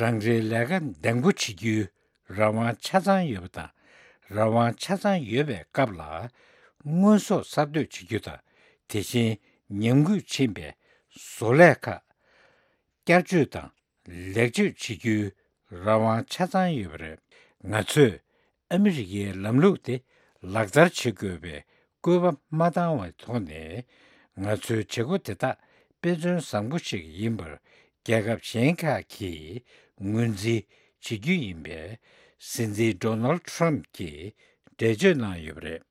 རང་རེའི་ལས་ཀ་འདང་པོ་བྱེད་རྒྱུའི་རང་དབང་ཆ་ཚང་ཡོད་པ་དང་། རང་དབང་ཆ་ཚང་ཡོད་པའི་སྐབས་ལ་དངོས་ཟོག་གསར་གཏོད་བྱེད་རྒྱུ་དང་། དེ་བཞིན་ཉམས་རྒུད་ཕྱིན་པའི་བཟོ་ལས་ཁག་བསྐྱར་བཅོས་དང་ལེགས་བཅོས་བྱེད་རྒྱུའི་རང་དབང་ཆ་ཚང་ཡོད་པ་རེད། ང་ཚོས་ཨ་མི་རི་ཀའི་ལམ་ལུགས་དེ་ལག་བསྟར་བྱེད་དགོས་པའི་སྐུལ་པ་མ་བཏང་བའི་ཐོག་ནས། ང་ཚོའི་བྱེད་སྒོ་དེ་དག་དཔེ་མཚོན་བཟང་པོ་ཞིག་ཡིན་པར་རྒྱལ་ཁབ་གཞན་ཁག་གིས་ངོས་འཛིན་བྱེད་རྒྱུ་ཡིན་པའི་སྲིད་འཛིན་ཌོ་ནལ་ཊམ་གྱིས་འགྲེལ་བརྗོད་གནང་ཡོད་པ་རེད།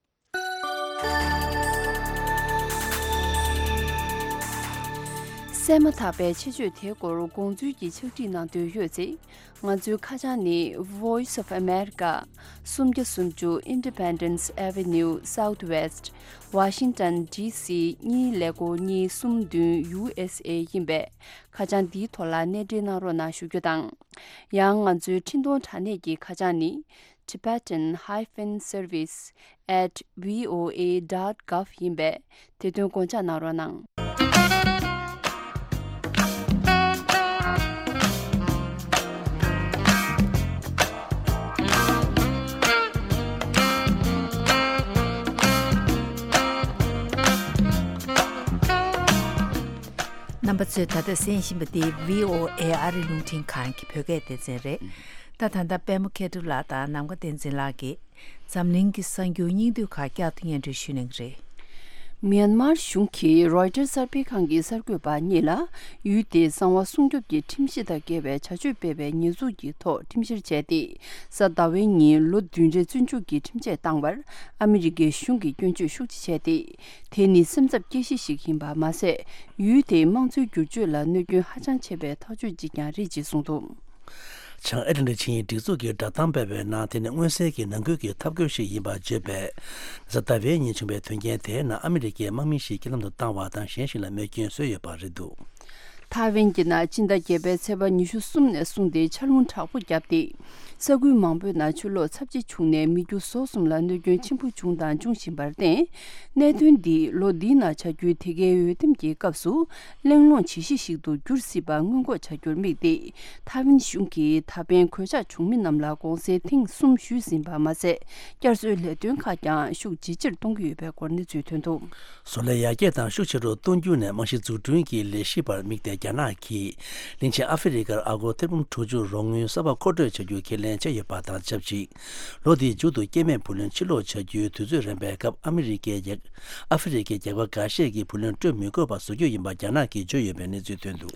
གསན་མ་ཐག་པའི་ཆེད་བརྗོད་དེའི་སྐོར་དགོངས་ཚུལ་གྱི་ཕྱག་བྲིས་གནང་འདོད་ཡོད་ཚེ། ང་ཚོའི་ཁ་བྱང་ནི། Voice of America། སུམ་བརྒྱ་སུམ་ཅུ། Independence Avenue Southwest། Washington D C གཉིས་ཀླད་ཀོར་གཉིས་གསུམ་བདུན། U S A ཡིན་པས། ཁ་བྱང་འདིའི་ཐོག་ལ་གནས་འབྲེལ་གནང་རོགས་གནང་ཞུ་རྒྱུ་དང་། ཡང་ང་ཚོའི་འཕྲིན་གཏོང་དྲ་གནས་ཀྱི་ཁ་བྱང་ནི། Tibetan hyphen service at V O A dot gov ཡིན་པས། དེ་དོན་དགོངས་འཇགས་གནང་རོགས་གནང་། རྣམ་པ་ཚོས་ད་ལྟ་གསན་བཞིན་པ་འདི་V O A ཨ་རི་རླུང་འཕྲིན་ཁང་གི་བོད་སྐད་སྡེ་ཚན་རེད། ད་ད་ལྟ་པད་མ་མཁས་གྲུབ་ལགས་དང་ནམ་མཁའ་བསྟན་འཛིན་ལགས་ཀྱིས་འཛམ་གླིང་གི་གསར་འགྱུར་སྙིང་བསྡུས་ཁག་བསྐྱར་དུ་སྙན་སྒྲོན་ཞུ་གནང་གི་རེད། མིའན་མར་གཞུང་གིས་རོའི་ཊར་གསར་སྤེལ་ཁང་གི་གསར་འགོད་པ་གཉིས་ལ་ཡུལ་དེའི་གསང་བ་སྲུང་སྐྱོབ་ཀྱི་ཁྲིམས་གཞི་དང་འགལ་བའི་བྱ་སྤྱོད་སྤེལ་བའི་ཉེས་འཛུགས་ཀྱི་ཐོག་ཁྲིམས་བཤེར་བྱས་ཏེ། གཟའ་ཟླ་བའི་ཉིན་ལོ་བདུན་རེ་བཙོན་འཇུག་གི་ཁྲིམས་ཆད་བཏང་བར་ཨ་མི་རི་ཀའི་གཞུང་གིས་སྐྱོན་བརྗོད་ཤུགས་ཆེ་བྱས་ཏེ། དེ་ནི་སེམས་འཚབ་སྐྱེ་གཞི་ཞིག་ཡིན་པ་མ་ཟད། ཡུལ་དེའི་དམངས་གཙོའི་བསྒྱུར་བཅོས་ལ་གནོད་སྐྱོན་ཧ་ཅང་ཆེ་བའི་ཐག་གཅོད་ཅིག་ཀྱང་རེད་ཅེས་གསུངས་འདུག། བྱང་ཨེ་ཊ་ལན་ཊིག་ཆིངས་ཡིག་སྒྲིག་འཛུགས་ཀྱིས་བསྒྲགས་གཏམ་སྤེལ་བའི་ནང་། དེ་ནི་མངོན་གསལ་གྱི་ནང་ཁུལ་གྱི་འཐབ་རྒོལ་ཞིག་ཡིན་པར་བརྗོད་པས། གཟའ་ཟླ་བའི་ཉིན་བྱུང་བའི་དོན་རྐྱེན་དེའི་ནང་ཨ་མི་རི་ཀའི་དམག་མི་ཞིག་རྐྱེན་ལམ་དུ་བཏང་བ་དང་། གཞན་ཞིག་ལ་རྨས་སྐྱོན་བཟོས་ཡོད་པ་རེད་འདུག། ཐའེ་ཝན་གྱི་ནང་སྤྱི་ཟླ་བརྒྱད་པའི་ཚེས་པ་ཉི་ཤུ་གསུམ་ནས་བཟུང་སྟེ་ཆར་རླུང་དྲག་པོ་བརྒྱབ་སྟེ། ས་ཁུལ་མང་པོའི་ནང་ཆུ་ལོག་ཚབས་ཆེ་བྱུང་ནས་མི་རྒྱུ་ཟོག་གསུམ་ལ་གནོད་སྐྱོན་ཆེན་པོ་བྱུང་དང་འབྱུང་བཞིན་པར་བརྟེན། གནད་དོན་འདི་ལོ་འདིའི་ནང་བྱ་རྒྱུའི་དེ་གའི་འོས་འདེམས་ཀྱི་སྐབས་སུ་གླེང་སློང་བྱེད་གཞི་ཞིག་ཏུ་འགྱུར་སྲིད་པ་སྔོན་འགོག་བྱ་རྒྱུར་དམིགས་ཏེ། ཐའེ་ཝན་གཞུང་གིས་ད་ཕན་གོད་ཆག་བྱུང་མི་རྣམས་ལ་དགོངས་སེལ་ཐེངས་གསུམ་ཞུས་ཟིན་པ་མ་ཟད། བསྐྱར་གསོའི་ལས་དོན་ཁག་ཀྱང་ཤུགས་ཇེ་ཆེར་གཏོང་གི་ཡོད་པའི་སྐོར་གནས་ཚུལ་ཐོན་འདུག། བཟོ་ལས་ཡར་རྒྱས་དང་ཤུགས་ཆེ་རུ་གཏོང་རྒྱུ་ནས་རྨང་གཞི་འཛུགས་སྐྲུན་གྱི་ལས་གཞི་བར་དམིགས་ཏེ། རྒྱ་ནག་གིས་གླིང་ཆེན་ཨ་ཧྥེ་རི་ཁར་ཨ་སྒོར་ཐེར་འབུམ་དྲུག་ཅུ་རོགས་དངུལ་གསར་པ་མཁོ་སྤྲོད་བྱ་རྒྱུ་ཁས་ལེན་བྱས་ཡོད་པ་དང་ཆབས་ཅིག། ལོ་འདིའི་མཇུག་ཏུ་སྐྱེ་དམན་བུ་ལོན་ཕྱིར་སློག་བྱ་རྒྱུའི་དུས་ཚོད་རན་པའི་སྐབས། ཨ་མི་རི་ཀའི་རྒྱལ། ཨ་ཧྥེ་རི་ཁའི་རྒྱལ་ཁབ་འགའ་ཤས་ཀྱིས་བུ་ལོན་སྤྲོད་མི་དགོས་པ་བཟོ་རྒྱུ་ཡིན་པ་རྒྱ་ནག་གིས་བརྗོད་ཡོད་པའི་གནས་ཚུལ་ཐོན་འདུག།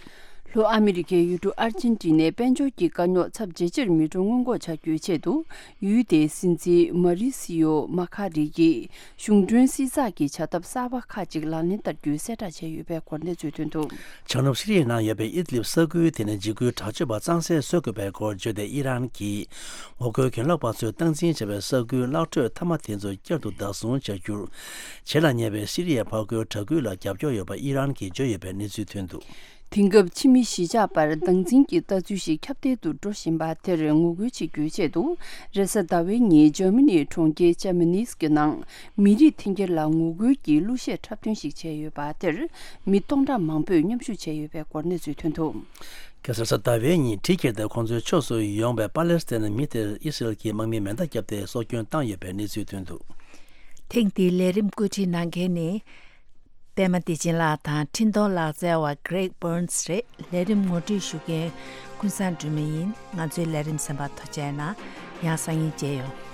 ལྷོ་ཨ་མི་རི་ཀའི་ཡུལ་གྲུ་ཨར་ཇེན་ཊི་ནའི་དཔལ་འབྱོར་གྱི་དཀའ་རྙོག་ཚབས་ཇེ་ཆེར་མི་འགྲོ་སྔོན་འགོག་བྱ་རྒྱུའི་ཆེད་དུ། ཡུལ་དེའི་སྲིད་འཛིན་མ་རི་སི་ཡོ་མ་ཁ་རི་ཡིས་གཞུང་གྲོན་བསྲི་ཚགས་ཀྱི་བྱ་ཐབས་གསར་པ་ཁག་ཅིག་ལག་ལེན་བསྟར་རྒྱུའི་གསལ་བསྒྲགས་བྱས་ཡོད་པའི་སྐོར་གནས་ཚུལ་ཐོན་འདུག། བྱང་ནུབ་སི་རི་ཡའི་ནང་ཡོད་པའི་ཨིད་ལིབ་ས་ཁུལ་དེ་ནི་འཇིགས་སྐུལ་དྲག་སྤྱོད་པ་གཙང་སེལ་བཟོ་དགོས་པའི་སྐོར་བརྗོད་དེ། ཨི་རན་གྱིས་ངོ་རྒོལ་གྱེན་ལོག་པ་ཚོས་སྟངས་འཛིན་བྱས་པའི་ས་ཁུལ་གླགས་ཁྲོད་མཐའ་མ་དེ་ཚོ་བསྐྱར་དུ་བདག་བཟུང་བྱ་རྒྱུར། བྱེད་ལ་ཉེ་བའི་སི་རི་ཡའི་ཕར་རྒོལ་དྲག་སྐུལ་ལ་རྒྱབ་སྐྱོར་ཡོད་པ་ཨི་རན་གྱིས་བརྗོད་ཡོད་པའི་གནས་ཚུལ་ཐོན་འདུག། དེང་སྐབས་ཕྱི་མི་གཞིས་ཆགས་བར་སྟངས་འཛིན་གྱི་ལྟ་ཚུལ་ཞིག་ཁྱབ་གདལ་དུ་འགྲོ་བཞིན་པ་དེར་ངོ་རྒོལ་བྱེད་རྒྱུའི་ཆེད་དུ། རེས་གཟའ་ཟླ་བའི་ཉིན་འཇར་མ་ནིའི་གྲོང་ཁྱེར་ཅེ་མ་ནིས་ཀྱི་ནང་མི་རིགས་འཐེན་འཁྱེར་ལ་ངོ་རྒོལ་གྱི་གླུ་གཞས་འཁྲབ་སྟོན་ཞིག་བྱས་ཡོད་པ་དེར་མི་སྟོང་ཕྲག་མང་པོས་མཉམ་ཞུགས་བྱས་ཡོད་པའི་སྐོར་གནས་ཚུལ་ཐོན་འདུག། གེ་སར་གཟའ་ཟླ་བའི་ཉིན་གྲི་ཁྱེར་ཏེ་ཁོང་ཚོའི་ཕྱོགས་སུ་ཡོང་བའི་པ་ལེ་སི་ཐན་མི་དེར་ཨི་སི་རལ་གྱི་དམག་མིས་མེ་མདའ་བརྒྱབ་སྟེ་སྲོག་སྐྱོན་བཏང་ཡོད་པའི་གནས་ཚུལ་ཐོན་འདུག། ཐེངས་འདིའི་ལས་རིམ་བཀོད་སྒྲིག་གནང་མཁན་ནི། པད་མ་བདེ་ཆེན་ལགས་དང་འཕྲིན་གཏོང་ལག་རྩལ་བ་Greg Burns རེད། ལས་རིམ་ངོ་སྤྲོད་ཞུ་མཁན་ཀུན་བཟང་སྒྲོལ་མ་ཡིན། ང་ཚོའི་ལས་རིམ་གསན་པར་ཐུགས་རྗེ་གནང་། ཡང་སང་ཉིན་མཇལ་ཡོང་།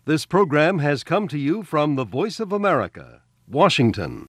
This program has come to you from the Voice of America, Washington.